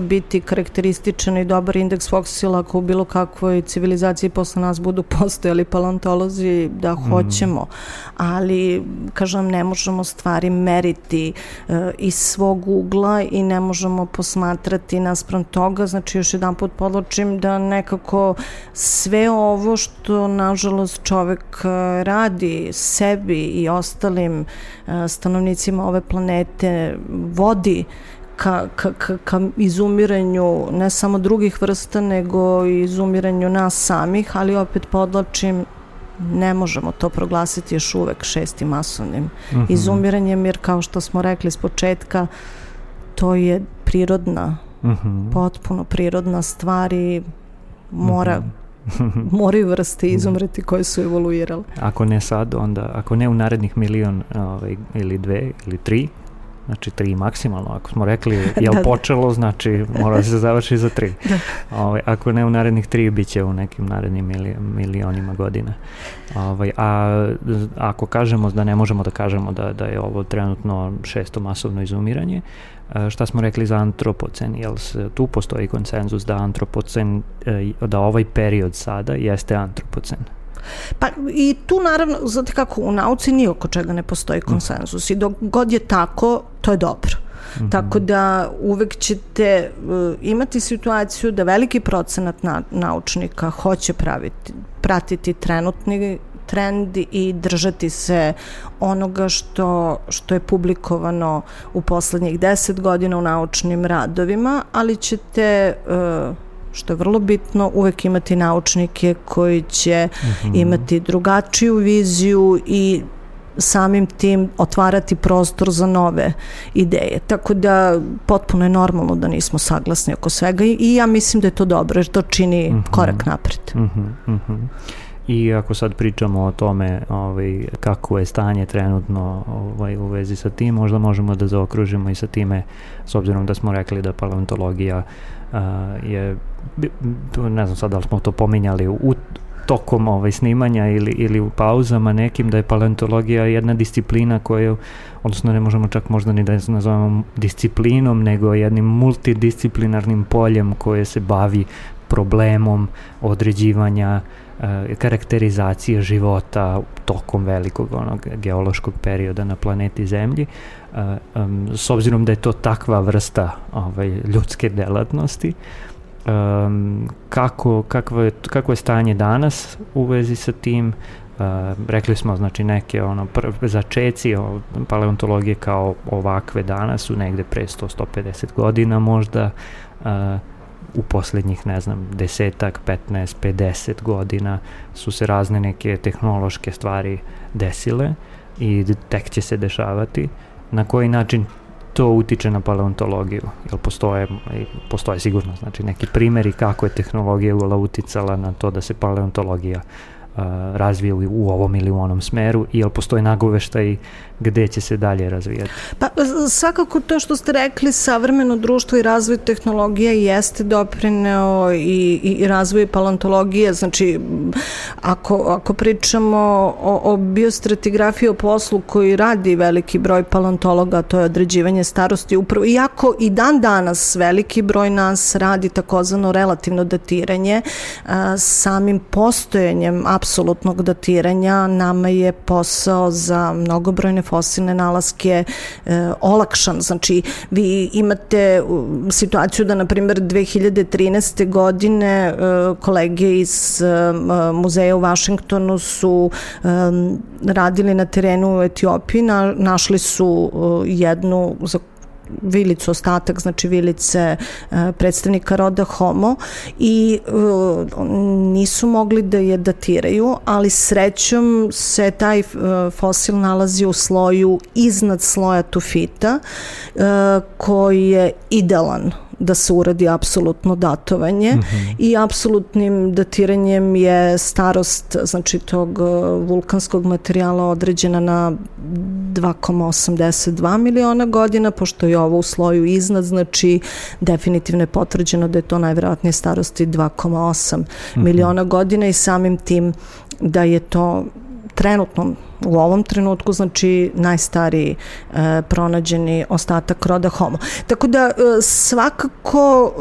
biti karakterističan i dobar indeks fosila, ako u bilo kakvoj civilizaciji posle nas budu postojali paleontolozi, da hoćemo, ali, kažem, ne možemo stvari meriti iz svog ugla i ne možemo posmatrati naspram toga. Znači, još jedan put podločim da nekako sve ovo što, nažalost, čovek radi sebi i ostalim stanovnicima ove planete vodi ka izumiranju ne samo drugih vrsta, nego i izumiranju nas samih, ali opet podlačim, ne možemo to proglasiti još uvek 6. masovnim izumiranjem, jer kao što smo rekli s početka, to je prirodna, potpuno prirodna stvar i moraju vrste izumreti koje su evoluirale. Ako ne sad, onda, ako ne u narednih 1 milion ili 2 ili 3, znači 3 maksimalno, ako smo rekli je počelo, znači mora da se završi za 3. Ako ne u narednih 3, bit će u nekim narednim milionima godina. A ako kažemo da ne možemo da kažemo da je ovo trenutno 6. masovno izumiranje, šta smo rekli za antropocen, jel tu postoji konsenzus da antropocen, da ovaj period sada jeste antropocen? Pa i tu naravno, znate kako, u nauci nije oko čega ne postoji konsenzus i dok god je tako, to je dobro. Tako da uvek ćete imati situaciju da veliki procenat naučnika hoće pratiti trenutni trend i držati se onoga što je publikovano u poslednjih 10 godina u naučnim radovima, ali ćete, što je vrlo bitno, uvek imati naučnike koji će imati drugačiju viziju i samim tim otvarati prostor za nove ideje. Tako da potpuno je normalno da nismo saglasni oko svega i ja mislim da je to dobro jer to čini korak napred. I ako sad pričamo o tome kako je stanje trenutno u vezi sa tim, možda možemo da zaokružimo i sa time, s obzirom da smo rekli da paleontologija je, ne znam sad da li smo to pominjali tokom snimanja ili u pauzama nekim, da je paleontologija jedna disciplina koju, odnosno ne možemo čak možda ni da je nazovemo disciplinom, nego jednim multidisciplinarnim poljem koje se bavi problemom određivanja karakterizacije života tokom velikog geološkog perioda na planeti Zemlji. S obzirom da je to takva vrsta ljudske delatnosti, kako je stanje danas u vezi sa tim? Rekli smo, znači, neke začeci paleontologije kao ovakve danas su negde pre 100-150 godina možda. u posljednjih, ne znam, 10, 15, 50 godina su se razne neke tehnološke stvari desile i tek će se dešavati. Na koji način to utiče na paleontologiju? Jel postoje sigurno, znači, neki primjeri kako je tehnologija uticala na to da se paleontologija razvije u ovom ili u onom smeru, i jel postoje nagoveštaj gde će se dalje razvijati? Pa svakako to što ste rekli, savremeno društvo i razvoj tehnologije jeste doprineo i razvoj paleontologije. Znači, ako pričamo o biostratigrafiji, o poslu koji radi veliki broj paleontologa, to je određivanje starosti, upravo, iako i dan danas veliki broj nas radi takozvano relativno datiranje, samim postojanjem apsolutnog datiranja nama je posao za mnogobrojne fosilne nalaske olakšan. Znači, vi imate situaciju da, na primjer, 2013. godine kolege iz muzeja u Vašingtonu su radili na terenu u Etiopiji, našli su jednu vilicu, ostatak, znači vilice predstavnika roda Homo, i nisu mogli da je datiraju, ali srećom se taj fosil nalazi u sloju iznad sloja tufita, koji je idealan da se uradi apsolutno datovanje, i apsolutnim datiranjem je starost, znači, tog vulkanskog materijala određena na 2,82 miliona godina, pošto je ovo u sloju iznad, znači definitivno je potvrđeno da je to najverovatnije starosti 2,8 miliona godina, i samim tim da je to trenutno, u ovom trenutku, znači najstariji pronađeni ostatak roda Homo. Tako da svakako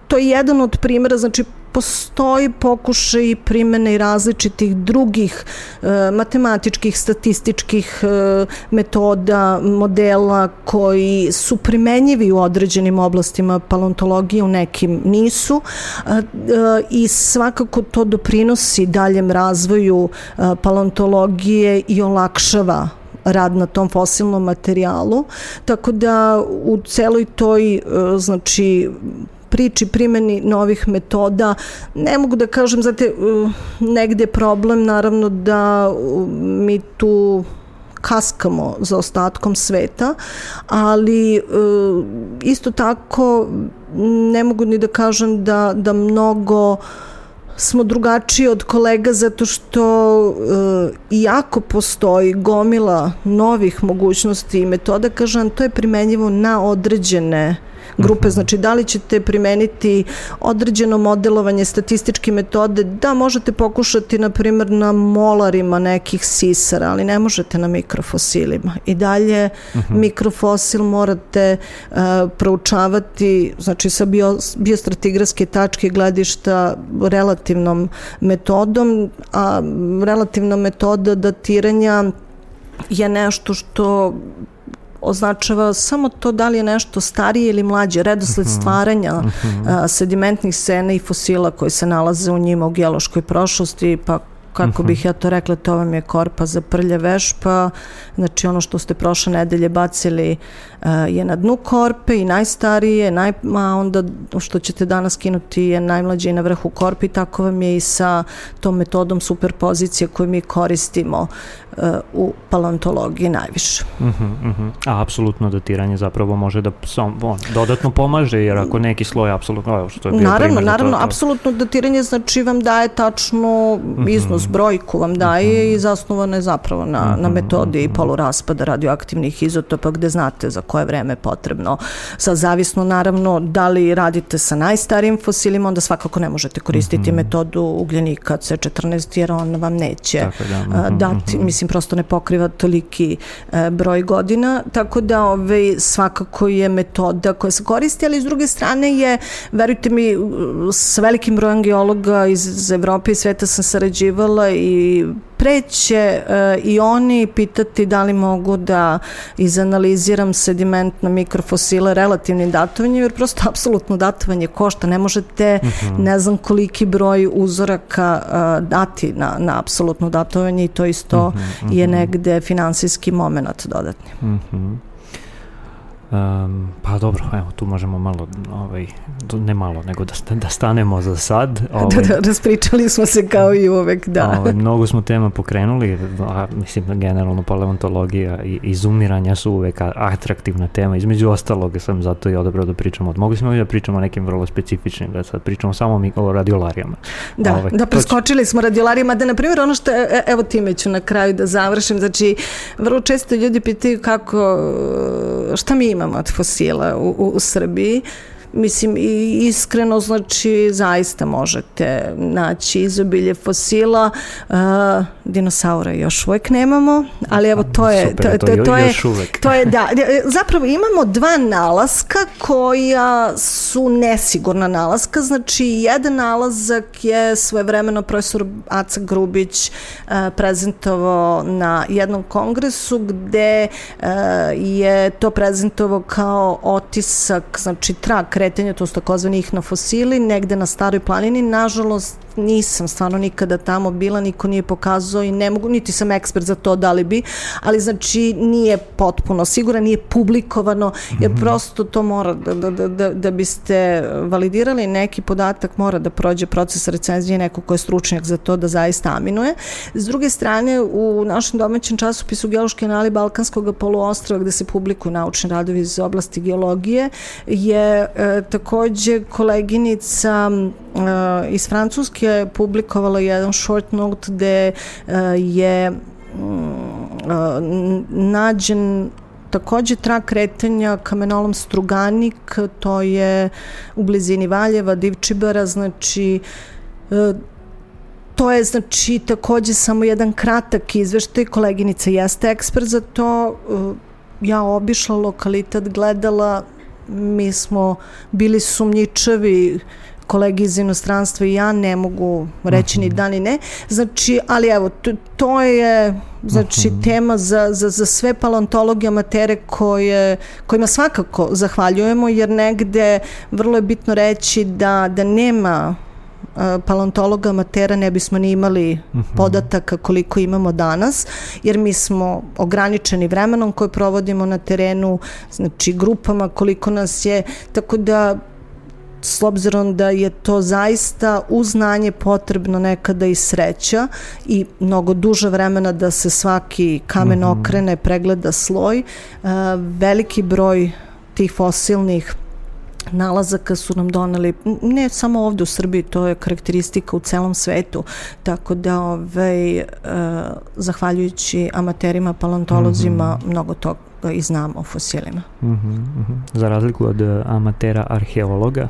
to je jedan od primjera, znači postoji pokušaj primene i različitih drugih matematičkih, statističkih metoda, modela koji su primenjivi u određenim oblastima paleontologije, u nekim nisu, i svakako to doprinosi daljem razvoju paleontologije i olakšava rad na tom fosilnom materijalu. Tako da u celoj toj, znači, priči primjeni novih metoda, ne mogu da kažem, znate, negde je problem, naravno, da mi tu kaskamo za ostatkom sveta, ali isto tako ne mogu ni da kažem da mnogo smo drugačiji od kolega, zato što iako postoji gomila novih mogućnosti i metoda, kažem, to je primenjivo na određene grupe. Znači, da li ćete primeniti određeno modelovanje, statističke metode? Da, možete pokušati, na primjer, na molarima nekih sisara, ali ne možete na mikrofosilima. I dalje mikrofosil morate proučavati, znači, sa biostratigrafske tačke gledišta relativnom metodom, a relativna metoda datiranja je nešto što označava samo to da li je nešto starije ili mlađe, redosled stvaranja sedimentnih scena i fosila koji se nalaze u njima u geološkoj prošlosti, pa kako bih ja to rekla, to vam je korpa za prlja vešpa, znači ono što ste prošle nedelje bacili je na dnu korpe i najstarije, a onda što ćete danas skinuti je najmlađe i na vrhu korpe, i tako vam je i sa tom metodom superpozicije koju mi koristimo u paleontologiji najviše. A apsolutno datiranje zapravo može da dodatno pomaže, jer ako neki sloj apsolutno, što je bio primjer. Naravno, apsolutno datiranje, znači, vam daje tačnu iznos, brojku vam daje, i zasnovano je zapravo na metodi poluraspada radioaktivnih izotopa, gde znate za koje vreme je potrebno. Sad, zavisno, naravno, da li radite sa najstarijim fosilima, onda svakako ne možete koristiti metodu ugljenika C14, jer on vam neće dati, mislim, prosto ne pokriva toliki broj godina, tako da svakako je metoda koja se koristi, ali s druge strane je, verujte mi, s velikim brojem geologa iz Evrope i sveta sam sarađivala, i preće i oni pitati da li mogu da izanaliziram sediment na mikrofosile relativnim datovanjem, jer prosto apsolutno datovanje košta, ne možete ne znam koliki broj uzoraka dati na apsolutno datovanje, i to isto je negde finansijski moment dodatni. Pa dobro, evo, tu možemo malo, ne malo, nego da stanemo za sad. Raspričali smo se kao i uvek, da. Mnogo smo tema pokrenuli, mislim, generalno paleontologija i izumiranja su uvek atraktivna tema, između ostalog sam zato i odabrao da pričamo. Mogli smo da pričamo o nekim vrlo specifičnim, da sad pričamo samo o radiolarijama. Da, preskočili smo radiolarijama, da, na primjer, ono što, evo time ću na kraju da završim, znači, vrlo često ljudi pitaju šta mi imamo od fosila u Srbiji. Mislim, i iskreno, znači, zaista možete naći izobilje fosila. Dinosaura još uvek nemamo, ali evo to je... To je, da, zapravo imamo dva nalaska koja su nesigurna nalaska. Znači, jedan nalazak je svojevremeno profesor Aca Grubić prezentovao na jednom kongresu gde je to prezentovao kao otisak, znači trag kretanja, to su takozvani ihnofosili, negde na Staroj planini. Nažalost, nisam stvarno nikada tamo bila, niko nije pokazao i ne mogu, niti sam ekspert za to, da li bi, ali znači nije potpuno sigurno, nije publikovano, jer prosto to mora da biste validirali neki podatak, mora da prođe proces recenzije neko ko je stručnjak za to da zaista aminuje. S druge strane, u našem domaćem časopisu Geološki anali Balkanskog poluostrva, gde se publikuju naučni radovi iz oblasti geologije, je takođe koleginica iz Francuske publikovala jedan short note gde je nađen takođe trag kretanja kamenolom Struganik, to je u blizini Valjeva, Divčibara, znači to je znači takođe samo jedan kratak izveštaj, koleginica jeste ekspert za to, ja obišla lokalitet, gledala, mi smo bili sumnjičavi, kolegi iz inostranstva i ja, ne mogu reći ni da ni ne. Znači, ali evo, to je znači tema za sve paleontologe amatere kojima svakako zahvaljujemo, jer negde vrlo je bitno reći da nema paleontologa amatera ne bismo ni imali podataka koliko imamo danas, jer mi smo ograničeni vremenom koje provodimo na terenu, znači grupama koliko nas je, tako da s obzirom da je to zaista uz znanje potrebno nekada i sreća i mnogo duže vremena da se svaki kamen okrene, pregleda sloj, veliki broj tih fosilnih nalazaka su nam doneli, ne samo ovde u Srbiji, to je karakteristika u celom svetu, tako da zahvaljujući amaterima, paleontolozima, mnogo toga i znamo o fosilima. Za razliku od amatera arheologa,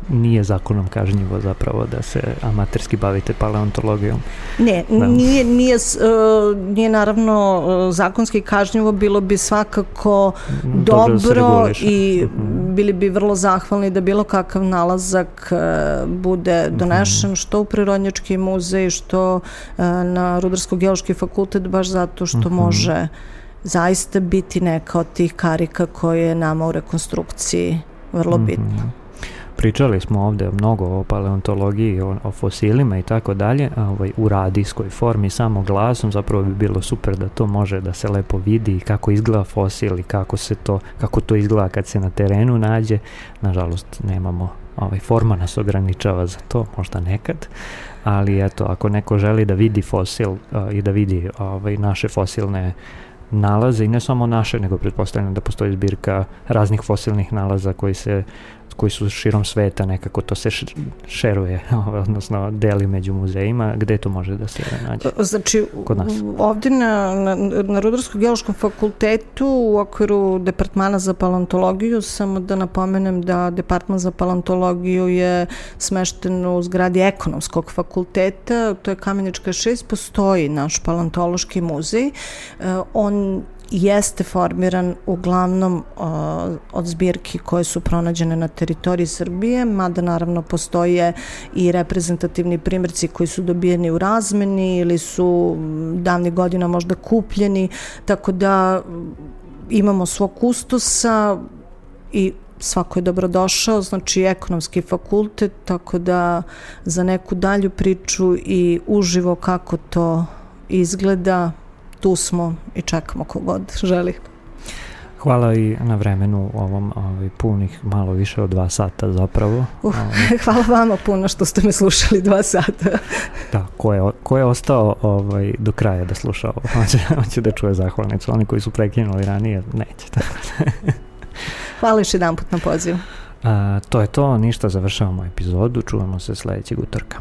nije zakonom kažnjivo zapravo da se amaterski bavite paleontologijom. Ne, nije naravno zakonski kažnjivo, bilo bi svakako dobro i bili bi vrlo zahvalni da bilo kakav nalazak bude donešen što u Prirodnjački muzej, što na Rudarsko-geološki fakultet, baš zato što može zaista biti neka od tih karika koje je nama u rekonstrukciji vrlo bitna. Pričali smo ovde mnogo o paleontologiji, o fosilima i tako dalje, u radijskoj formi, samo glasom, zapravo bi bilo super da to može da se lepo vidi kako izgleda fosil i kako to izgleda kad se na terenu nađe. Nažalost, nemamo, forma nas ograničava za to, možda nekad, ali eto, ako neko želi da vidi fosil i da vidi naše fosilne nalaze, i ne samo naše, nego pretpostavljam da postoji zbirka raznih fosilnih nalaza koji su širom sveta, nekako to se šeruje, odnosno deli među muzejima. Gde to može da se nađe? Znači, ovde na Rudarsko-geološkom fakultetu u okviru Departmana za paleontologiju, samo da napomenem da Departman za paleontologiju je smešten u zgradi Ekonomskog fakulteta, to je Kamenička 6, postoji naš paleontološki muzej. On jeste formiran uglavnom od zbirki koje su pronađene na teritoriji Srbije, mada naravno postoje i reprezentativni primjerci koji su dobijeni u razmeni ili su davnih godina možda kupljeni, tako da imamo svog kustosa i svako je dobrodošao, znači Ekonomski fakultet, tako da za neku dalju priču i uživo kako to izgleda, tu smo i čekamo kogod želi. Hvala i na vremenu ovom punih malo više od 2 sata zapravo. Hvala vama puno što ste me slušali 2 sata. Da, ko je ostao do kraja da sluša ovo, hoće da čuje zahvalnicu. Oni koji su prekinuli ranije, neće. Hvala još jedanput na pozivu. To je to, ništa, završavamo epizodu, čujemo se sledećeg utorka.